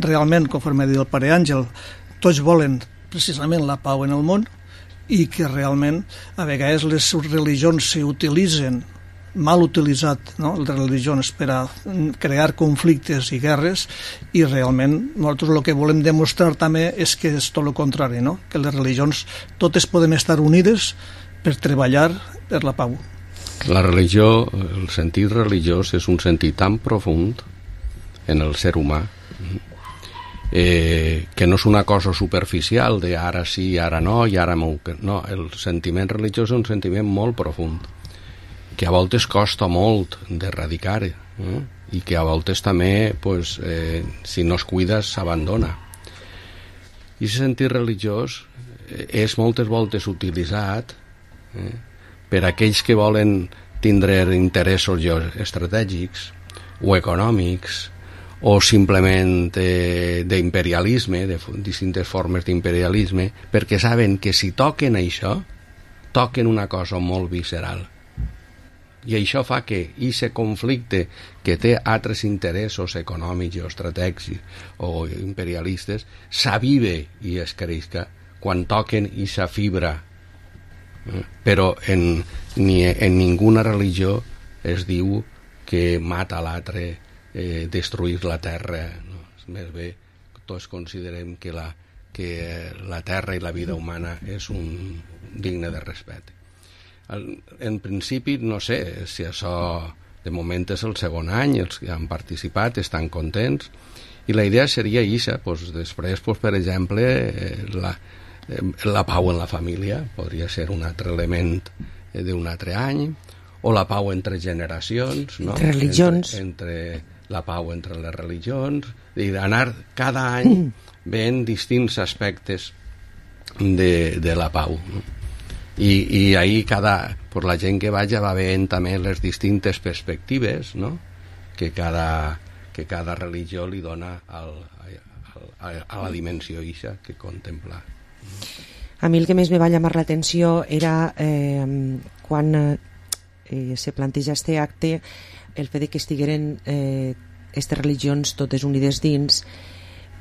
realment, conforme ha dit el pare Àngel, tots volen precisament la pau en el món, i que realment a vegades les religions s'utilitzen, mal utilitzat, no? Les religions per a crear conflictes i guerres, i realment nosaltres el que volem demostrar també és que és tot el contrari, no? Que les religions totes podem estar unides per treballar per la pau. La religió, el sentit religiós és un sentit tan profund en el ser humà que no és una cosa superficial de ara sí, ara no, i ara no. El sentiment religiós és un sentiment molt profund, que a voltes costa molt d'erradicar, i que a voltes també, pues, si no es cuida, s'abandona. I aquest sentit religiós és moltes voltes utilitzat per aquells que volen tindre interessos estratègics o econòmics o simplement d'imperialisme, de distintes formes d'imperialisme, perquè saben que si toquen això, toquen una cosa molt visceral. I això fa que aquest conflicte que té altres interessos econòmics o estratègics o imperialistes s'avive i es creixca quan toquen aquesta fibra. Però en ninguna religió es diu que mata l'altre, destruir la terra, no? Més bé, tots considerem que la terra i la vida humana és digne de respecte. En principi, no sé si això de moment és el segon any, els que han participat estan contents, i la idea seria això, després, per exemple, la pau en la família podria ser un altre element d'un altre any, o la pau entre generacions, no? Entre religions, entre la pau entre les religions, i d'anar cada any veient distints aspectes de la pau, no? I ahir la gent que vaja va veient també les distintes perspectives, no? que cada religió li dona a la dimensió ixa que contempla. A mi el que més me va llamar l'atenció era quan se planteja este acte, el fet que estigueren aquestes religions totes unides dins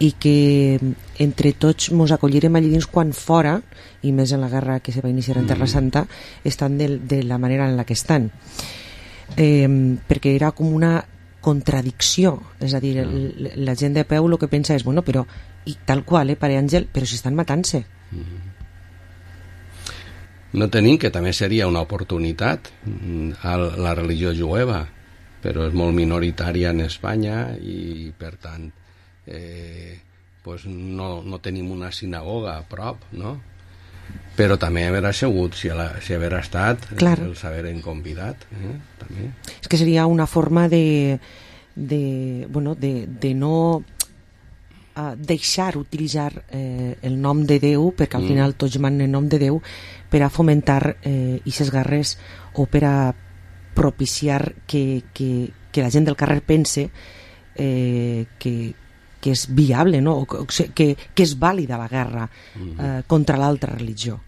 i que entre tots mos acollirem allí dins, quan fora, i més en la guerra que se va iniciar en Terra Santa, estan de la manera en la que estan, perquè era com una contradicció, és a dir, la gent de peu el que pensa és, bueno, però i tal qual, pare Àngel, però si estan matant-se. No tenim, que també seria una oportunitat a la religió jueva, però és molt minoritària en Espanya i per tant no tenim una sinagoga a prop, no? Però també haver assegut, si haver estat, els haver convidat, també. És que seria una forma de no deixar utilitzar el nom de Déu, perquè al final tots manen en nom de Déu, per a fomentar aquestes guerres o per a propiciar que la gent del carrer pense que és viable, no? que és vàlida la guerra contra l'altra religió.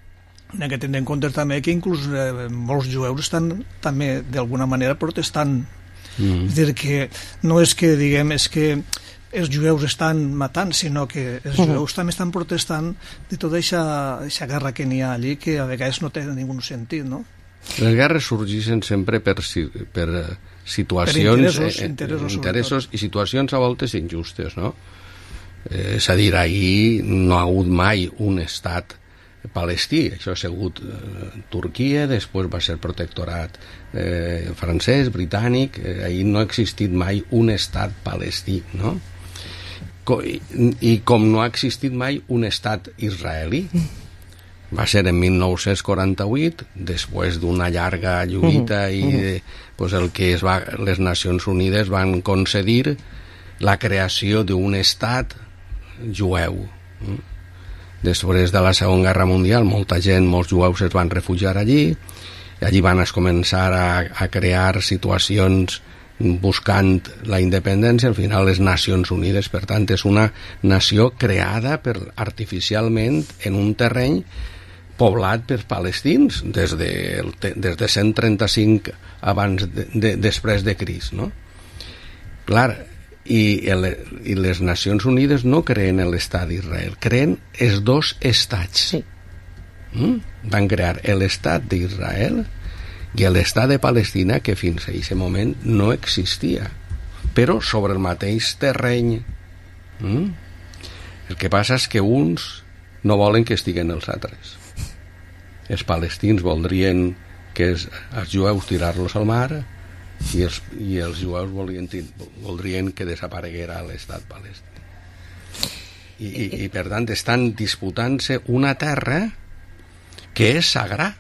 Hem de tenir en compte també que inclús molts jueus estan també d'alguna manera protestant. És dir, que no és que diguem és que els jueus estan matant, sinó que els jueus també estan protestant de tota aquesta guerra que n'hi ha allí, que a vegades no té ningú sentit, no? Les guerres sorgeixen sempre per situacions, interessos i situacions a voltes injustes, no? És a dir, ahir no ha hagut mai un estat palestí, això ha sigut Turquia, després va ser protectorat francès, britànic, ahir no ha existit mai un estat palestí, no? I com no ha existit mai un estat israelí, va ser en 1948, després d'una llarga lluita i pues, el que les Nacions Unides van concedir la creació d'un estat jueu. Després de la Segona Guerra Mundial, molts jueus es van refugiar allí, i allí van començar a crear situacions buscant la independència. Al final les Nacions Unides, per tant, és una nació creada artificialment en un terreny poblat per palestins des de 135 abans després de Crist, no? Clar, i les Nacions Unides no creen l'estat d'Israel, creen els dos estats. Sí. Van crear l'estat d'Israel i l'estat de Palestina, que fins a aquest moment no existia, però sobre el mateix terreny. El que passa és que uns no volen que estiguen els altres. Els palestins voldrien que els jueus tirar-los al mar i els jueus voldrien que desapareguera l'estat palestí. I per tant estan disputant-se una terra que és sagrada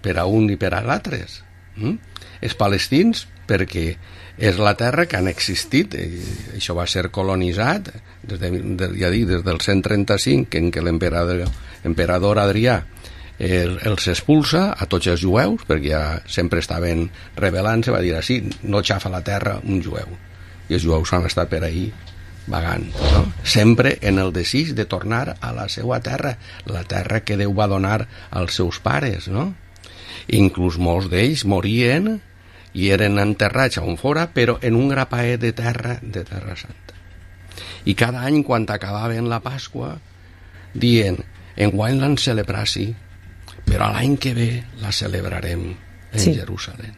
per a un i per a l'altres. Els palestins, perquè és la terra que han existit, això va ser colonitzat des del 135, en què l'emperador Adrià els expulsa a tots els jueus, perquè ja sempre estaven rebel·lant-se, va dir així, no xafa la terra un jueu, i els jueus han estat per ahí vagant, no? Sempre en el desig de tornar a la seva terra, la terra que Déu va donar als seus pares, no? Inclús molts d'ells morien i eren enterrats on fora, però en un grapaet de terra santa. I cada any, quan acabaven la Pasqua, dient, enguany l'han celebrat, sí, però l'any que ve la celebrarem en Jerusalem.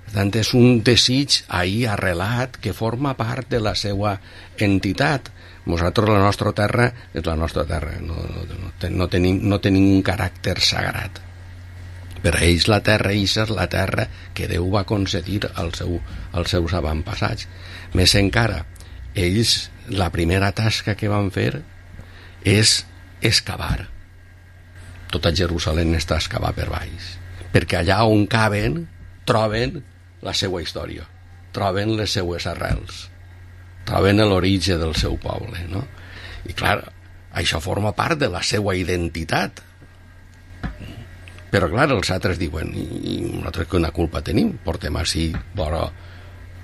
Per tant, és un desig ahir arrelat que forma part de la seva entitat. Nosaltres, la nostra terra és la nostra terra, no tenim un caràcter sagrat. Per a ells la terra és la terra que Déu va concedir als seus avantpassats. Més encara, ells, la primera tasca que van fer és excavar. Tota Jerusalem està excavada per baix, perquè allà on caben troben la seva història, troben les seues arrels, troben l'origen del seu poble, no? I clar, això forma part de la seva identitat. Però clar, els altres diuen, i nosaltres quina culpa tenim? Portem així vora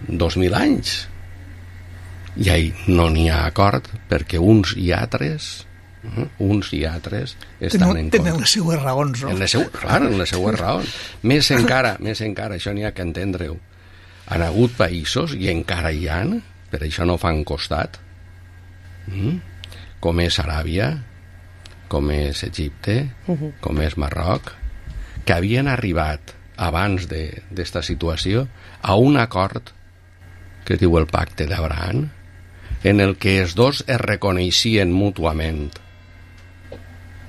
2.000 anys. I ahí no n'hi ha acord, perquè uns i altres estan en contra. Tenen les seues raons, no? Clar, en les seues raons. Més encara, això n'hi ha que entendre-ho. Han hagut països, i encara hi ha, per això no fan costat, com és Aràbia, com és Egipte, com és Marroc, que havien arribat abans d'esta situació a un acord que es diu el Pacte d'Abraham, en el que els dos es reconeixien mútuament.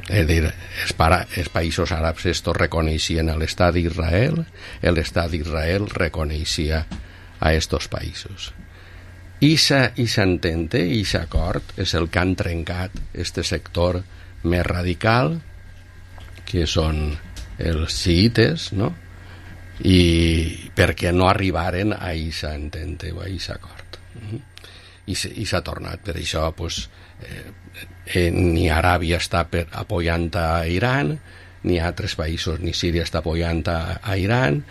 És dir, els països àrabs estos reconeixien l'estat d'Israel, l'estat d'Israel reconeixia a estos països. I s'entente, i s'acord, és el que han trencat este sector més radical, que són els xiites, no? I perquè no arribaren a aquesta entente o a aquest acord. I s'ha tornat. Per això pues, ni Aràbia està apoyant a Iran, ni altres països, ni Síria està apoyant a Iran.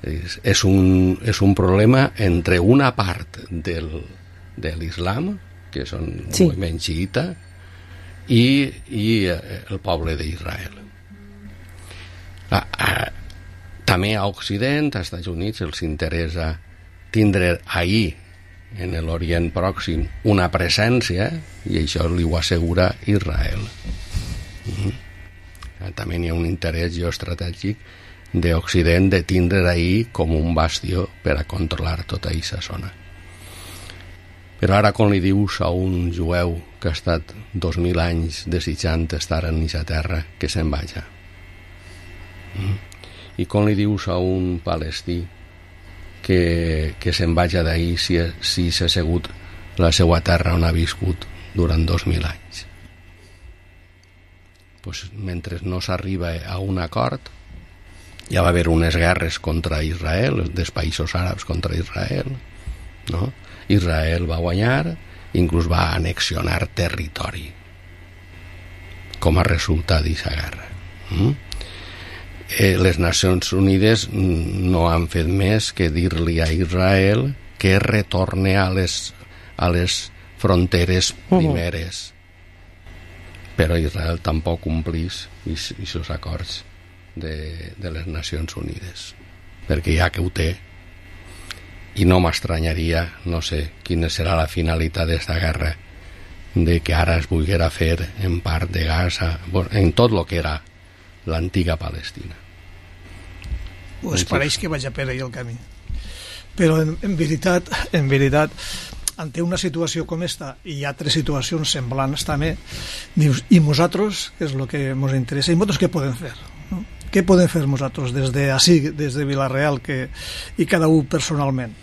És un problema entre una part de l'islam, que són moviment xiita, i el poble d'Israel. També a Occident, als Estats Units, els interessa tindre ahir, en l'Orient Pròxim, una presència, i això li ho assegura Israel. També hi ha un interès geoestratègic d'Occident de tindre ahir com un bastió per a controlar tota aquesta zona. Però ara quan li dius a un jueu que ha estat 2.000 anys desitjant estar en aquesta terra, que se'n vaja. I quan li dius a un palestí que se'n vaja d'ahir si s'ha sigut la seva terra on ha viscut durant 2.000 anys. Pues, mentre no s'arriba a un acord, ja va haver unes guerres contra Israel, dels països àrabs contra Israel, no? Israel va guanyar, inclús va annexionar territori com a resultat d'aquesta guerra. Les Nacions Unides no han fet més que dir-li a Israel que retorne a les fronteres primeres, però Israel tampoc complís aquests acords de les Nacions Unides, perquè ja que ho té, i no m'estranyaria, no sé quina serà la finalitat d'esta guerra, de que ara es volguera fer en part de Gaza, en tot el que era l'antiga Palestina. Pues pareix que vaig a per ahí el camí. Però en veritat, ante una situació com esta i altres situacions semblants també, dius, i nosaltres, que és el que ens interessa, i nosaltres què podem fer? No? Què podem fer nosaltres des de Vila-real i cada un personalment?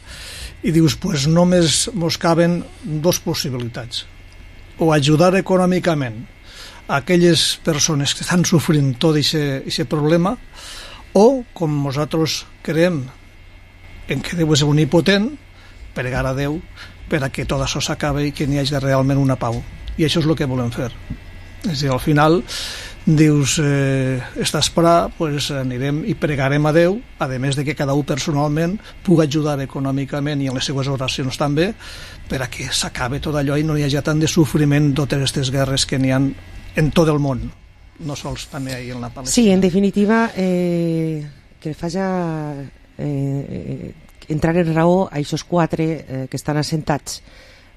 I dius, pues només ens caben dues possibilitats. O ajudar econòmicament a aquelles persones que estan sofrint tot aquest problema, o, com nosaltres creiem en que Déu és omnipotent, pregar a Déu per a que tot això s'acabe i que n'hi hagi realment una pau. I això és el que volem fer. És a dir, al final dius, està a esperar, pues anirem i pregarem a Déu, a més de que cada un personalment pugui ajudar econòmicament i en les seues oracions també, per a que s'acabe tot allò i no hi hagi tant de sofriment totes aquestes guerres que n'hi ha en tot el món, no sols també ahí en la Palestina. Sí, en definitiva, que faci entrar en raó a aquests quatre que estan assentats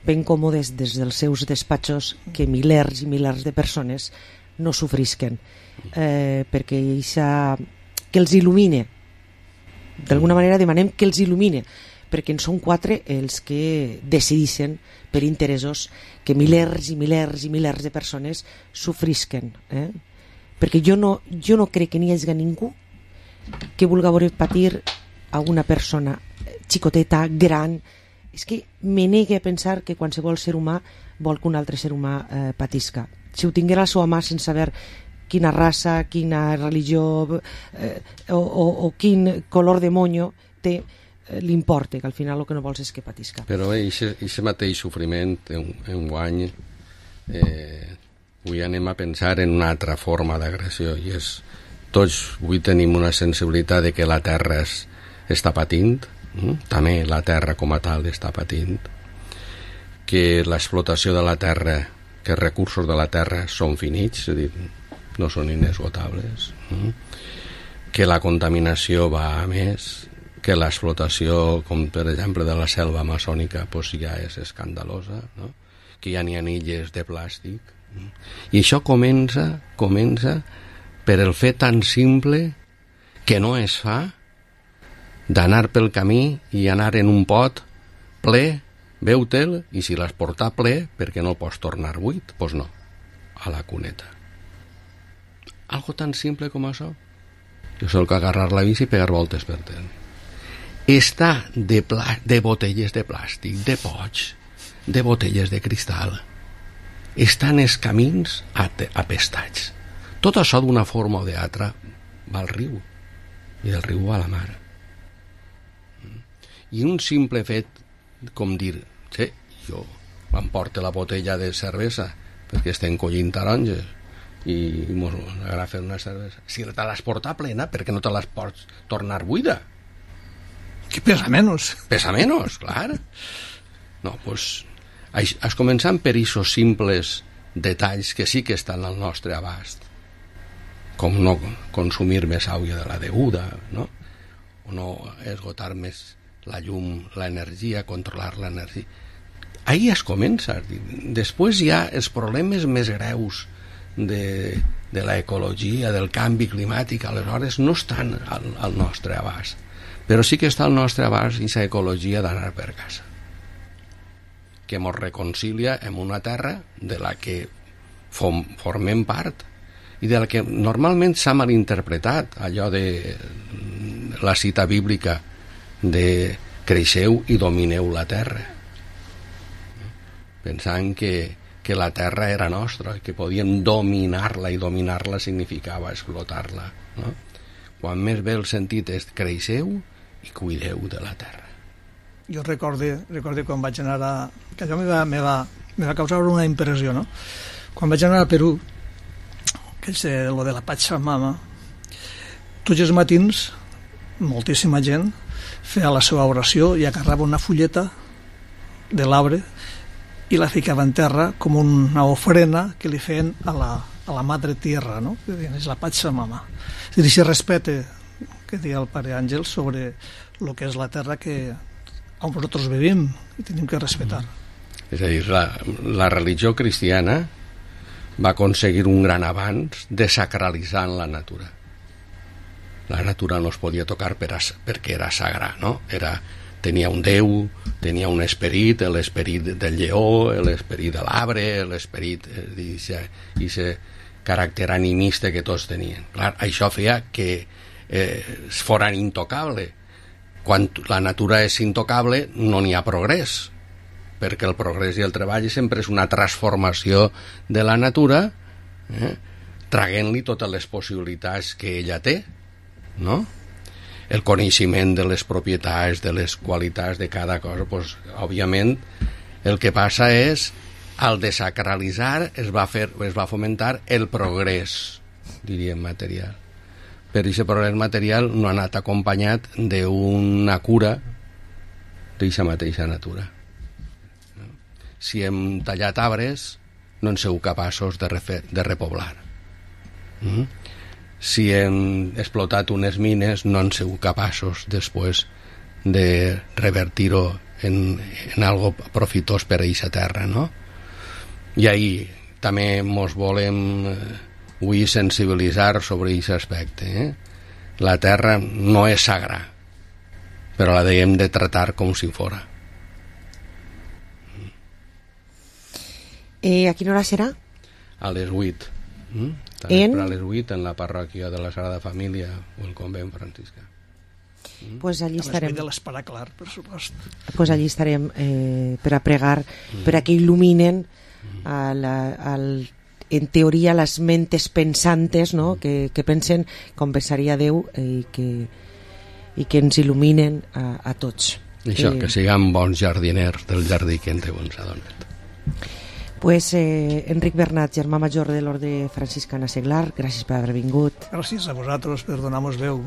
ben còmodes des dels seus despatxos, que milers i milers de persones no sofrisquen, perquè que els il·lumine. D'alguna manera demanem que els il·lumine, perquè en són quatre els que decideixen per interessos que milers i milers i milers de persones sofrisquen. Perquè jo no crec que n'hi hagi ningú que vulgui veure patir a una persona xicoteta, gran. És que me negue a pensar que qualsevol ser humà vol que un altre ser humà patisca. Si ho tinguera a la seva mà sense saber quina raça, quina religió o quin color de monyo té, l'importa, que al final el que no vols és que patisca. Però aquest mateix sofriment en guany avui anem a pensar en una altra forma d'agressió, i és tots avui tenim una sensibilitat de que la terra està patint, també la terra com a tal està patint, que l'explotació de la terra, que els recursos de la terra són finits, és a dir, no són inesgotables, que la contaminació va a més, que l'explotació, com per exemple de la selva amazònica, pues ja és escandalosa, no? Que ja n'hi ha illes de plàstic, i això comença per el fet tan simple que no es fa d'anar pel camí i anar en un pot ple, veu-te'l, i si l'has portat ple, perquè no el pots tornar buit? Doncs no, a la cuneta. Algo tan simple com això. Jo soc agarrar la bici i pegar voltes per terra. Està de botelles de plàstic, de pots, de botelles de cristal. Estan els camins apestats. Tot això d'una forma o d'altra va al riu, i del riu va a la mar. I un simple fet com dir, sí, jo m'emporto la botella de cervesa perquè estem collint taronges i m'agrada fer una cervesa. Si te l'has portat plena, per què no te l'has pots tornar buida? Que pesa menys. Pesa menys, clar. No, doncs, començant per aquests simples detalls que sí que estan al nostre abast, com no consumir més aigua de la deguda, no? O no esgotar més la llum, l'energia, controlar l'energia. Ahí es comença. Després hi ha els problemes més greus de l'ecologia, del canvi climàtic, aleshores no estan al nostre abast. Però sí que està al nostre abast aquesta ecologia d'anar per casa, que ens reconcilia amb una terra de la que formem part i de la que normalment s'ha malinterpretat allò de la cita bíblica de creixeu i domineu la terra. pensant que la terra era nostra, que podien dominar-la, i dominar-la significava explotar-la, no? Quan més bé el sentit és creixeu i cuideu de la terra. Jo recordo quan vaig anar a... que allò me va causar una impressió, no? Quan vaig anar a Perú, que és lo de la Pachamama, tots els matins moltíssima gent feia la seva oració i agarrava una fulleta de l'arbre i la ficava en terra com una ofrena que li feien a la madre tierra, no? És la Pachamama. És a dir, si respecte que deia el pare Àngel sobre el que és la terra on nosaltres vivim i tenim que respectar. És a dir, la religió cristiana va aconseguir un gran avanç desacralitzant la natura. La natura no es podia tocar perquè era sagrada, no? Tenia un déu, tenia un esperit, l'esperit del lleó, l'esperit de l'arbre, l'esperit d'aquest caràcter animista que tots tenien. Clar, això feia que foren intocable. Quan la natura és intocable no n'hi ha progrés, perquè el progrés i el treball sempre és una transformació de la natura, traient-li totes les possibilitats que ella té, no? El coneixement de les propietats, de les qualitats de cada cosa, doncs, òbviament, el que passa és, al desacralitzar, es va fomentar el progrés, diríem, material. Però aquest progrés material no ha anat acompanyat d'una cura d'aquesta mateixa natura. Si hem tallat arbres, no en sou capaços de repoblar. Si hem explotat unes mines, no en sou capaços després de revertir-ho en algo profitós per a aquesta terra, no? I ahir també ens volem avui sensibilitzar sobre aquest aspecte. La terra no és sagrada, però la hem de tractar com si fora. A quina hora serà? A les 8. A les 8 en la parròquia de la Sagrada Família o el convent franciscà. Pues allí estarem. De l'Esperà Clar, per supost. Pues allí estarem per a pregar, per a que il·luminen en teoria les mentes pensantes, no? que pensen com pensaria Déu i que ens il·luminen a tots. Això, que siguem bons jardiners del jardí que Déu ens ha donat. Pues Enric Bernat, germà major de l'Orde Franciscana Seglar, gràcies per haver vingut. Gràcies a vosaltres per donar-nos veu.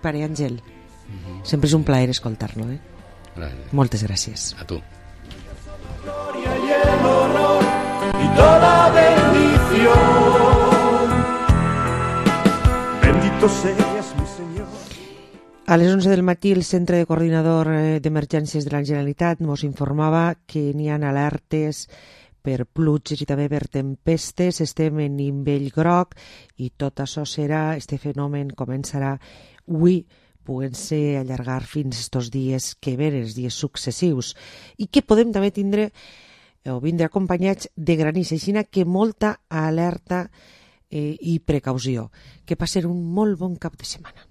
Pare Àngel, sempre és un plaer escoltar-lo. Gràcies. Moltes gràcies. A tu. Gloria y el honor y toda bendición. Bendito seas, mi Señor. A les 11 del matí el Centre de Coordinador d'Emergències de la Generalitat ens informava que n'hi ha alertes per pluges i també per tempestes. Estem en nivell groc i tot això serà, este fenomen començarà avui, podent-se allargar fins estos dies que venen, els dies successius, i que podem també tindre o vindre acompanyats de granís, així que molta alerta i precaució. Que passin un molt bon cap de setmana.